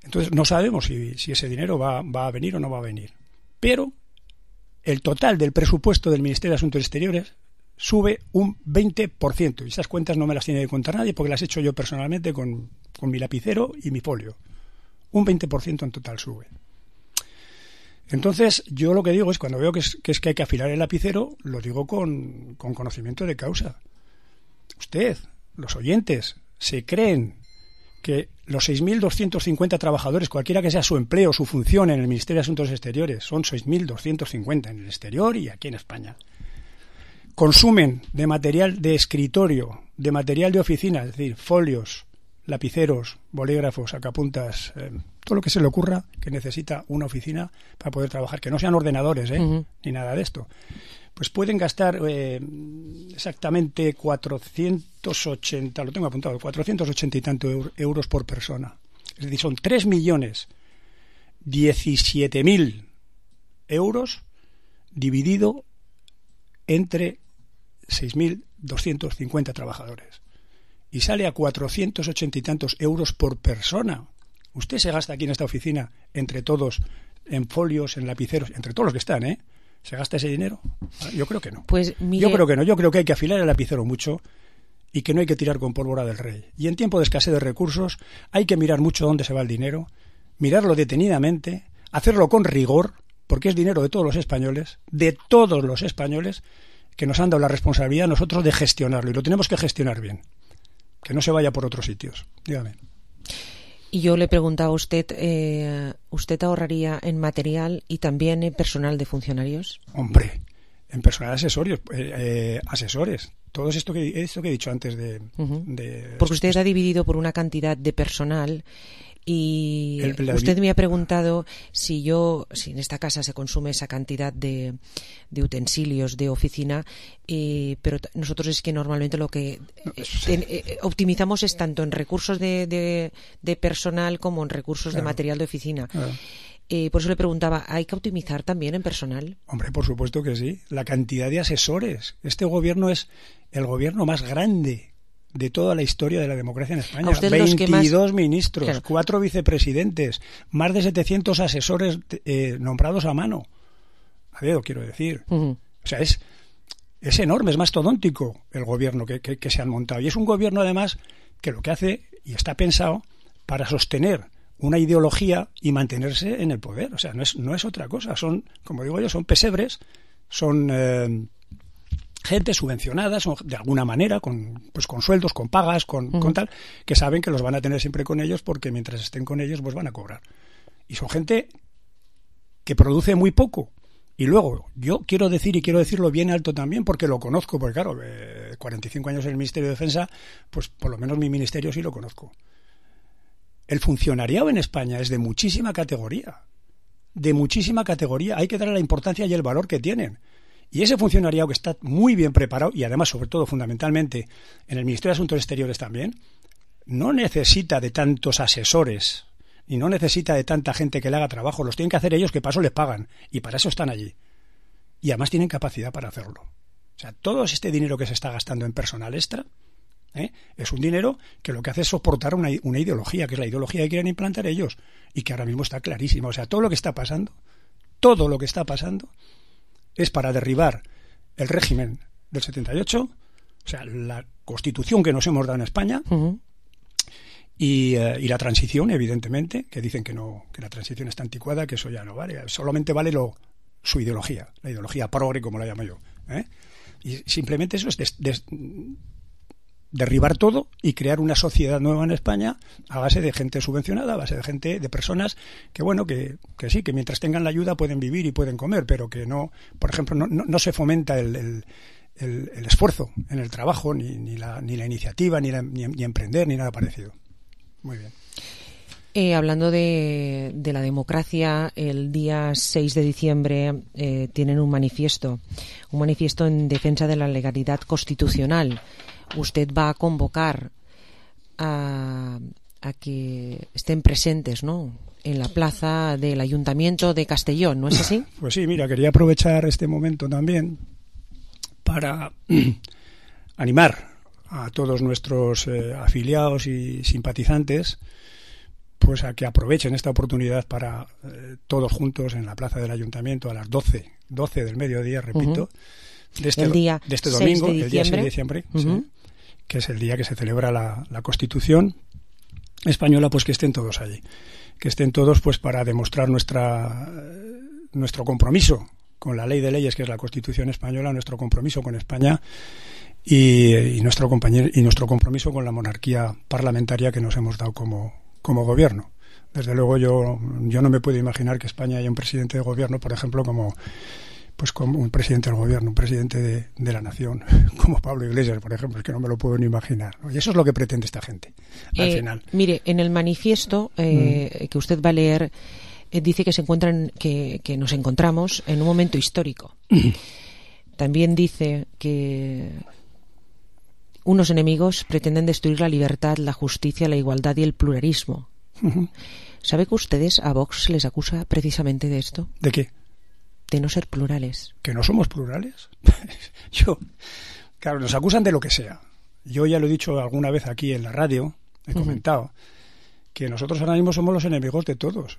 Entonces no sabemos si, si ese dinero va, va a venir o no va a venir. Pero el total del presupuesto del Ministerio de Asuntos Exteriores sube un veinte por ciento. Y esas cuentas no me las tiene que contar nadie porque las he hecho yo personalmente con, con mi lapicero y mi folio. Un veinte por ciento en total sube. Entonces, yo lo que digo es, cuando veo que es que, es que hay que afilar el lapicero, lo digo con, con conocimiento de causa. Usted, los oyentes, se creen que los seis mil doscientos cincuenta trabajadores, cualquiera que sea su empleo, su función en el Ministerio de Asuntos Exteriores, son seis mil doscientos cincuenta en el exterior y aquí en España, consumen de material de escritorio, de material de oficina, es decir, folios, lapiceros, bolígrafos, sacapuntas, eh, todo lo que se le ocurra que necesita una oficina para poder trabajar, que no sean ordenadores, ¿eh? Ujú. Ni nada de esto. Pues pueden gastar eh, exactamente cuatrocientos ochenta, lo tengo apuntado, cuatrocientos ochenta y tanto eur- euros por persona. Es decir, son tres millones diecisiete mil euros dividido entre seis mil doscientos cincuenta trabajadores. Y sale a cuatrocientos ochenta y tantos euros por persona. Usted se gasta aquí en esta oficina, entre todos, en folios, en lapiceros, entre todos los que están, ¿eh? ¿Se gasta ese dinero? Yo creo que no. Pues mire, Yo creo que no. Yo creo que hay que afilar el lapicero mucho y que no hay que tirar con pólvora del rey. Y en tiempo de escasez de recursos hay que mirar mucho dónde se va el dinero, mirarlo detenidamente, hacerlo con rigor, porque es dinero de todos los españoles, de todos los españoles, que nos han dado la responsabilidad nosotros de gestionarlo. Y lo tenemos que gestionar bien. Que no se vaya por otros sitios. Dígame. y yo le preguntaba a usted, eh, ¿usted ahorraría en material y también en personal de funcionarios? Hombre, en personal asesorios, eh, eh, asesores. Todo esto que, esto que he dicho antes de... Uh-huh. de Porque usted ha dividido por una cantidad de personal y El- la- usted me ha preguntado si yo, si en esta casa se consume esa cantidad de, de utensilios de oficina, eh, pero t- nosotros es que normalmente lo que eh, ten- eh, optimizamos es tanto en recursos de, de, de personal como en recursos de Claro. material de oficina. Claro. Eh, por eso le preguntaba, ¿hay que optimizar también en personal? Hombre, por supuesto que sí. La cantidad de asesores. Este gobierno es el gobierno más grande de toda la historia de la democracia en España. A usted los que veintidós más- ministros, Claro. cuatro vicepresidentes, más de setecientos asesores eh, nombrados a mano. A dedo, quiero decir. Ujú. O sea, es, es enorme, es mastodóntico el gobierno que, que, que se han montado. Y es un gobierno, además, que lo que hace, y está pensado, para sostener una ideología y mantenerse en el poder. O sea, no es, no es otra cosa. Son, como digo yo, son pesebres, son eh, gente subvencionada, son de alguna manera, con, pues con sueldos, con pagas, con, Ujú. con tal, que saben que los van a tener siempre con ellos porque mientras estén con ellos, pues van a cobrar. Y son gente que produce muy poco. Y luego, yo quiero decir, y quiero decirlo bien alto también, porque lo conozco, porque claro, eh, cuarenta y cinco años en el Ministerio de Defensa, pues por lo menos mi ministerio sí lo conozco. El funcionariado en España es de muchísima categoría, de muchísima categoría. Hay que darle la importancia y el valor que tienen. Y ese funcionariado que está muy bien preparado, y además, sobre todo, fundamentalmente, en el Ministerio de Asuntos Exteriores también, no necesita de tantos asesores, y no necesita de tanta gente que le haga trabajo. Los tienen que hacer ellos, que para eso les pagan, y para eso están allí. Y además tienen capacidad para hacerlo. O sea, todo este dinero que se está gastando en personal extra, ¿eh? es un dinero que lo que hace es soportar una, una ideología, que es la ideología que quieren implantar ellos, y que ahora mismo está clarísima. O sea, todo lo que está pasando, todo lo que está pasando, es para derribar el régimen del setenta y ocho, o sea, la constitución que nos hemos dado en España, uh-huh. y, eh, y la transición, evidentemente, que dicen que no, que la transición está anticuada, que eso ya no vale, solamente vale lo, su ideología, la ideología progre, como la llamo yo, ¿eh? Y simplemente eso es des, des, derribar todo y crear una sociedad nueva en España a base de gente subvencionada, a base de gente, de personas que, bueno, que, que sí, que mientras tengan la ayuda pueden vivir y pueden comer, pero que no, por ejemplo, no, no, no se fomenta el, el, el, el esfuerzo en el trabajo, ni, ni, la, ni la iniciativa, ni, la, ni, ni emprender, ni nada parecido. Muy bien. Eh, hablando de, de la democracia, el día seis de diciembre eh, tienen un manifiesto, un manifiesto en defensa de la legalidad constitucional. Usted va a convocar a, a que estén presentes, ¿no?, en la plaza del Ayuntamiento de Castellón, ¿no es así? Pues sí, mira, quería aprovechar este momento también para animar a todos nuestros eh, afiliados y simpatizantes pues a que aprovechen esta oportunidad para eh, todos juntos en la plaza del Ayuntamiento a las doce del mediodía, repito, uh-huh. de, este, el día de este domingo, de el día seis de diciembre, uh-huh. sí, que es el día que se celebra la, la Constitución española, pues que estén todos allí, que estén todos pues para demostrar nuestra nuestro compromiso con la ley de leyes que es la Constitución española, nuestro compromiso con España y, y nuestro compañero y nuestro compromiso con la monarquía parlamentaria que nos hemos dado como como gobierno. Desde luego yo yo no me puedo imaginar que España haya un presidente de gobierno, por ejemplo, como pues como un presidente del gobierno, un presidente de, de la nación, como Pablo Iglesias, por ejemplo, es que no me lo puedo ni imaginar, ¿no? Y eso es lo que pretende esta gente, al eh, final. Mire, en el manifiesto eh, mm. que usted va a leer, eh, dice que se encuentran, que, que nos encontramos en un momento histórico. Mm. También dice que unos enemigos pretenden destruir la libertad, la justicia, la igualdad y el pluralismo. Uh-huh. ¿Sabe que ustedes a Vox les acusa precisamente de esto? ¿De qué? De no ser plurales. ¿Que no somos plurales? Yo, claro, nos acusan de lo que sea. Yo ya lo he dicho alguna vez aquí en la radio, he uh-huh. comentado, que nosotros ahora mismo somos los enemigos de todos.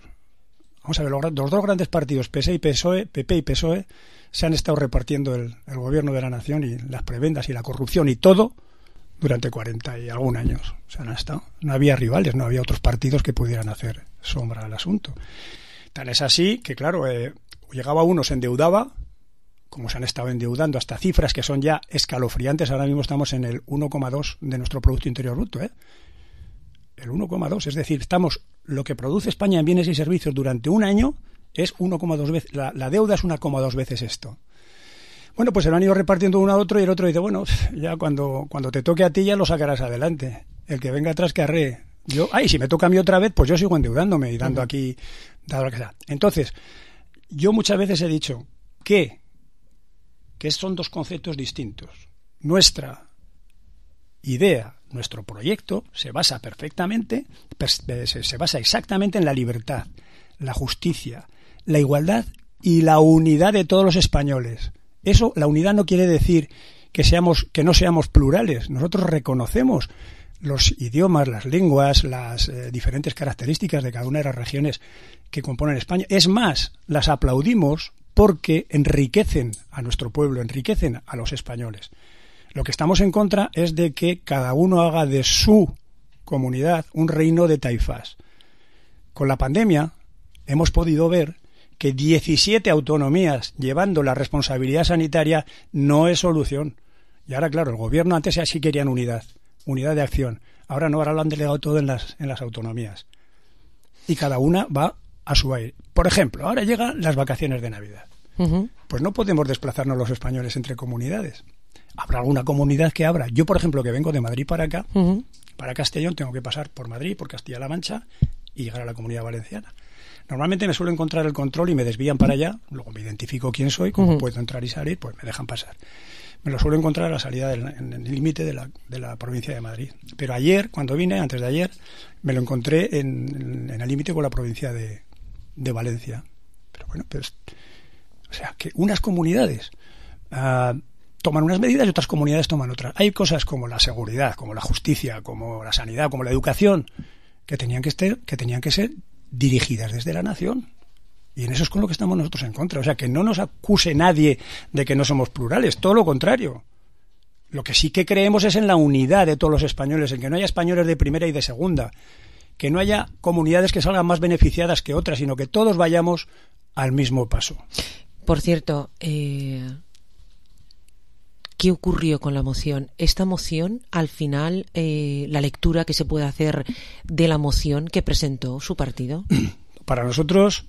Vamos a ver, los, los dos grandes partidos, P S y P S O E, P P y P S O E, se han estado repartiendo el, el gobierno de la nación y las prebendas y la corrupción y todo durante cuarenta y algún años. O sea, no, han estado, no había rivales, no había otros partidos que pudieran hacer sombra al asunto. Tan es así que, claro, eh, llegaba uno, se endeudaba, como se han estado endeudando, hasta cifras que son ya escalofriantes. Ahora mismo estamos en el uno coma dos de nuestro Producto Interior Bruto, ¿eh? El uno coma dos, es decir, estamos lo que produce España en bienes y servicios durante un año es uno coma dos veces, la, la deuda es uno coma dos veces esto. Bueno, pues se lo han ido repartiendo uno a otro y el otro dice, bueno, ya cuando, cuando te toque a ti ya lo sacarás adelante. El que venga atrás que arree. Yo, ay, si me toca a mí otra vez, pues yo sigo endeudándome y dando uh-huh. aquí, dado lo que sea. Entonces, yo muchas veces he dicho que, que son dos conceptos distintos. Nuestra idea, nuestro proyecto se basa perfectamente, se basa exactamente en la libertad, la justicia, la igualdad y la unidad de todos los españoles. Eso, la unidad no quiere decir que seamos, que no seamos plurales. Nosotros reconocemos los idiomas, las lenguas, las eh, diferentes características de cada una de las regiones que componen España. Es más, las aplaudimos porque enriquecen a nuestro pueblo, enriquecen a los españoles. Lo que estamos en contra es de que cada uno haga de su comunidad un reino de taifas. Con la pandemia hemos podido ver que diecisiete autonomías llevando la responsabilidad sanitaria no es solución. Y ahora, claro, el gobierno antes ya sí querían unidad, unidad de acción. Ahora no, ahora lo han delegado todo en las, en las autonomías. Y cada una va a su aire. Por ejemplo, ahora llegan las vacaciones de Navidad. Uh-huh. Pues no podemos desplazarnos los españoles entre comunidades. Habrá alguna comunidad que abra. Yo, por ejemplo, que vengo de Madrid para acá, uh-huh. para Castellón, tengo que pasar por Madrid, por Castilla-La Mancha y llegar a la Comunidad Valenciana. Normalmente me suelo encontrar el control y me desvían para allá, luego me identifico quién soy, cómo uh-huh. puedo entrar y salir, pues me dejan pasar. Me lo suelo encontrar a la salida del, en el límite de la, de la provincia de Madrid. Pero ayer, cuando vine, antes de ayer, me lo encontré en, en el límite con la provincia de, de Valencia. Pero bueno, pues, o sea, que unas comunidades uh, toman unas medidas y otras comunidades toman otras. Hay cosas como la seguridad, como la justicia, como la sanidad, como la educación, que tenían que, estar, que, tenían que ser dirigidas desde la nación. Y en eso es con lo que estamos nosotros en contra. O sea, que no nos acuse nadie de que no somos plurales, todo lo contrario. Lo que sí que creemos es en la unidad de todos los españoles, en que no haya españoles de primera y de segunda, que no haya comunidades que salgan más beneficiadas que otras, sino que todos vayamos al mismo paso. Por cierto, eh, ¿qué ocurrió con la moción? Esta moción, al final, eh, la lectura que se puede hacer de la moción que presentó su partido. Para nosotros,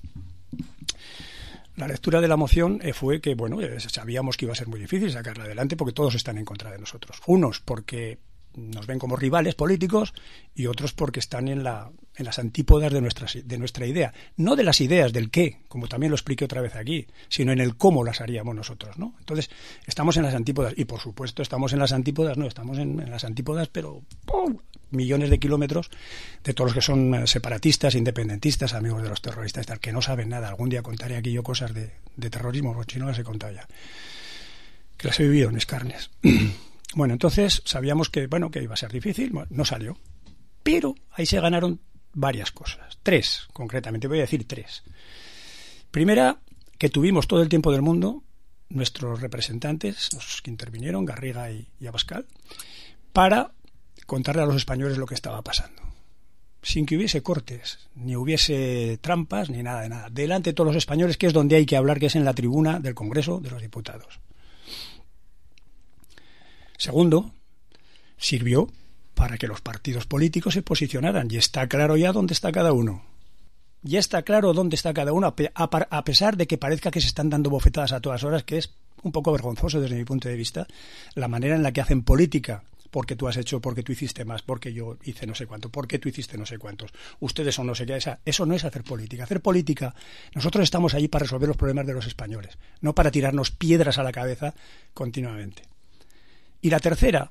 la lectura de la moción eh, fue que, bueno, eh, sabíamos que iba a ser muy difícil sacarla adelante porque todos están en contra de nosotros. Unos porque nos ven como rivales políticos y otros porque están en la en las antípodas de nuestra, de nuestra idea. No de las ideas del qué, como también lo expliqué otra vez aquí, sino en el cómo las haríamos nosotros, ¿no? Entonces, estamos en las antípodas y, por supuesto, estamos en las antípodas, no, estamos en, en las antípodas, pero ¡pum!, millones de kilómetros de todos los que son separatistas, independentistas, amigos de los terroristas, tal, que no saben nada. Algún día contaré aquí yo cosas de, de terrorismo, porque si no las he contado ya. que las he vivido en mis carnes. Bueno, entonces sabíamos que, bueno, que iba a ser difícil, bueno, no salió. Pero ahí se ganaron varias cosas. Tres, concretamente, voy a decir tres. Primera, que tuvimos todo el tiempo del mundo, nuestros representantes, los que intervinieron, Garriga y, y Abascal, para contarle a los españoles lo que estaba pasando. Sin que hubiese cortes, ni hubiese trampas, ni nada de nada. Delante de todos los españoles, que es donde hay que hablar, que es en la tribuna del Congreso de los Diputados. Segundo, sirvió para que los partidos políticos se posicionaran, y está claro ya dónde está cada uno. Ya está claro dónde está cada uno, a pesar de que parezca que se están dando bofetadas a todas horas, que es un poco vergonzoso desde mi punto de vista, la manera en la que hacen política. Porque tú has hecho, porque tú hiciste más, porque yo hice no sé cuánto, porque tú hiciste no sé cuántos, ustedes son no sé qué. Esa, eso no es hacer política. Hacer política, nosotros estamos allí para resolver los problemas de los españoles, no para tirarnos piedras a la cabeza continuamente. Y la tercera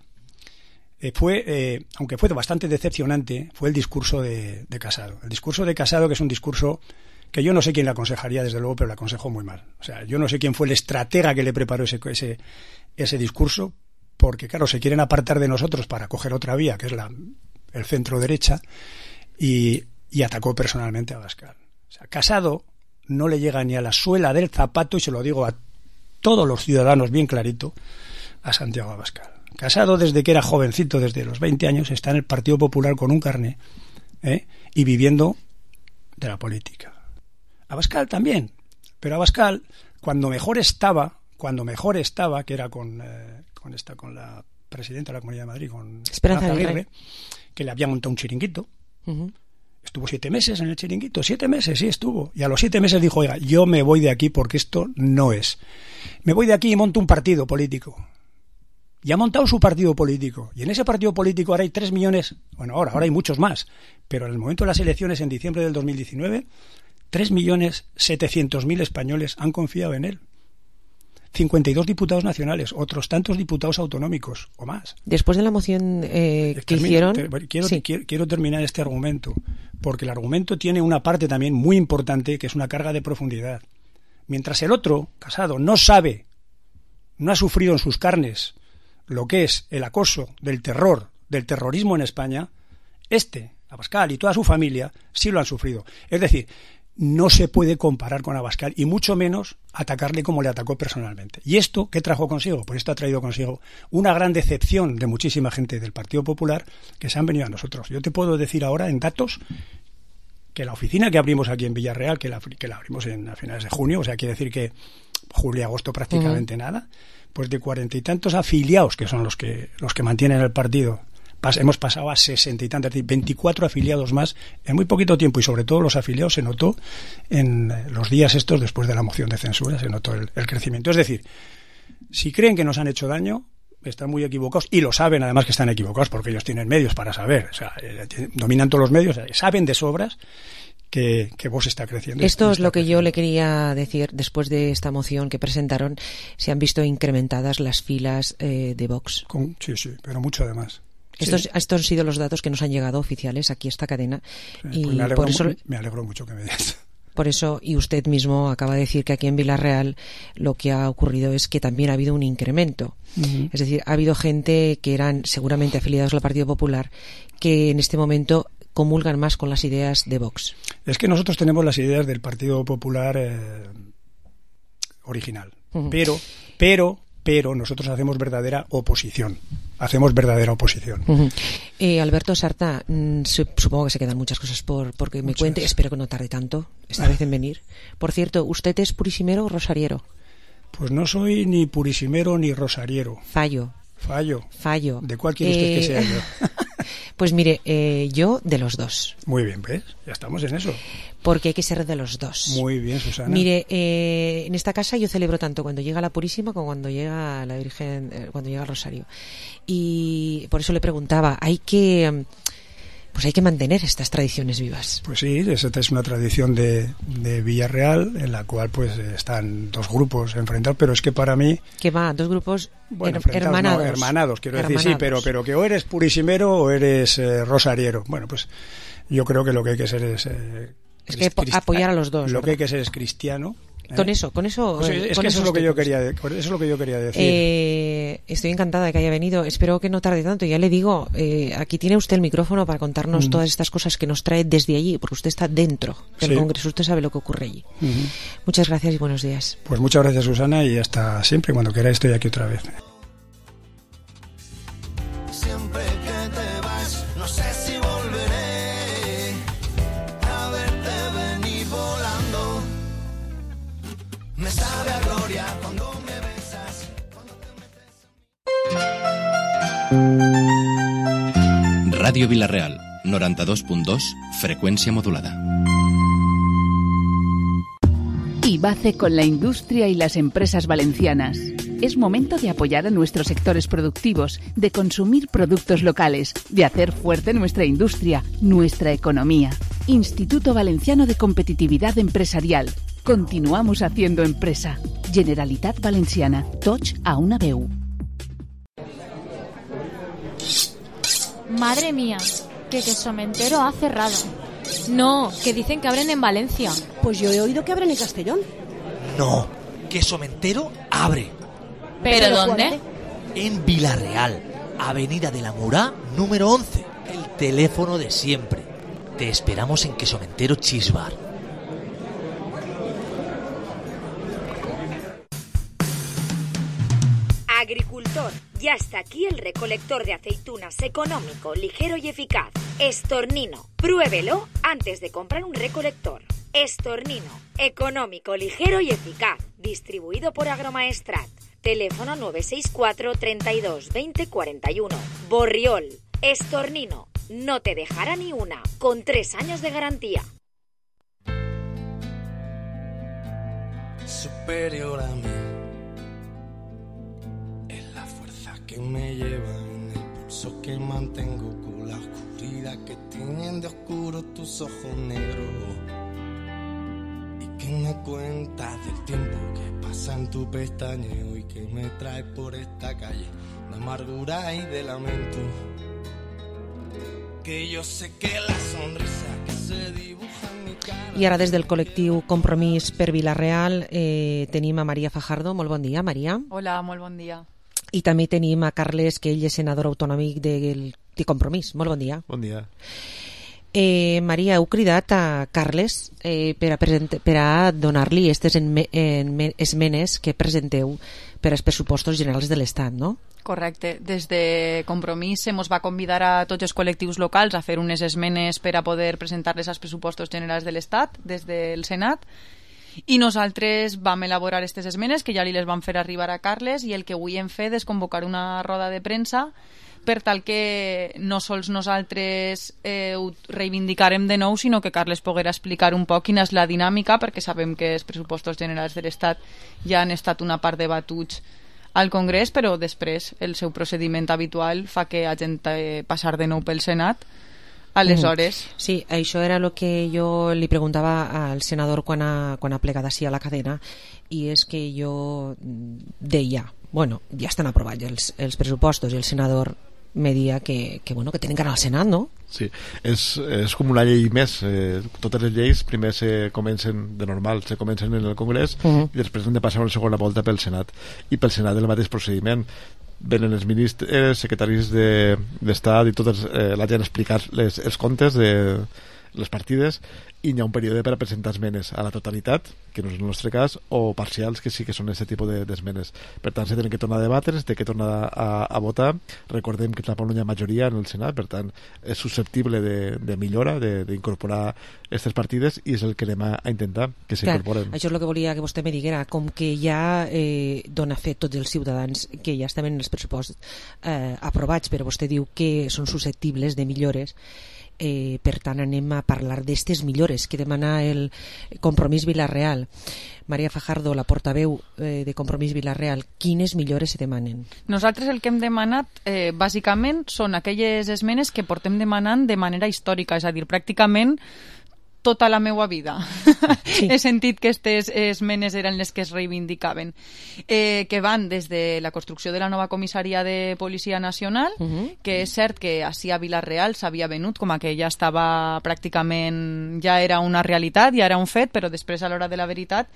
eh, fue, eh, aunque fue bastante decepcionante, fue el discurso de, de Casado. El discurso de Casado, que es un discurso que yo no sé quién le aconsejaría, desde luego, pero le aconsejó muy mal. O sea, yo no sé quién fue el estratega que le preparó ese, ese, ese discurso, porque, claro, se quieren apartar de nosotros para coger otra vía, que es la, el centro-derecha, y, y atacó personalmente a Abascal. O sea, Casado no le llega ni a la suela del zapato, y se lo digo a todos los ciudadanos bien clarito, a Santiago Abascal. Casado, desde que era jovencito, desde los veinte años, está en el Partido Popular con un carné, ¿eh? y viviendo de la política. Abascal también, pero Abascal, cuando mejor estaba, cuando mejor estaba, que era con, eh, con esta, con la presidenta de la Comunidad de Madrid, con Esperanza Aguirre, que le había montado un chiringuito. Uh-huh. Estuvo siete meses en el chiringuito, siete meses, sí estuvo. Y a los siete meses dijo, oiga, yo me voy de aquí porque esto no es. Me voy de aquí y monto un partido político. Y ha montado su partido político. Y en ese partido político ahora hay tres millones, bueno, ahora, ahora hay muchos más, pero en el momento de las elecciones, en diciembre del dos mil diecinueve, tres millones setecientos mil españoles han confiado en él. cincuenta y dos diputados nacionales, otros tantos diputados autonómicos o más. Después de la moción eh, que Termino, hicieron... Te, quiero, sí. quiero, quiero terminar este argumento, porque el argumento tiene una parte también muy importante, que es una carga de profundidad. Mientras el otro, Casado, no sabe, no ha sufrido en sus carnes lo que es el acoso del terror, del terrorismo en España, este, Abascal y toda su familia, sí lo han sufrido. Es decir, no se puede comparar con Abascal y mucho menos atacarle como le atacó personalmente. ¿Y esto qué trajo consigo? Pues esto ha traído consigo una gran decepción de muchísima gente del Partido Popular que se han venido a nosotros. Yo te puedo decir ahora en datos que la oficina que abrimos aquí en Villarreal, que la, que la abrimos en, a finales de junio, o sea, quiere decir que julio y agosto prácticamente uh-huh. nada, pues de cuarenta y tantos afiliados, que son los que los que mantienen el partido, pas, hemos pasado a sesenta y tantos, es decir, veinticuatro afiliados más en muy poquito tiempo, y sobre todo los afiliados se notó en los días estos después de la moción de censura, se notó el, el crecimiento. Es decir, si creen que nos han hecho daño, están muy equivocados, y lo saben además que están equivocados, porque ellos tienen medios para saber, o sea, eh, dominan todos los medios, eh, saben de sobras que, que Vox está creciendo. Esto es lo que creciendo. yo le quería decir después de esta moción que presentaron. Se han visto incrementadas las filas eh, de Vox. Con, sí, sí, pero mucho además. Estos, sí. estos han sido los datos que nos han llegado oficiales aquí a esta cadena. Sí, y pues me, alegro, por eso, me alegro mucho que me digas. Por eso, y usted mismo acaba de decir que aquí en Villarreal lo que ha ocurrido es que también ha habido un incremento. Uh-huh. Es decir, ha habido gente que eran seguramente afiliados al Partido Popular que en este momento comulgan más con las ideas de Vox. Es que nosotros tenemos las ideas del Partido Popular eh, original, uh-huh. pero, pero, pero nosotros hacemos verdadera oposición. Hacemos verdadera oposición. Uh-huh. Eh, Alberto Sarta, mmm, supongo que se quedan muchas cosas por porque me muchas. cuente. Espero que no tarde tanto esta vez en venir. Por cierto, ¿usted es purisimero o rosariero? Pues no soy ni purisimero ni rosariero. Fallo. Fallo. Fallo. ¿De cuál quiere usted eh... que sea yo? Pues mire, eh, yo de los dos. Muy bien, ¿ves? Ya estamos en eso. Porque hay que ser de los dos. Muy bien, Susana. Mire, eh, en esta casa yo celebro tanto cuando llega la Purísima como cuando llega la Virgen, eh, cuando llega el Rosario. Y por eso le preguntaba, hay que... pues hay que mantener estas tradiciones vivas. Pues sí, esta es una tradición de, de Villarreal, en la cual pues están dos grupos enfrentados, pero es que para mí... ¿Qué va? ¿Dos grupos bueno, her- hermanados? No, hermanados, quiero hermanados. decir, sí, pero, pero que o eres purisimero o eres eh, rosariero. Bueno, pues yo creo que lo que hay que ser es... Eh, es que crist- apoyar a los dos. Lo ¿verdad? que hay que ser es cristiano, Con eso, con eso. Pues es con que eso es lo que yo temas. quería, eso es lo que yo quería decir. Eh, estoy encantada de que haya venido. Espero que no tarde tanto. Ya le digo, eh, aquí tiene usted el micrófono para contarnos Mm. todas estas cosas que nos trae desde allí, porque usted está dentro del Sí. Congreso, usted sabe lo que ocurre allí. Ujú. Muchas gracias y buenos días. Pues muchas gracias, Susana, y hasta siempre. Cuando quiera estoy aquí otra vez. Siempre que te vas, no sé si volveré a verte venir volando. Me sabe a gloria cuando me besas. Ràdio Vila-real, noranta-dos punt dos, freqüència modulada. IBACE con la industria y las empresas valencianas. Es momento de apoyar a nuestros sectores productivos, de consumir productos locales, de hacer fuerte nuestra industria, nuestra economía. Instituto Valenciano de Competitividad Empresarial. Continuamos haciendo empresa. Generalitat Valenciana. Tots a una veu. Madre mía, que Quesomentero ha cerrado. No, que dicen que abren en Valencia. Pues yo he oído que abren en Castellón. No, Quesomentero abre. ¿Pero dónde? En Vila-real, Avenida de la Murá, número once. El teléfono de siempre. Te esperamos en Quesomentero Cheese Bar. Agricultor, ya está aquí el recolector de aceitunas económico, ligero y eficaz. Estornino, pruébelo antes de comprar un recolector. Estornino, económico, ligero y eficaz. Distribuido por Agromaestrat. Teléfono nueve seis cuatro, treinta y dos, veinte, cuarenta y uno. Borriol, Estornino, no te dejará ni una, con tres años de garantía. Superior a mí es la fuerza que me lleva en el pulso que mantengo con la oscuridad que tienen de oscuro tus ojos negros. ¿Qué me cuentas del tiempo que pasa en tu pestañeo y que me trae por esta calle de amargura y de lamento? Que yo sé que la sonrisa que se dibuja en mi cara... I ara des del col·lectiu Compromís per Vila-real eh, tenim a Maria Fajardo. Molt bon dia, Maria. Hola, molt bon dia. I també tenim a Carles, que ell és senador autonòmic de, de Compromís. Molt bon dia. Bon dia. Eh, Maria, heu cridat a Carles eh, per a, present- per a donar-li aquestes enme- enme- esmenes que presenteu per als pressupostos generals de l'Estat, no? Correcte. Des de Compromís se mos va convidar a tots els col·lectius locals a fer unes esmenes per a poder presentar-les als pressupostos generals de l'Estat des del Senat, i nosaltres vam elaborar aquestes esmenes que ja li les vam fer arribar a Carles, i el que avui hem fet és convocar una roda de premsa per tal que no sols nosaltres eh, ho reivindicarem de nou, sinó que Carles poguera explicar un poc quina és la dinàmica, perquè sabem que els pressupostos generals de l'Estat ja han estat una part debatuts al Congrés, però després el seu procediment habitual fa que hagin de passar de nou pel Senat. Aleshores... Mm. Sí, això era el que jo li preguntava al senador quan ha, quan ha plegat així a la cadena, i és que jo deia, bueno, ja estan aprovats els, els pressupostos, i el senador me dia que, que, bueno, que tenen que anar al Senat, no? Sí, és, és com una llei més. Eh, totes les lleis primer se comencen de normal, se comencen en el Congrés uh -huh. i després han de passar una segona volta pel Senat, i pel Senat el mateix procediment. Venen els ministres, secretaris d'Estat de, i tota eh, la gent a explicar les, els comptes de les partides, i hi ha un període per a presentar esmenes a la totalitat, que no és el nostre cas, o parcials, que sí que són aquest tipus d'esmenes. Per tant, se tenen que tornar a debatre, se té que tornar a, a votar. Recordem que tampoc no hi ha majoria en el Senat, per tant, és susceptible de, de millora, d'incorporar aquestes partides, i és el que anem a, a intentar, que s'incorporen. Això és el que volia que vostè me diguera, com que ja eh, dona fet tots els ciutadans que ja estaven en els pressupostos eh, aprovats, però vostè diu que són susceptibles de millores. Eh, per tant anem a parlar d'estes millores que demana el Compromís Vila-real. Maria Fajardo, la portaveu eh, de Compromís Vila-real, quines millores se demanen? Nosaltres el que hem demanat eh, bàsicament són aquelles esmenes que portem demanant de manera històrica, és a dir, pràcticament tota la meua vida. Sí. He sentit que aquestes esmenes eren les que es reivindicaven, eh, que van des de la construcció de la nova comissaria de Policia Nacional, uh -huh. que és cert que així a Vila-real s'havia venut com a que ja estava pràcticament, ja era una realitat, ja era un fet, però després a l'hora de la veritat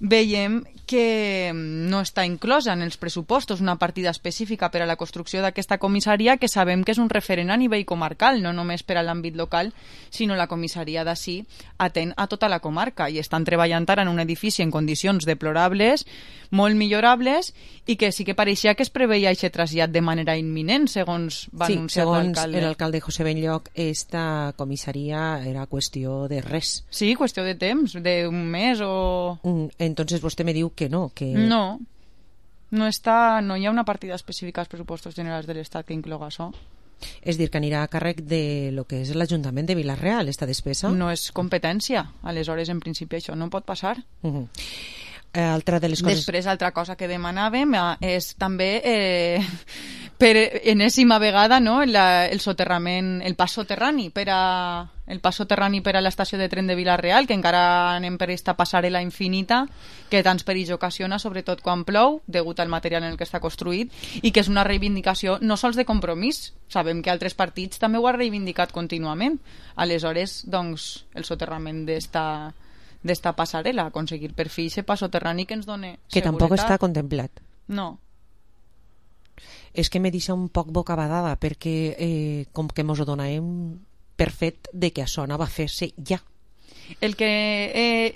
veiem que no està inclosa en els pressupostos una partida específica per a la construcció d'aquesta comissaria, que sabem que és un referent a nivell comarcal, no només per a l'àmbit local, sinó la comissaria d'ací atén a tota la comarca i estan treballant ara en un edifici en condicions deplorables, molt millorables, i que sí que pareixia que es preveia aquest trasllat de manera imminent, segons va sí, anunciar l'alcalde. Segons l'alcalde José Benlloc, esta comissaria era qüestió de res. Sí, qüestió de temps, d'un mes o... Entonces vostè me diu que no, que... No, no, està, no hi ha una partida específica als pressupostos generals de l'Estat que incloga això. És dir, que anirà a càrrec de lo que és l'Ajuntament de Vila-real, esta despesa? No és competència, aleshores en principi això no pot passar. Uh-huh. Altra de les coses... Després, altra cosa que demanàvem és també eh, per enèsima vegada, no, la, el soterrament, el pas soterrani per a el pas soterrani per a l'estació de tren de Vila-real, que encara anem per esta passarel·la infinita que tants perills ocasiona, sobretot quan plou, degut al material en el que està construït, i que és una reivindicació no sols de Compromís, sabem que altres partits també ho han reivindicat contínuament. Aleshores, doncs, el soterrament d'esta d'esta passarel·la, aconseguir per fi aquest pas soterrani que ens doni seguretat. Que tampoc està contemplat. No. És que me deixa un poc bocabadada, perquè eh, com que mos ho donàvem per fet de que això anava a fer-se ja. El que, eh,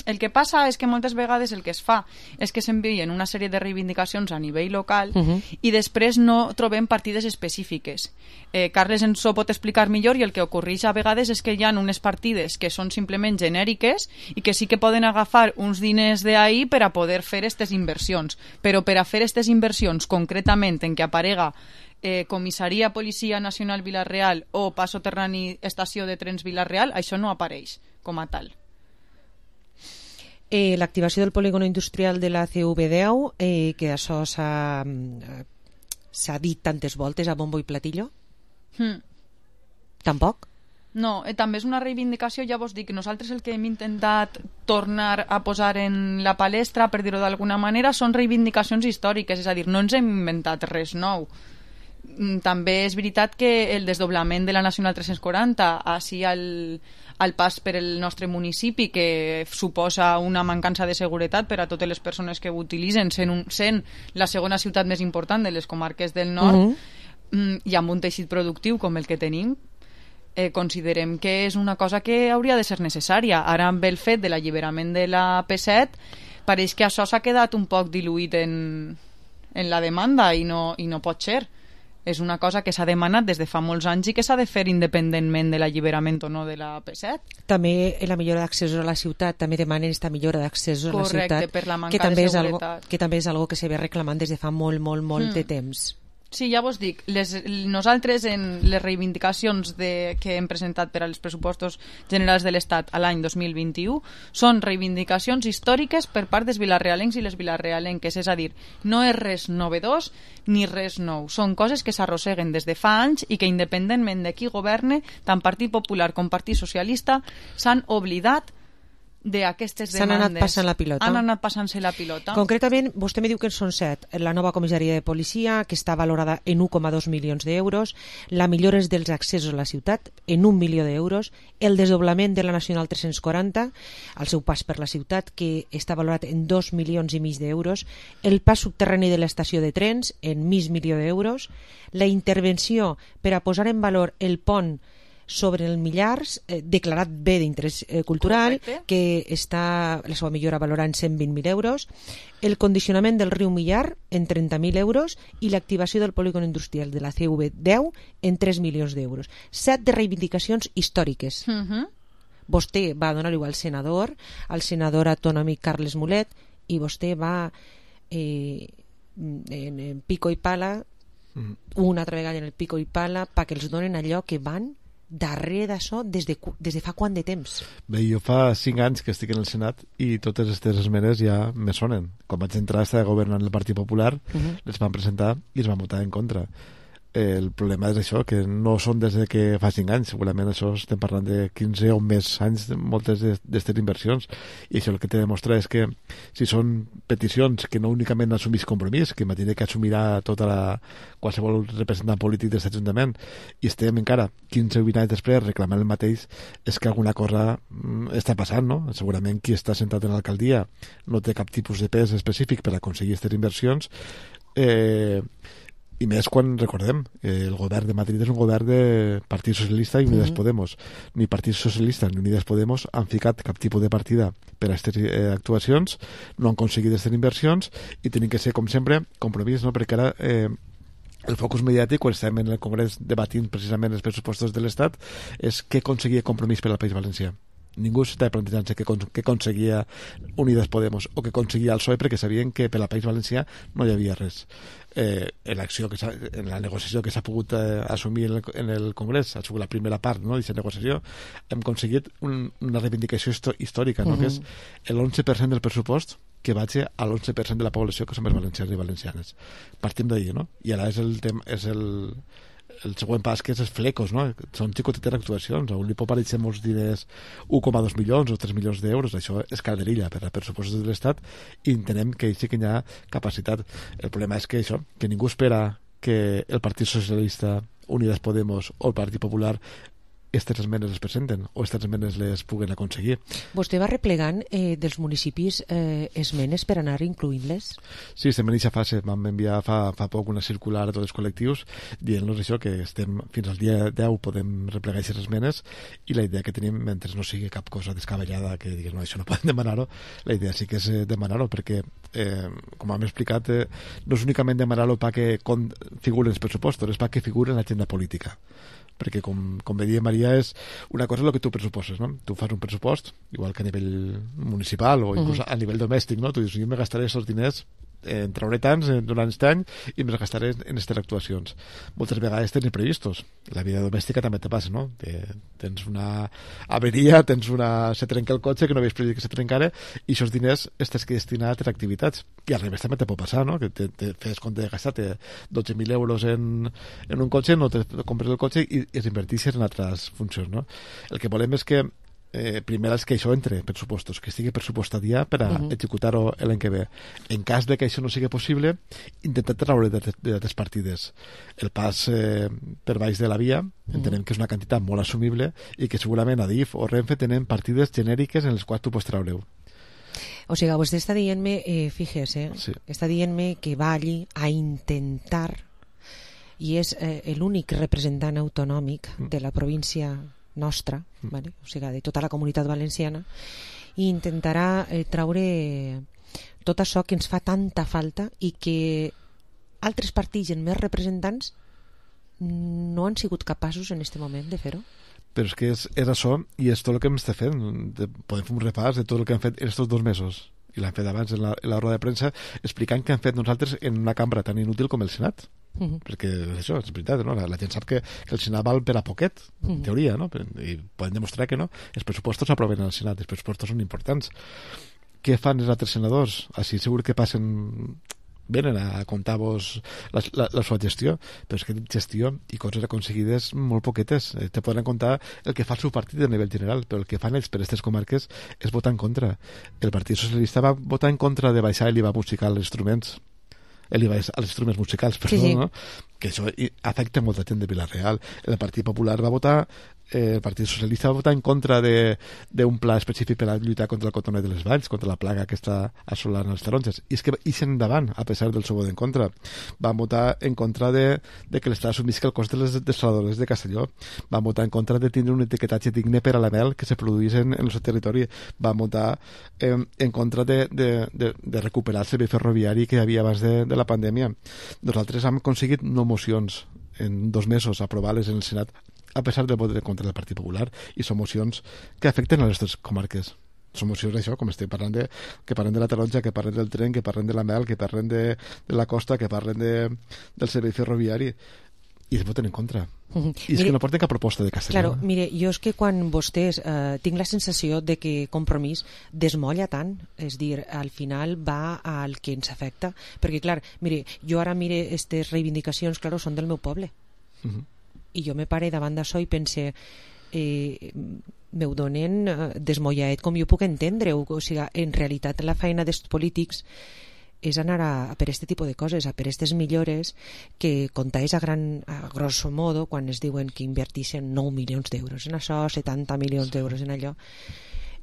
el que passa és que moltes vegades el que es fa és que s'envien una sèrie de reivindicacions a nivell local uh-huh. i després no trobem partides específiques. Eh, Carles ens ho pot explicar millor, i el que ocorreix a vegades és que hi ha unes partides que són simplement genèriques i que sí que poden agafar uns diners d'ahí per a poder fer aquestes inversions, però per a fer aquestes inversions concretament en què aparega Eh, Comissaria Policia Nacional Vila-real o pas soterrani Estació de Trens Vila-real, això no apareix com a tal. Eh, L'activació del polígono industrial de la C V deu, eh, que això s'ha s'ha dit tantes voltes a bombo i platillo? Hmm. Tampoc? No, eh, també és una reivindicació, ja vos dic, nosaltres el que hem intentat tornar a posar en la palestra, per dir-ho d'alguna manera, són reivindicacions històriques, és a dir, no ens hem inventat res nou. També és veritat que el desdoblament de la Nacional tres-cents quaranta així al, al pas per el nostre municipi, que suposa una mancança de seguretat per a totes les persones que ho utilitzen, sent, un, sent la segona ciutat més important de les comarques del nord, uh-huh. i amb un teixit productiu com el que tenim, eh, considerem que és una cosa que hauria de ser necessària. Ara, amb el fet de l'alliberament de la P set, pareix que això s'ha quedat un poc diluït en, en la demanda i no, i no pot ser. És una cosa que s'ha demanat des de fa molts anys i que s'ha de fer independentment de l'alliberament o no de la P set. També la millora d'accés a la ciutat, també demanen esta millora d'accés a la ciutat. Correcte, per la manca que també de seguretat. És algo, que també és algo que se ve reclamant des de fa molt, molt, molt mm. de temps. Sí, ja vos dic, les, nosaltres en les reivindicacions de, que hem presentat per als pressupostos generals de l'Estat a l'any dos mil vint-i-u són reivindicacions històriques per part dels vilarrealencs i les vilarrealenques, és a dir, no és res novedós ni res nou, són coses que s'arrosseguen des de fa anys i que independentment de qui governe, tant Partit Popular com Partit Socialista, s'han oblidat d'aquestes demandes. S'han anat passant la pilota. Han anat passant-se la pilota. Concretament, vostè me diu que en són set. La nova comissaria de policia, que està valorada en un coma dos milions d'euros, la millora dels accessos a la ciutat en un milió d'euros, el desdoblament de la Nacional tres-cents quaranta, el seu pas per la ciutat, que està valorat en dos milions i mig d'euros, el pas subterrani de l'estació de trens en mig milió d'euros, la intervenció per a posar en valor el pont sobre el Millars, eh, declarat bé d'interès eh, cultural, correcte, que està la seva millora valorant en cent vint mil euros, el condicionament del riu Millar en trenta mil euros i l'activació del polígon industrial de la C V deu en tres milions d'euros. Set de reivindicacions històriques. Uh-huh. Vostè va donar-ho al senador, al senador autonòmic Carles Mulet, i vostè va eh, en, en pico i pala, uh-huh. una altra vegada en el pico i pala, perquè els donen allò que van darrere d'això des, de, des de fa quant de temps? Bé, jo fa cinc anys que estic en el Senat i totes aquestes esmenes ja me sonen. Quan vaig entrar estava governant el Partit Popular, uh-huh. les van presentar i es van votar en contra. el problema és això, que no són des de que fa cinc anys, segurament això estem parlant de quinze o més anys de moltes d'aquestes inversions, i això el que te demostra és que si són peticions que no únicament assumís compromís, que imagina que assumirà tota la, qualsevol representant polític d'aquest Ajuntament, i estem encara quinze o vint anys després reclamant el mateix, és que alguna cosa mm, està passant, no? Segurament qui està sentat en l'alcaldia no té cap tipus de pes específic per aconseguir aquestes inversions, eh, i més quan, recordem, eh, el govern de Madrid és un govern de Partit Socialista i Unides mm-hmm. Podemos. Ni Partit Socialista ni Unides Podemos han ficat cap tipus de partida per a aquestes eh, actuacions, no han aconseguit aquestes inversions i tenen que ser, com sempre, compromís, no? Perquè ara eh, el focus mediàtic, quan estem en el Congrés debatint precisament els pressupostos de l'Estat, és què aconseguia compromís per al País Valencià. Ningú s'estava plantejant què, què aconseguia Unides Podemos o què aconseguia el P S O E, perquè sabien que per al País Valencià no hi havia res. Eh, en, l'acció que en la negociació que s'ha pogut eh, assumir en el, en el Congrés, ha sigut la primera part, no?, d'aquesta negociació, hem aconseguit un, una reivindicació històrica, no?, uh-huh. que és l'onze per cent del pressupost que vagi a l'onze per cent de la població que som els valencians i valencianes. Partim d'ahir, no? I ara és el, tem, és el el següent pas, que és els flecos, no? Són xicotetes actuacions, a un li pot aparèixer molts diners, un coma dos milions o tres milions d'euros, això és calderilla per a pressupostos de l'Estat, i entenem que sí que hi ha capacitat. El problema és que això, que ningú espera que el Partit Socialista, Unides Podemos o el Partit Popular aquestes esmenes les presenten o aquestes esmenes les puguen aconseguir. Vostè va replegant eh, dels municipis eh, esmenes per anar incloent-les? Sí, estem en aquesta fase. Vam enviar fa, fa poc una circular a tots els col·lectius dient-nos això, que estem fins al dia deu podem replegar aquestes esmenes, i la idea que tenim, mentre no sigui cap cosa descabellada que digues, no, això no podem demanar-ho, la idea sí que és eh, demanar-ho, perquè eh, com hem explicat, eh, no és únicament demanar-ho perquè figuren els pressupostos, és perquè figuren en l'agenda política. Perquè, com, com bé deia Maria, és una cosa el que tu pressuposes, no? Tu fas un pressupost, igual que a nivell municipal o inclús uh-huh. a nivell domèstic, no? Tu dius, jo me gastaré aquests diners, eh, en trauré tants eh, durant aquest any i me gastaré en aquestes actuacions. Moltes vegades tens imprevistos. La vida domèstica també te passa, no? Te, tens una averia, tens una... se trenca el cotxe que no havies previst que se trencara, i aquests diners estàs que destinar a altres activitats. I al revés també te pot passar, no? Que te, te fes compte de gastar dotze mil euros en, en un cotxe, no te compres el cotxe i, i es invertissis en altres funcions, no? El que volem és que Eh, primer és que això entre pressupostos, que estigui pressupostat ja per a uh-huh. executar-ho l'any que ve. En cas de que això no sigui possible, intentar treure d'altres partides. El pas eh, per baix de la via entenem uh-huh. que és una quantitat molt assumible i que segurament Adif o Renfe tenen partides genèriques en les quals tu pots treure-ho. O sigui, vostè està dient-me, eh, fíjese, sí. està dient-me que va allí a intentar, i és eh, l'únic representant autonòmic uh-huh. de la província nostra, mm. vale? O sigui, de tota la comunitat valenciana, i intentarà eh, traure tot això que ens fa tanta falta i que altres partits amb més representants no han sigut capaços en aquest moment de fer-ho. Però és que és, és això, i és tot el que hem estat fent. Podem fer un repàs de tot el que hem fet aquests dos mesos, i l'hem fet abans en la, en la roda de premsa, explicant què hem fet nosaltres en una cambra tan inútil com el Senat. Uh-huh. Perquè això és veritat, no? la, la gent sap que, que el Senat val per a poquet, uh-huh. en teoria, no? I poden demostrar que no. Els pressupostos s'aproven al Senat, els pressupostos són importants. Què fan els altres senadors? Així segur que passen, venen a contar-vos la, la, la seva gestió, però és que gestió i coses aconseguides molt poquetes. Eh, te poden contar el que fa el seu partit a nivell general, però el que fan ells per aquestes comarques és votar en contra. El Partit Socialista va votar en contra de baixar l'I V A musical als instruments, l'I V A als instruments musicals, perdó, sí, sí. no? Que això afecta molta gent de Vila-real. El Partit Popular va votar, eh, el Partit Socialista va votar en contra d'un pla específic per a lluitar contra el cotonet de les valls, contra la plaga que està assolant els taronges. I és que ixen endavant, a pesar del seu vot en contra. Van votar en contra de, de que l'Estat assumisca el cost de les desaladores de Castelló. Van votar en contra de tindre un etiquetatge digne per a la mel que se produís en, en el seu territori. Van votar eh, en contra de, de, de, de recuperar el servei ferroviari que hi havia abans de, de la pandèmia. Nosaltres hem aconseguit no mocions en dos mesos aprovar-les en el Senat a pesar del vot en contra del Partit Popular, i són mocions que afecten a les nostres comarques. Són mocions d'això, com estem parlant de, que parlen de la taronja, que parlen del tren, que parlen de la mel, que parlen de, de la costa, que parlen de, del servei ferroviari. i es voten en contra. Uh-huh. I és mire, que no porten cap proposta de Castelló. Claro, mire, jo és que quan vostès eh, tinc la sensació de que Compromís desmolla tant, és dir, al final va al que ens afecta, perquè clar, mire, jo ara mire aquestes reivindicacions, claro, són del meu poble. Uh-huh. I jo me pare davant d'això i pense eh, m'ho donen eh, desmollaet com jo puc entendre-ho, o sigui, en realitat la feina dels polítics és anar a, a per este tipus de coses, a per aquestes millores que comptaves a, gran, a grosso modo quan es diuen que inverteixen nou milions d'euros en això, setanta milions d'euros en allò,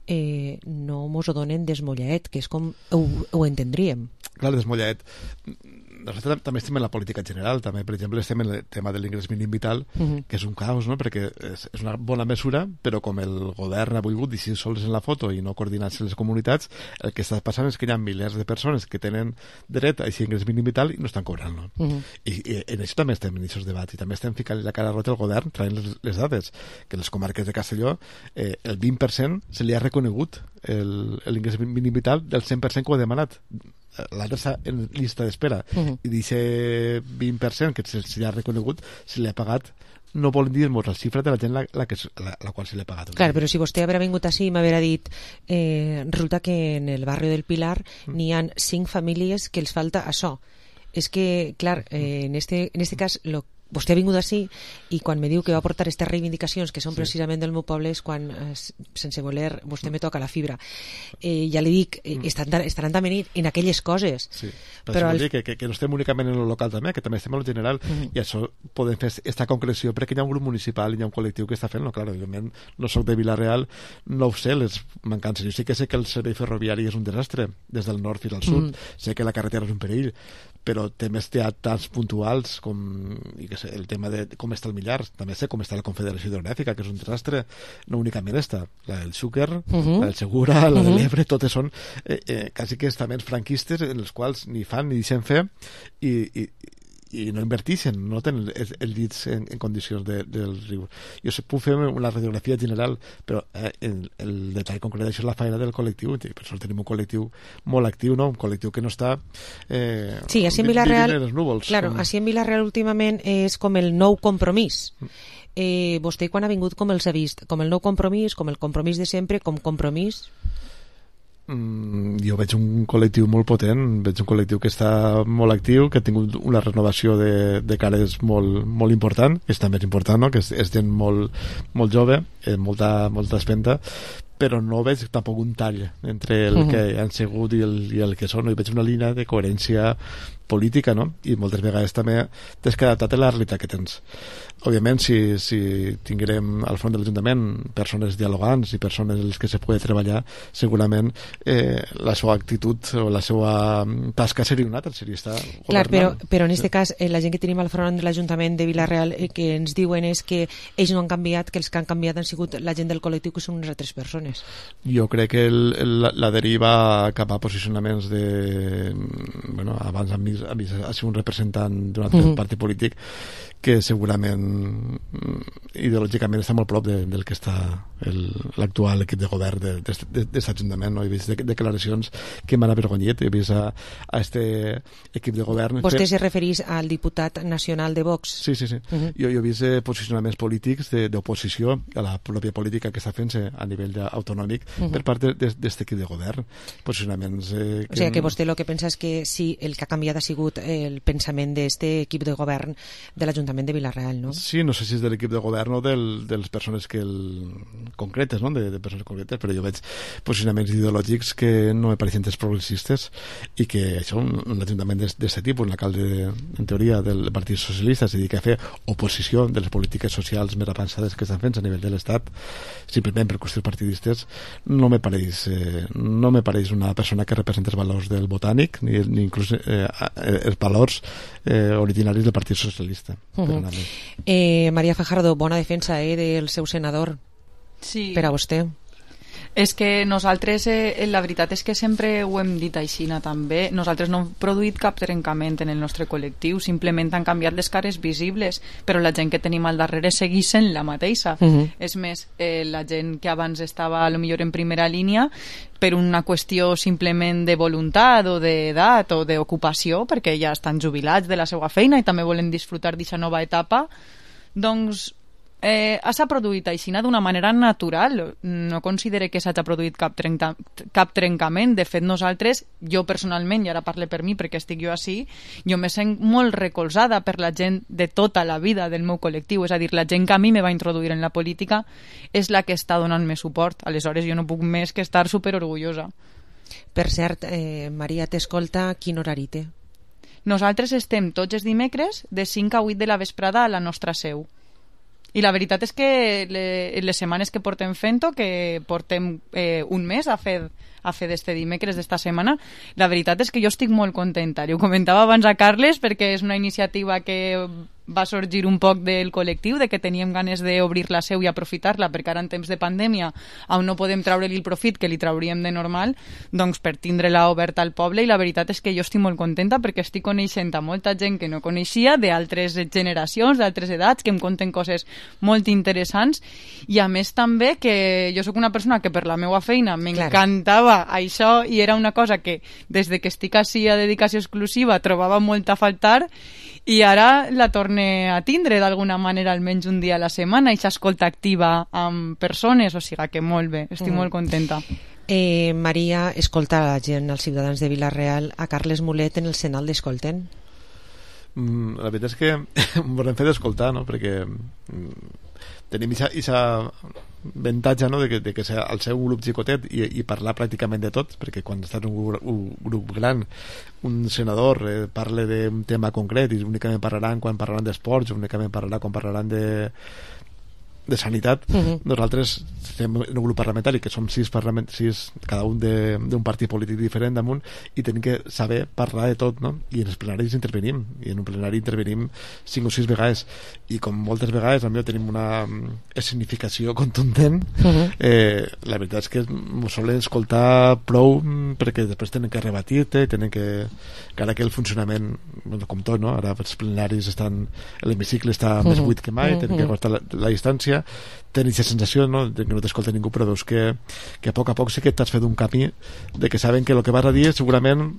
eh, no mos ho donen desmollaet, que és com ho, ho entendríem. Clar, desmollaet. Nosaltres també estem en la política general, també, per exemple, estem en el tema de l'ingrés mínim vital, uh-huh. que és un caos, no? Perquè és, és una bona mesura, però com el govern ha volgut deixar sols en la foto i no coordinar-se les comunitats, el que està passant és que hi ha milers de persones que tenen dret a aquest ingrés mínim vital i no estan cobrant-lo. Uh-huh. I, I en això també estem en aquests debats i també estem ficant la cara rota al govern traient les, les dades, que les comarques de Castelló eh, el vint per cent se li ha reconegut l'ingrés mínim vital del cent per cent que ho ha demanat. L'altre està en llista d'espera uh-huh. i d'aquest vint per cent que se, se li ha reconegut se li ha pagat, no volen dir-nos la xifra de la gent la, la, que, la, la qual se li ha pagat. Clar, però si vostè haurà vingut així i m'haurà dit eh, resulta que en el barri del Pilar mm. n'hi ha cinc famílies que els falta això. És que, clar, eh, en, este, en este cas lo vostè ha vingut així i quan me diu que va portar aquestes reivindicacions que són sí. precisament del meu poble és quan, eh, sense voler, vostè me toca la fibra. Eh, ja li dic, eh, estaran, estaran també en aquelles coses. Sí. Però, però al... dir que, que, que no estem únicament en el local també, que també estem en el general mm. i això podem fer aquesta concreció perquè hi ha un grup municipal i hi ha un col·lectiu que està fent-lo. Clar, evidentment, no soc de Vila-real, no ho sé, les mancances. Jo sí que sé que el servei ferroviari és un desastre des del nord fins al sud, mm. sé que la carretera és un perill, però temes teatrals puntuals com i que sé, el tema de com està el Millar, també sé com està la Confederació Hidrogràfica, que és un desastre, no únicament esta, la del Xúquer, uh-huh. la del Segura, la uh-huh. de l'Ebre, totes són eh, eh, quasi que estaments franquistes en els quals ni fan ni deixen fer i, i, i no invertixen, no tenen els, els llits en, en condicions de, del riu. Jo sé, puc fer una radiografia general, però eh, el, el detall concret d'això és la feina del col·lectiu, i per això tenim un col·lectiu molt actiu, no? Un col·lectiu que no està eh, sí, així en Vila-real, en els núvols. Claro, com... així en Vila-real últimament és com el nou compromís. Eh, vostè quan ha vingut com els ha vist? Com el nou compromís, com el compromís de sempre, com compromís? Mm, jo veig un col·lectiu molt potent, veig un col·lectiu que està molt actiu, que ha tingut una renovació de, de cares molt, molt important, que és també important, no? Que és, és gent molt, molt jove, eh, molta, molta espenta, però no veig tampoc un tall entre el uh-huh. que han sigut i el, i el que són, no? I veig una línia de coherència política, no? I moltes vegades també t'has que adaptar a la realitat que tens. Òbviament, si, si tinguérem al front de l'Ajuntament persones dialogants i persones en les que se pugui treballar, segurament eh, la seva actitud o la seva tasca seria una altra, seria estar governant. Clar, però, però en aquest sí. cas, eh, la gent que tenim al front de l'Ajuntament de Vila-real eh, que ens diuen és que ells no han canviat, que els que han canviat han sigut la gent del col·lectiu, que són unes altres persones. Jo crec que el, el, la deriva cap a posicionaments de... Bueno, abans a mi ha sigut un representant d'un altre uh-huh. partit polític que segurament ideològicament està molt prop de, del que està l'actual equip de govern d'aquest de, de, de, Ajuntament, no? He vist de, declaracions que m'han avergonyit, he vist a, a este equip de govern. Vostè se referís al diputat nacional de Vox? Sí, sí, sí. Uh-huh. jo, jo he vist eh, posicionaments polítics d'oposició a la pròpia política que està fent-se a nivell autonòmic uh-huh. per part d'aquest equip de govern. Posicionaments... Eh, que... O sigui que vostè el que pensa és que sí, el que ha canviat ha sigut el pensament d'aquest equip de govern de l'Ajuntament de Vila-real, no? Sí, no sé si és de l'equip de govern o del, de les persones que el... concretes, no? De, de persones concretes, però jo veig posicionaments ideològics que no me pareixen dels progressistes i que això, un, un ajuntament d'aquest tipus, un alcalde, en teoria, del Partit Socialista, es dedica a fer oposició de les polítiques socials més avançades que estan fent a nivell de l'Estat, simplement per qüestions partidistes, no me pareix, eh, no me pareix una persona que representa els valors del botànic, ni, ni inclús eh, els valors eh, originaris del Partit Socialista. Uh-huh. Eh, Maria Fajardo, bona defensa eh, del seu senador sí. per a vostè. És que nosaltres, eh, la veritat és que sempre ho hem dit així també, nosaltres no hem produït cap trencament en el nostre col·lectiu, simplement han canviat les cares visibles, però la gent que tenim al darrere segueix sent la mateixa. Uh-huh. És més, eh, la gent que abans estava a lo millor en primera línia per una qüestió simplement de voluntat o d'edat o d'ocupació, perquè ja estan jubilats de la seva feina i també volen disfrutar d'aquesta nova etapa, doncs Eh, s'ha produït així d'una manera natural. No considere que s'hagi produït cap, trenca, cap trencament. De fet, nosaltres, jo personalment, i ara parle per mi perquè estic jo així, jo me sent molt recolzada per la gent de tota la vida del meu col·lectiu, és a dir, la gent que a mi me va introduir en la política és la que està donant-me suport. Aleshores jo no puc més que estar superorgullosa. Per cert, eh, Maria, t'escolta, quin horari té? Nosaltres estem tots els dimecres de cinc a vuit de la vesprada a la nostra seu. I la veritat és que le, les setmanes que portem fent-ho, que portem eh, un mes a fer, a fer d'este dimecres d'esta setmana, la veritat és que jo estic molt contenta. Ho comentava abans a Carles perquè és una iniciativa que va sorgir un poc del col·lectiu, de que teníem ganes d'obrir la seu i aprofitar-la, perquè ara en temps de pandèmia on no podem treure-li el profit que li trauríem de normal, doncs per tindre-la oberta al poble, i la veritat és que jo estic molt contenta perquè estic coneixent a molta gent que no coneixia, d'altres generacions, d'altres edats, que em conten coses molt interessants, i a més també que jo sóc una persona que per la meva feina m'encantava això, i era una cosa que des de que estic així a dedicació exclusiva trobava molt a faltar, i ara la torne a tindre d'alguna manera almenys un dia a la setmana, i s'escolta activa amb persones, o sigui que molt bé, estic mm. molt contenta. Eh, Maria, escolta la gent, els ciutadans de Vila-real, a Carles Mulet en el Senal l'escolten? Mm, la veritat és que ens hem fet escoltar, no? Perquè mm, tenim aquesta avantatge, no? de que, de que ser el seu grup xicotet i, i parlar pràcticament de tot, perquè quan estàs en un, un grup gran, un senador eh, parla d'un tema concret i únicament parlaran quan parlaran d'esports, únicament parlarà quan parlaran de de sanitat. Uh-huh. Nosaltres estem en un grup parlamentari que som sis, parlament, sis cada un d'un partit polític diferent damunt, i tenim que saber parlar de tot, no? I en els plenaris intervenim, i en un plenari intervenim cinc o sis vegades, i com moltes vegades potser tenim una escenificació contundent. Uh-huh. eh, la veritat és que ens solen escoltar prou, perquè després tenen que rebatir-te, tenen que, que ara que el funcionament, bueno, com tot, no? Ara els plenaris estan, l'hemicicle està uh-huh. més buit que mai, uh-huh. tenen que guardar la, la distància, tenen aquesta sensació, no?, de que no t'escolta ningú, però veus que, que a poc a poc sí que t'has fet un camí de que saben que el que vas a dir segurament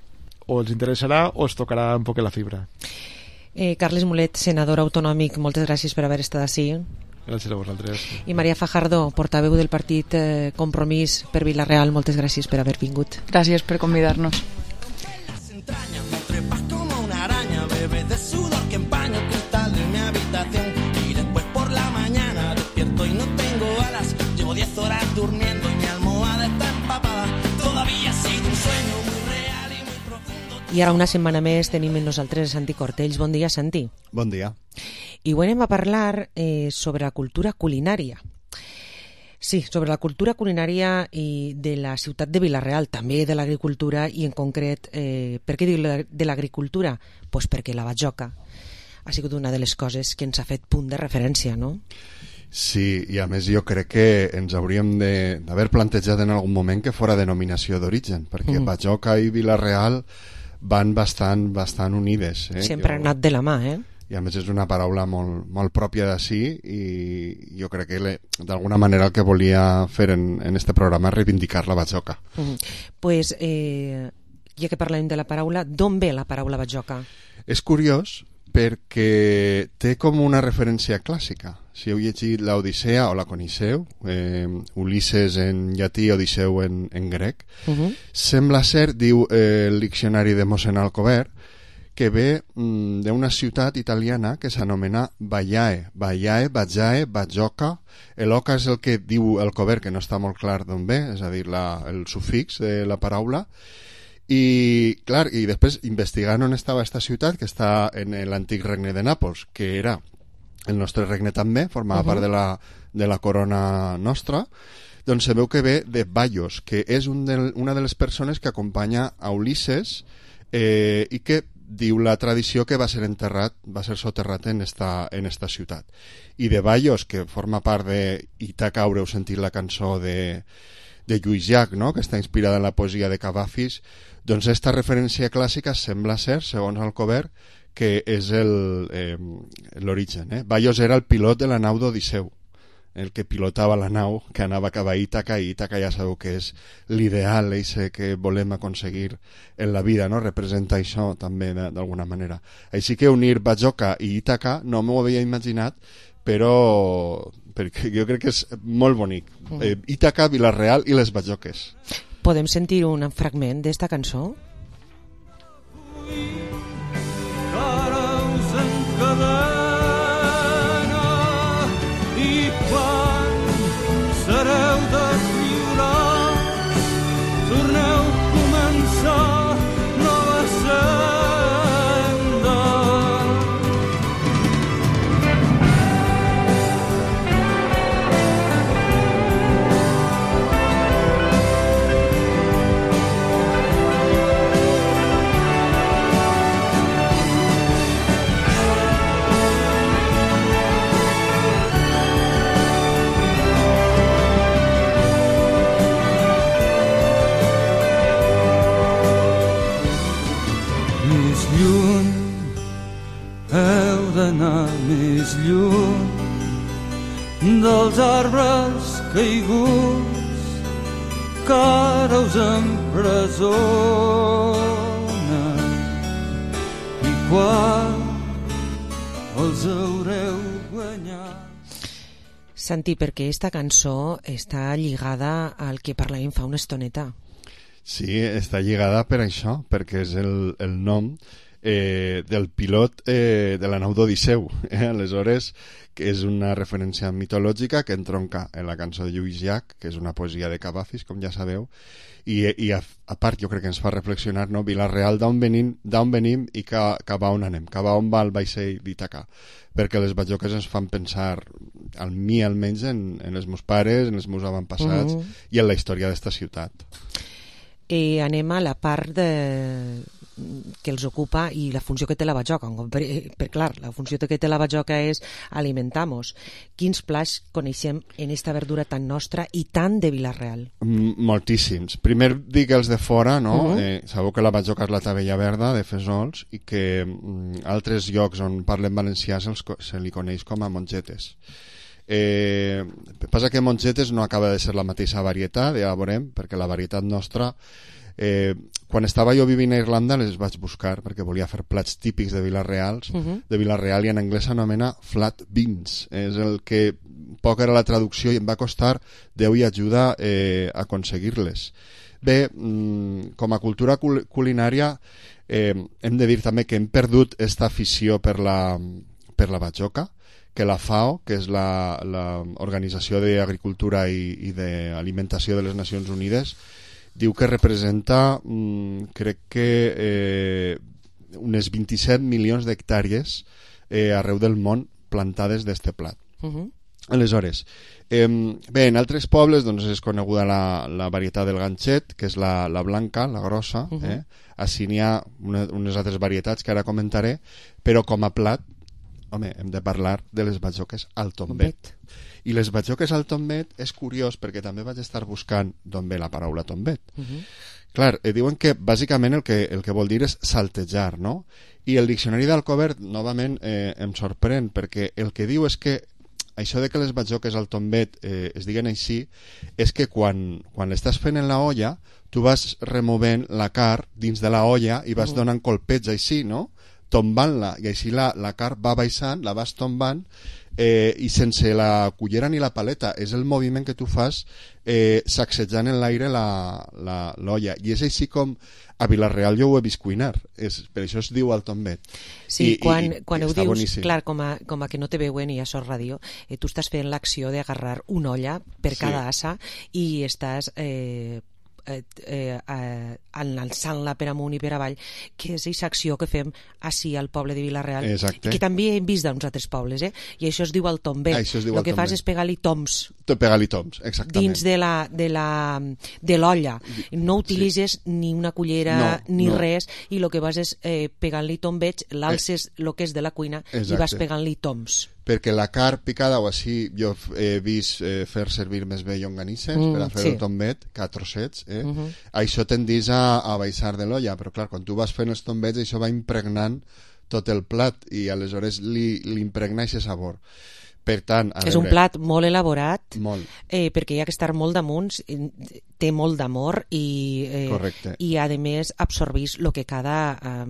o els interessarà o es tocarà un poc la fibra. eh, Carles Mulet, senador autonòmic, moltes gràcies per haver estat així. Gràcies a vosaltres. I Maria Fajardo, portaveu del partit eh, Compromís per Vila-real, moltes gràcies per haver vingut. Gràcies per convidar-nos. Durmiendo y mi almohada está empapada. Todavía ha sido un sueño muy real y muy profundo. I ara una setmana més tenim amb nosaltres Santi Cortells. Bon dia, Santi. Bon dia. I avui anem a parlar eh, sobre la cultura culinària. Sí, sobre la cultura culinària i de la ciutat de Vila-real, també de l'agricultura, i en concret, eh, per què dic de l'agricultura? Pues perquè la bajoca ha sigut una de les coses que ens ha fet punt de referència, no? Sí, i a més jo crec que ens hauríem d'haver plantejat en algun moment que fora denominació d'origen, perquè mm. Bajoca i Vila-real van bastant bastant unides. Eh? Sempre han anat de la mà, eh? I a més és una paraula molt, molt pròpia d'ací, i jo crec que d'alguna manera el que volia fer en, en este programa és reivindicar la Bajoca. Mm. Pues, eh, ja que parlem de la paraula, d'on ve la paraula Bajoca? És curiós, perquè té com una referència clàssica. Si heu llegit l'Odissea o la coneixeu, eh, Ulisses en llatí, Odisseu en, en grec, uh-huh. sembla ser, diu eh, el diccionari de mossèn Alcover, que ve mm, d'una ciutat italiana que s'anomena Baiae. Baiae, Bajae, Bajoca. El oca és el que diu Alcover, que no està molt clar d'on ve, és a dir, la, el sufix de la paraula. I, clar, i després investigant on estava aquesta ciutat, que està en l'antic regne de Nàpols, que era el nostre regne també, formava uh-huh. part de la, de la corona nostra, doncs se veu que ve de Baios, que és un del, una de les persones que acompanya a Ulisses eh, i que diu la tradició que va ser enterrat, va ser soterrat en esta, en esta ciutat. I de Baios, que forma part de Ítaca, haureu sentit la cançó de de Lluís Llach, no?, que està inspirada en la poesia de Cavafis, doncs esta referència clàssica sembla ser, segons Alcover, que és el, eh, l'origen. Eh? Bayos era el pilot de la nau d'Odisseu, el que pilotava la nau que anava cap a Ítaca, i Ítaca ja sabeu que és l'ideal ese que volem aconseguir en la vida, no? Representa això també d'alguna manera. Així que unir Bajoca i Ítaca no m'ho havia imaginat, però perquè jo crec que és molt bonic. Eh, Ítaca, Vila-real i les Bajoques. Podem sentir un fragment d'esta cançó? Sereu desviolats, torneu a començar nova senda. Heu d'anar més lluny dels arbres caiguts que ara us empresonen, i quan els haureu guanyat. Santi, perquè esta cançó està lligada al que parlàvem fa una estoneta. Sí, està lligada per això, perquè és el, el nom eh, del pilot eh, de la nau d'Odisseu. Eh? Aleshores, que és una referència mitològica que entronca en la cançó de Lluís Llach, que és una poesia de Cavafis, com ja sabeu, i, i a, a part jo crec que ens fa reflexionar, no? Vila-real, d'on venim, d'on venim i cap a on anem, cap a on va el vaixell d'Ítaca, perquè les bajoques ens fan pensar, al mi almenys, en, en els meus pares, en els meus avantpassats, mm-hmm. i en la història d'esta ciutat. Eh, anem a la part de... que els ocupa i la funció que té la bajoca. Per, per clar, la funció que té la bajoca és alimentar-nos. Quins plats coneixem en esta verdura tan nostra i tan de Vila-real? M moltíssims. Primer dic els de fora, no? Uh -huh. eh, sabeu que la bajoca és la tabella verda de Fesols i que mm, altres llocs on parlen valencià se, se li coneix com a mongetes. Eh, passa que mongetes no acaba de ser la mateixa varietat, ja la veurem, perquè la varietat nostra eh, quan estava jo vivint a Irlanda les vaig buscar perquè volia fer plats típics de Vila-real, uh -huh. de Vila-real, i en anglès s'anomena flat beans, és el que poc era la traducció i em va costar Déu i ajuda eh, aconseguir-les. Bé, mm, com a cultura cul culinària eh, hem de dir també que hem perdut esta afició per la, per la bajoca, que la FAO, que és l'Organització d'Agricultura i, i d'Alimentació de les Nacions Unides, diu que representa, mmm, crec que eh, unes vint-i-set milions d'hectàrees eh, arreu del món plantades d'este plat. Uh-huh. Aleshores, eh, bé, en altres pobles doncs, és coneguda la, la varietat del ganxet, que és la, la blanca, la grossa, uh-huh. eh? Així n'hi ha una, unes altres varietats que ara comentaré, però com a plat, home, hem de parlar de les bajoques al tombet. I les bajoques al tombet és curiós perquè també vaig estar buscant d'on ve la paraula tombet. Uh -huh. Clar, eh, diuen que bàsicament el que, el que vol dir és saltejar, no? I el diccionari d'Alcover, novament, eh, em sorprèn perquè el que diu és que això de que les bajoques al tombet eh, es diguen així és que quan, quan l'estàs fent en la olla tu vas removent la carn dins de la olla i vas uh -huh. donant colpets així, no? Tombant-la, i així la, la carn va baixant, la vas tombant, eh, i sense la cullera ni la paleta, és el moviment que tu fas eh, sacsejant en l'aire l'olla, i és així com a Vila-real jo ho he vist cuinar, és, per això es diu al tombet. Sí, I, quan, i, quan i ho dius, boníssim. Clar, com a, com a que no te veuen i a Sos Ràdio, eh, tu estàs fent l'acció d'agarrar una olla per sí. cada assa i estàs... Eh, Eh, eh, eh, alçant-la per amunt i per avall, que és aquesta acció que fem així al poble de Vila-real. Exacte. I que també hem vist d'uns altres pobles, eh? I això es diu el tombet. El que tombet. fas és pegar-li toms. Pegar-li toms, exactament. Dins de la de la de l'olla. No utilitzes sí. ni una cullera no, ni no. res, i el que vas és eh, pegant-li tombets, l'alces el eh. que és de la cuina Exacte. I vas pegant-li toms. perquè la carn picada o així jo he vist eh, fer servir més bé llonganisses mm, per a fer sí. el tombet que a trossets, eh? Uh -huh. Això tendís a, a baixar de l'olla, però clar, quan tu vas fent els tombets això va impregnant tot el plat i aleshores li, li impregna aquest sabor. Per tant, a és veure, un plat molt elaborat molt. Eh, perquè hi ha que estar molt damunt, té molt d'amor i, eh, i a més absorbís el que cada eh,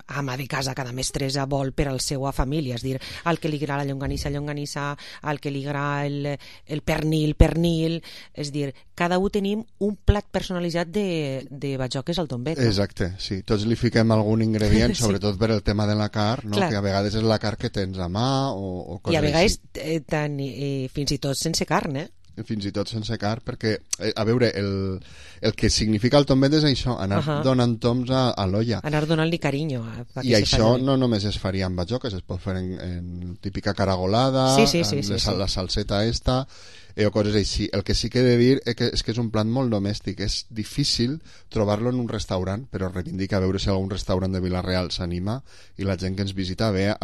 ama de casa, cada mestressa vol per a la seva família, és dir, al que li agrada la llonganissa, llonganissa, al que li agrada el, el pernil, pernil, és dir, cada un tenim un plat personalitzat de, de batjoques al tombet. No? Exacte, sí, tots li fiquem algun ingredient, sí. sobretot per el tema de la carn, no? Que a vegades és la carn que tens a mà o, o coses i a vegades així. Eh, tant, eh, fins i tot sense carn, eh? Fins i tot sense carn, perquè, eh, a veure, el, el que significa el tombet és això, anar uh -huh. donant toms a, a l'olla. Anar donant-li carinyo. A, a I això no només es faria amb batjoques, es pot fer en, en típica caragolada, sí, sí, sí, en sí, les, sí. la salseta esta, eh, o coses així. El que sí que he de dir és que, és que és un plat molt domèstic, és difícil trobar-lo en un restaurant, però reivindica a veure si algun restaurant de Vila-real s'anima i la gent que ens visita ve a,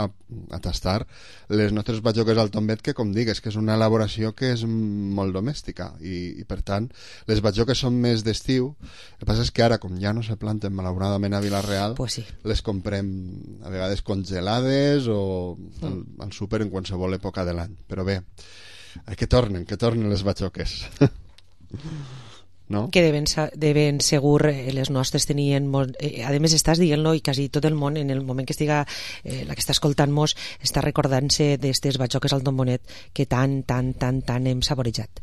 a tastar les nostres batjoques al tombet, que com dic, és que és una elaboració que és molt domèstica i, i per tant les batjoques són més d'estiu. El que passa és que ara, com ja no se planten malauradament a Vila-real, pues sí. les comprem a vegades congelades o al, al súper en qualsevol època de l'any, però bé, que tornen, que tornen les batjoques. No? Que de ben, de ben segur eh, les nostres tenien molt, eh, a més estàs dient-lo i quasi tot el món en el moment que estiga eh, la que està escoltant-nos està recordant-se d'estes batjoques al tombonet que tan, tan, tan, tan hem saborejat.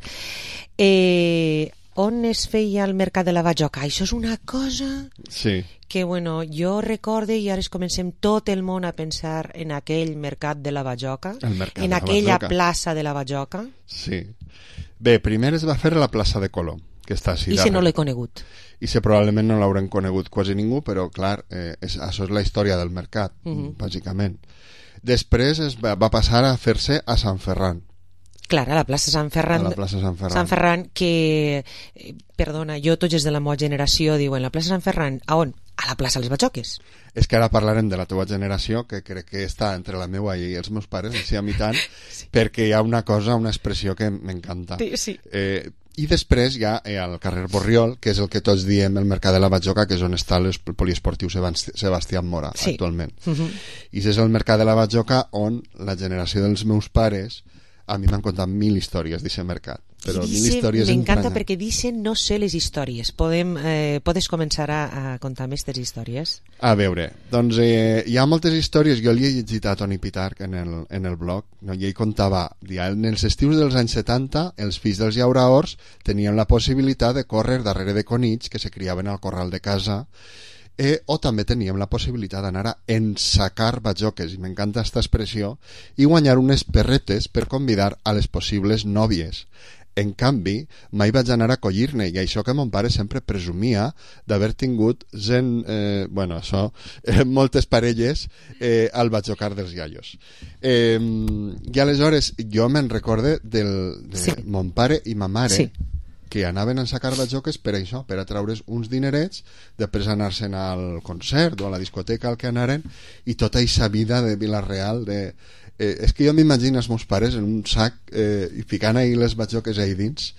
Eh, on es feia el mercat de la batjoca? Això és una cosa sí. que bueno, jo recorde i ara es comencem tot el món a pensar en aquell mercat de la batjoca, en aquella batjoca. Plaça de la batjoca. Sí. Bé, primer es va fer a la plaça de Colom, que està així i si no l'he conegut i si probablement no l'haurem conegut quasi ningú, però clar, eh, és, això és la història del mercat, uh -huh. bàsicament. Després es va, va passar a fer-se a Sant Ferran. Clar, a la plaça Sant Ferran, a la plaça Sant Ferran. Sant Ferran que, eh, perdona, jo tots de la meva generació diuen la plaça Sant Ferran, a on? A la plaça Les Batjoques. És que ara parlarem de la teva generació, que crec que està entre la meva i els meus pares, així a mi tant, sí. perquè hi ha una cosa, una expressió que m'encanta. Sí, sí. Eh, I després hi ha eh, al carrer Borriol, que és el que tots diem el mercat de la Batjoca, que és on està el poliesportiu Sebastià Mora, sí. actualment. Uh -huh. I és el mercat de la Batjoca on la generació dels meus pares a mi m'han contat mil històries d'aquest mercat, però dice, mil històries m'encanta perquè dicen no sé les històries. Podem, eh, podes començar a, a contar més les històries? A veure, doncs eh, hi ha moltes històries. Jo li he llegit a Toni Pitarch en el, en el blog, no? I ell contava, en els estius dels anys setanta els fills dels llauraors tenien la possibilitat de córrer darrere de conills que se criaven al corral de casa. Eh, o també teníem la possibilitat d'anar a ensacar batjoques, i m'encanta aquesta expressió, i guanyar unes perretes per convidar a les possibles nòvies. En canvi, mai vaig anar a collir-ne, i això que mon pare sempre presumia d'haver tingut gent, eh, bueno, això, eh, moltes parelles eh, al batjocar dels iaios. Eh, I aleshores jo me'n recorde del, de sí. mon pare i ma mare, sí. que anaven a sacar batjoques per això, per a traure's uns dinerets, després anar-se'n al concert o a la discoteca al que anaren, i tota aquesta vida de Vila-real de... Eh, és que jo m'imagino els meus pares en un sac eh, i ficant ahí les batjoques ahí dins,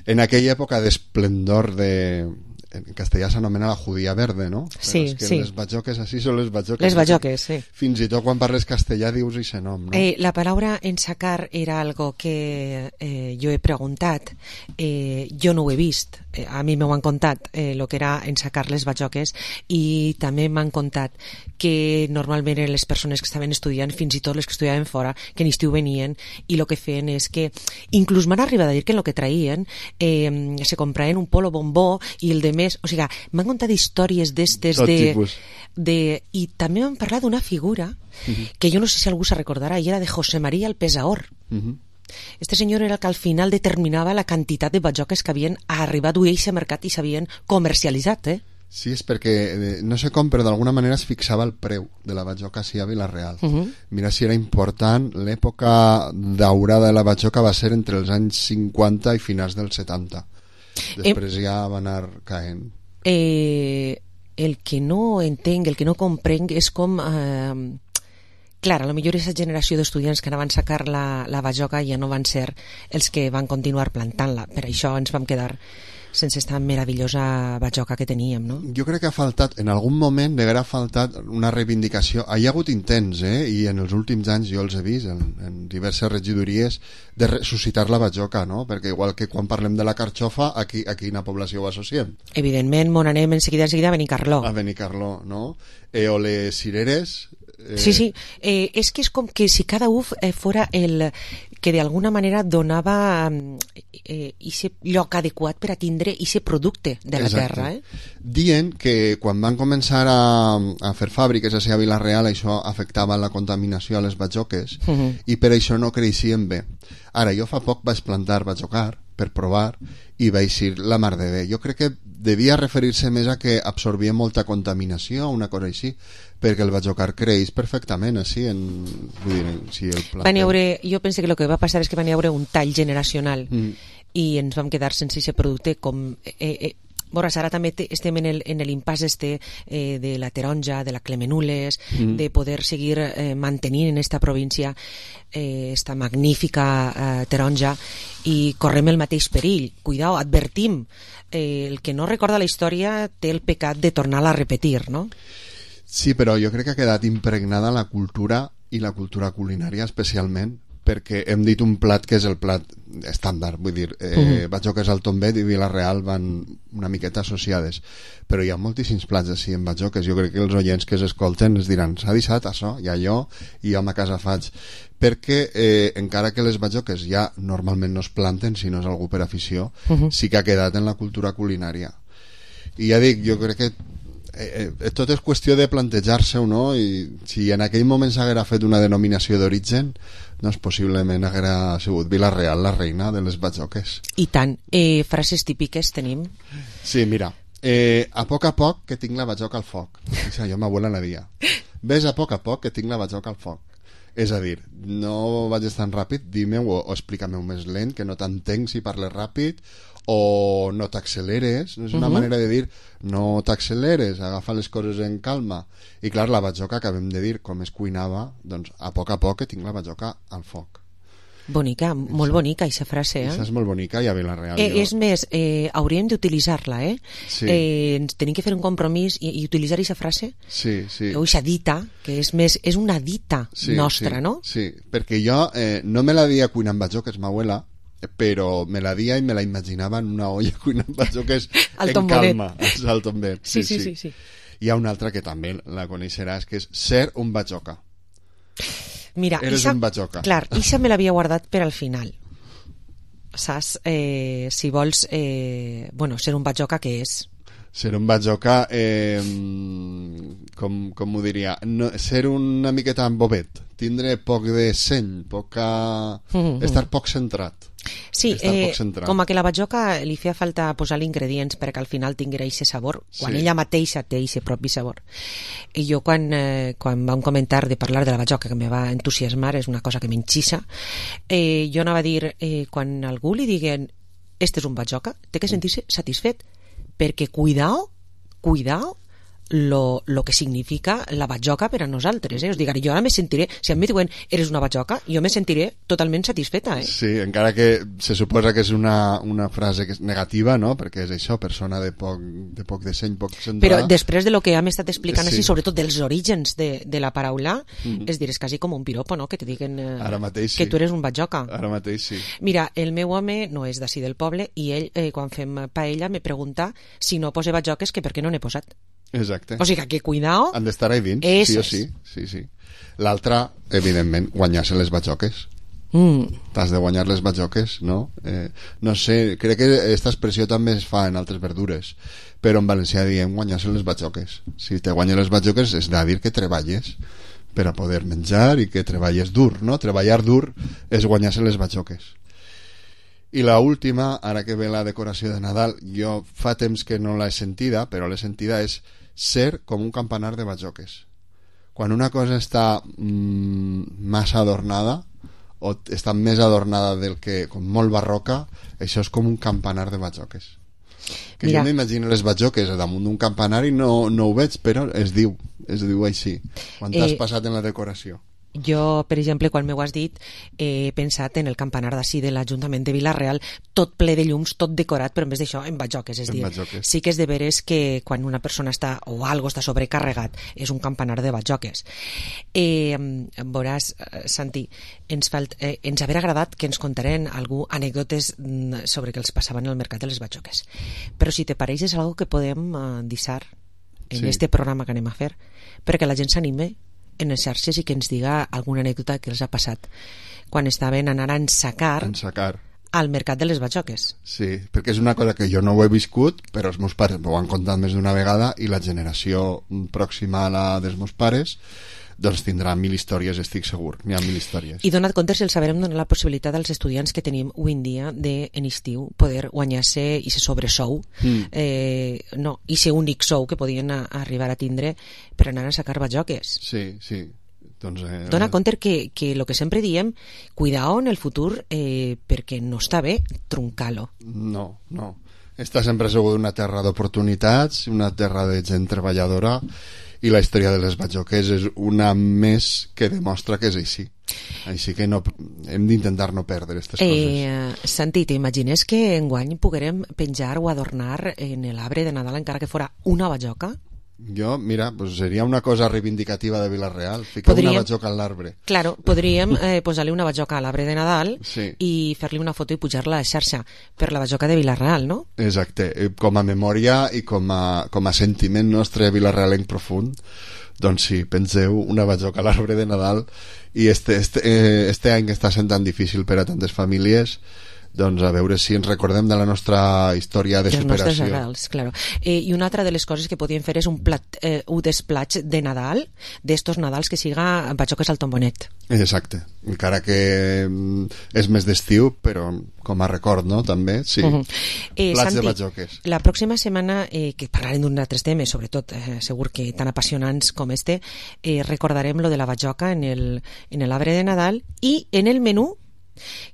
en aquella època d'esplendor de... en castellà s'anomena la judía verde, no? Però sí, és que sí. les batjoques així són les batjoques. Les batjoques, sí. Fins i tot quan parles castellà dius i se nom, no? Eh, la paraula ensacar era algo que eh, jo he preguntat. Eh, jo no ho he vist. Eh, a mi m'ho han contat eh, lo que era ensacar les batjoques, i també m'han contat que normalment eren les persones que estaven estudiant, fins i tot les que estudiaven fora, que en estiu venien, i el que feien és que inclús m'han arribat a dir que en el que traïen eh, se compraven un polo bombó i el de més, o sigui, m'han contat històries d'estes de, de... I també m'han parlat d'una figura uh-huh. que jo no sé si algú se recordarà, i era de José María el Pesaor. Uh-huh. Este senyor era el que al final determinava la quantitat de batjoques que havien arribat a aquest mercat i s'havien comercialitzat, eh? Sí, és perquè, eh, no sé com, però d'alguna manera es fixava el preu de la batjoca a Vila-real. Uh-huh. Mira si era important, l'època daurada de la batjoca va ser entre els anys cinquanta i finals dels setanta. Després eh, ja va anar caent. Eh, el que no entenc, el que no comprenc és com... Eh, clar, a lo millor aquesta generació d'estudiants que anaven a sacar la, la bajoca ja no van ser els que van continuar plantant-la. Per això ens vam quedar sense esta meravellosa bajoca que teníem, no? Jo crec que ha faltat, en algun moment haguera faltat una reivindicació. Hi ha hagut intents, eh? I en els últims anys jo els he vist en, en diverses regidories de ressuscitar la bajoca, no? Perquè igual que quan parlem de la carxofa, aquí, aquí quina població ho associem? Evidentment, mon anem en seguida, en seguida a Benicarló. A Benicarló, no? Eh, o les cireres... Eh... Sí, sí, eh, és que és com que si cada uf eh, fora el que d'alguna manera donava eh, ese lloc adequat per a tindre ese producte de la Exacte. terra. Eh? Dient que quan van començar a, a fer fàbriques a Vila-real això afectava la contaminació a les bajoques Uh -huh. i per això no creixien bé. Ara, jo fa poc vaig plantar bajocar per provar i vaig dir la mar de bé. Jo crec que devia referir-se més a que absorbia molta contaminació, una cosa així, perquè el bajocar creix perfectament així en, vull dir, si el planter... Van haure, jo penso que el que va passar és que van haure un tall generacional mm. i ens vam quedar sense aquest producte com... Eh, eh, Veuràs, ara també te, estem en el, en l'impàs este eh, de la taronja, de la clemenules, mm. de poder seguir eh, mantenint en esta província eh, esta magnífica eh, taronja i correm el mateix perill. Cuidao, advertim, eh, el que no recorda la història té el pecat de tornar-la a repetir, no? Sí, però jo crec que ha quedat impregnada la cultura i la cultura culinària especialment perquè hem dit un plat que és el plat estàndard, vull dir, eh, uh-huh. bajoques al tombet i Vila-real van una miqueta associades, però hi ha moltíssims plats així en bajoques. Jo crec que els oients que s'escolten es diran, s'ha deixat això, ja jo, i jo a ma casa faig, perquè eh, encara que les bajoques ja normalment no es planten si no és algú per afició, uh-huh. sí que ha quedat en la cultura culinària. I ja dic, jo crec que Eh, eh, tot és qüestió de plantejar-se-ho, no? I si en aquell moment s'haguera fet una denominació d'origen, doncs possiblement haguera sigut Vila-real la reina de les bajoques. I tant. Eh, frases típiques tenim? Sí, mira, eh, a poc a poc que tinc la bajoca al foc. Això jo m'abuela la dia. Ves a poc a poc que tinc la bajoca al foc. És a dir, no vagis tan ràpid, dime-ho o, o explica-me-ho més lent, que no t'entenc si parles ràpid, o no t'acceleres. És una uh-huh. manera de dir no t'acceleres, agafa les coses en calma. I clar, la bajoca, acabem de dir com es cuinava, doncs a poc a poc que tinc la bajoca al foc. Bonica, molt això, bonica aquesta frase, eh? Això és molt bonica i a Vila-real. Eh, jo... És més, eh, hauríem d'utilitzar-la, eh? Sí. eh? Ens tenim que fer un compromís i, i utilitzar aquesta frase. Sí, sí. O aquesta dita, que és més, és una dita sí, nostra, sí, no? Sí, perquè jo eh, no me la dia cuinant bajoques, ma abuela, però me la dia i me la imaginava en una olla cuinant bajoques en calma, al tombet. Sí, sí, sí, sí, sí. Hi ha una altra que també la coneixeràs, que és ser un bajoca. Mira, eres Isa, un bajoca. Clar, Isa me l'havia guardat per al final. Saps? Eh, si vols, eh, bueno, ser un bajoca, què és? Ser un bajoca, eh, com, com ho diria, no, ser una miqueta bobet, tindre poc de seny, poca... Mm-hmm. estar poc centrat. Sí, eh, com a que la bajoca li feia falta posar-li ingredients perquè al final tinguera aquest sabor, quan sí. ella mateixa té aquest propi sabor. I jo quan, eh, quan vam comentar de parlar de la bajoca, que me va entusiasmar, és una cosa que m'enxissa, eh, jo anava a dir, eh, quan algú li diguen este és un bajoca, té que sentir-se satisfet, perquè cuidao, cuidao lo, lo que significa la bajoca per a nosaltres, eh? Us dic, jo ara me sentiré, si em diuen eres una bajoca, jo me sentiré totalment satisfeta, eh? Sí, encara que se suposa que és una, una frase que és negativa, no? Perquè és això, persona de poc de, poc de seny, poc centrada. Però després de lo que hem estat explicant sí. així, sobretot dels orígens de, de la paraula, mm-hmm. és dir, és quasi com un piropo, no? Que te diguen eh, ara mateix, que sí. tu eres un bajoca. Ara mateix, sí. Mira, el meu home no és d'ací del poble i ell, eh, quan fem paella, me pregunta si no pose bajoques que per què no n'he posat. Exacte. O sigui que cuidao. Han d'estar ahí dins, és... sí o sí. sí, sí. L'altra, evidentment, guanyar-se les bajoques. Mm. T'has de guanyar les bajoques, no? Eh, no sé, crec que aquesta expressió també es fa en altres verdures, però en valencià diem guanyar-se les bajoques. Si te guanyes les bajoques és de dir que treballes per a poder menjar i que treballes dur, no? Treballar dur és guanyar-se les bajoques. I la última, ara que ve la decoració de Nadal, jo fa temps que no l'he sentida, però l'he sentida, és ser com un campanar de bajoques. Quan una cosa està mmm, massa adornada o està més adornada del que com molt barroca, això és com un campanar de bajoques. Que Mira. Jo m'imagino les bajoques damunt d'un campanar i no, no ho veig, però es diu, es diu així quan t'has eh, passat en la decoració. Jo, per exemple, quan m'ho has dit, he pensat en el campanar d'ací de l'Ajuntament de Vila-real, tot ple de llums, tot decorat, però en vez d'això, en batjoques. És dir, sí que és de veres que quan una persona està, o algo està sobrecarregat, és un campanar de batjoques. Eh, veuràs, Santi, ens, falt, eh, ens haver agradat que ens contaren algú anècdotes sobre què els passaven al mercat de les batjoques. Però si te pareix és algo que podem uh, dissar en sí. este programa que anem a fer, perquè la gent s'anime en les xarxes i que ens diga alguna anècdota que els ha passat quan estaven anant a ensacar, ensacar. al mercat de les batjoques. Sí, perquè és una cosa que jo no ho he viscut, però els meus pares m'ho han contat més d'una vegada i la generació pròxima a la dels meus pares doncs tindrà mil històries, estic segur. N'hi ha mil històries. I donat compte si els sabrem donar la possibilitat als estudiants que tenim avui en dia de, en estiu, poder guanyar-se i se sobresou, mm. eh, no, i ser únic sou que podien a, a arribar a tindre per anar a sacar batjoques. Sí, sí. Doncs, eh, Dona compte que, que el que sempre diem, cuidao en el futur, eh, perquè no està bé truncar-lo. No, no. Està sempre segur una terra d'oportunitats, una terra de gent treballadora, i la història de les batjoques és una més que demostra que és així. Així que no, hem d'intentar no perdre aquestes eh, coses. Santi, t'imagines que enguany poguerem penjar o adornar en l'arbre de Nadal encara que fora una batjoca? Jo, mira, pues seria una cosa reivindicativa de Vila-real, ficar podríem, una batjoca a l'arbre. Claro, podríem eh, posar-li una batjoca a l'arbre de Nadal sí. i fer-li una foto i pujar-la a la xarxa per la batjoca de Vila-real, no? Exacte, com a memòria i com a, com a sentiment nostre vilarrealenc profund, doncs sí, penseu una batjoca a l'arbre de Nadal i este, este, eh, este any que està sent tan difícil per a tantes famílies, doncs a veure si ens recordem de la nostra història de superació. Els nostres arrels, claro. Eh, I una altra de les coses que podíem fer és un, plat, eh, un desplatx de Nadal, d'estos Nadals que siga batjoques al tombonet. Exacte, encara que és més d'estiu, però com a record, no?, també, sí. Uh -huh. eh, Plats Santi, de batjoques. La pròxima setmana, eh, que parlarem d'un altres temes, sobretot, eh, segur que tan apassionants com este, eh, recordarem lo de la batjoca en el, en l'arbre de Nadal i en el menú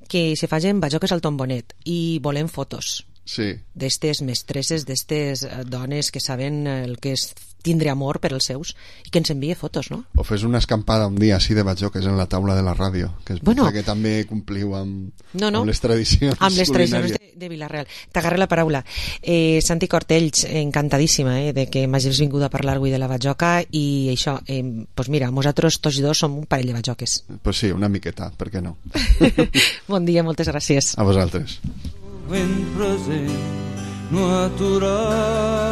que se facin batjoques al tombonet i volem fotos sí. d'estes mestresses, d'estes dones que saben el que és tindre amor per als seus i que ens envie fotos, no? O fes una escampada un dia així de batjoques en la taula de la ràdio, que es bueno, que també compliu amb, no, no, amb les tradicions amb les tradicions de, de Vila-real. T'agarre la paraula. Eh, Santi Cortells, encantadíssima eh, de que m'hagis vingut a parlar avui de la batjoca i això, eh, pues mira, nosaltres tots i dos som un parell de batjoques. Pues sí, una miqueta, per què no? Bon dia, moltes gràcies. A vosaltres. Ben present, no aturar-vos.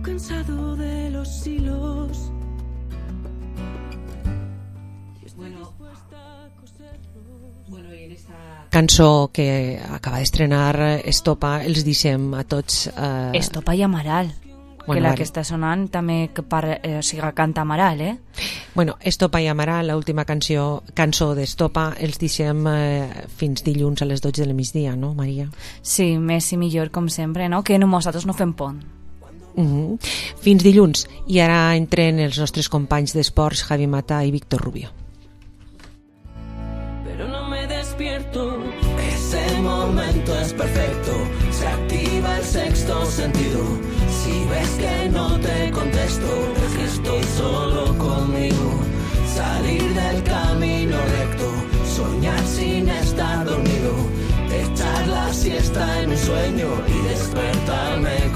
Cansado de los hilos. Bueno, bueno, i en esta cançó que acaba d'estrenar Estopa, els deixem a tots... Eh... Estopa i Amaral. Bueno, que la vale. Que està sonant també que par, eh, o sigui, canta Amaral, eh? Bueno, Estopa i Amaral, l'última canció, cançó d'Estopa, els deixem eh, fins dilluns a les dotze del migdia, no, Maria? Sí, més i millor, com sempre, no? Que nosaltres no fem pont. Uh-huh. Fins dilluns. I ara entren els nostres companys d'esports Javi Mata i Víctor Rubio. Pero no me despierto. Ese momento es perfecto. Se activa el sexto sentido. Si ves que no te contesto, es que estoy solo conmigo. Salir del camino recto, soñar sin estar dormido, echar la siesta en un sueño y despertarme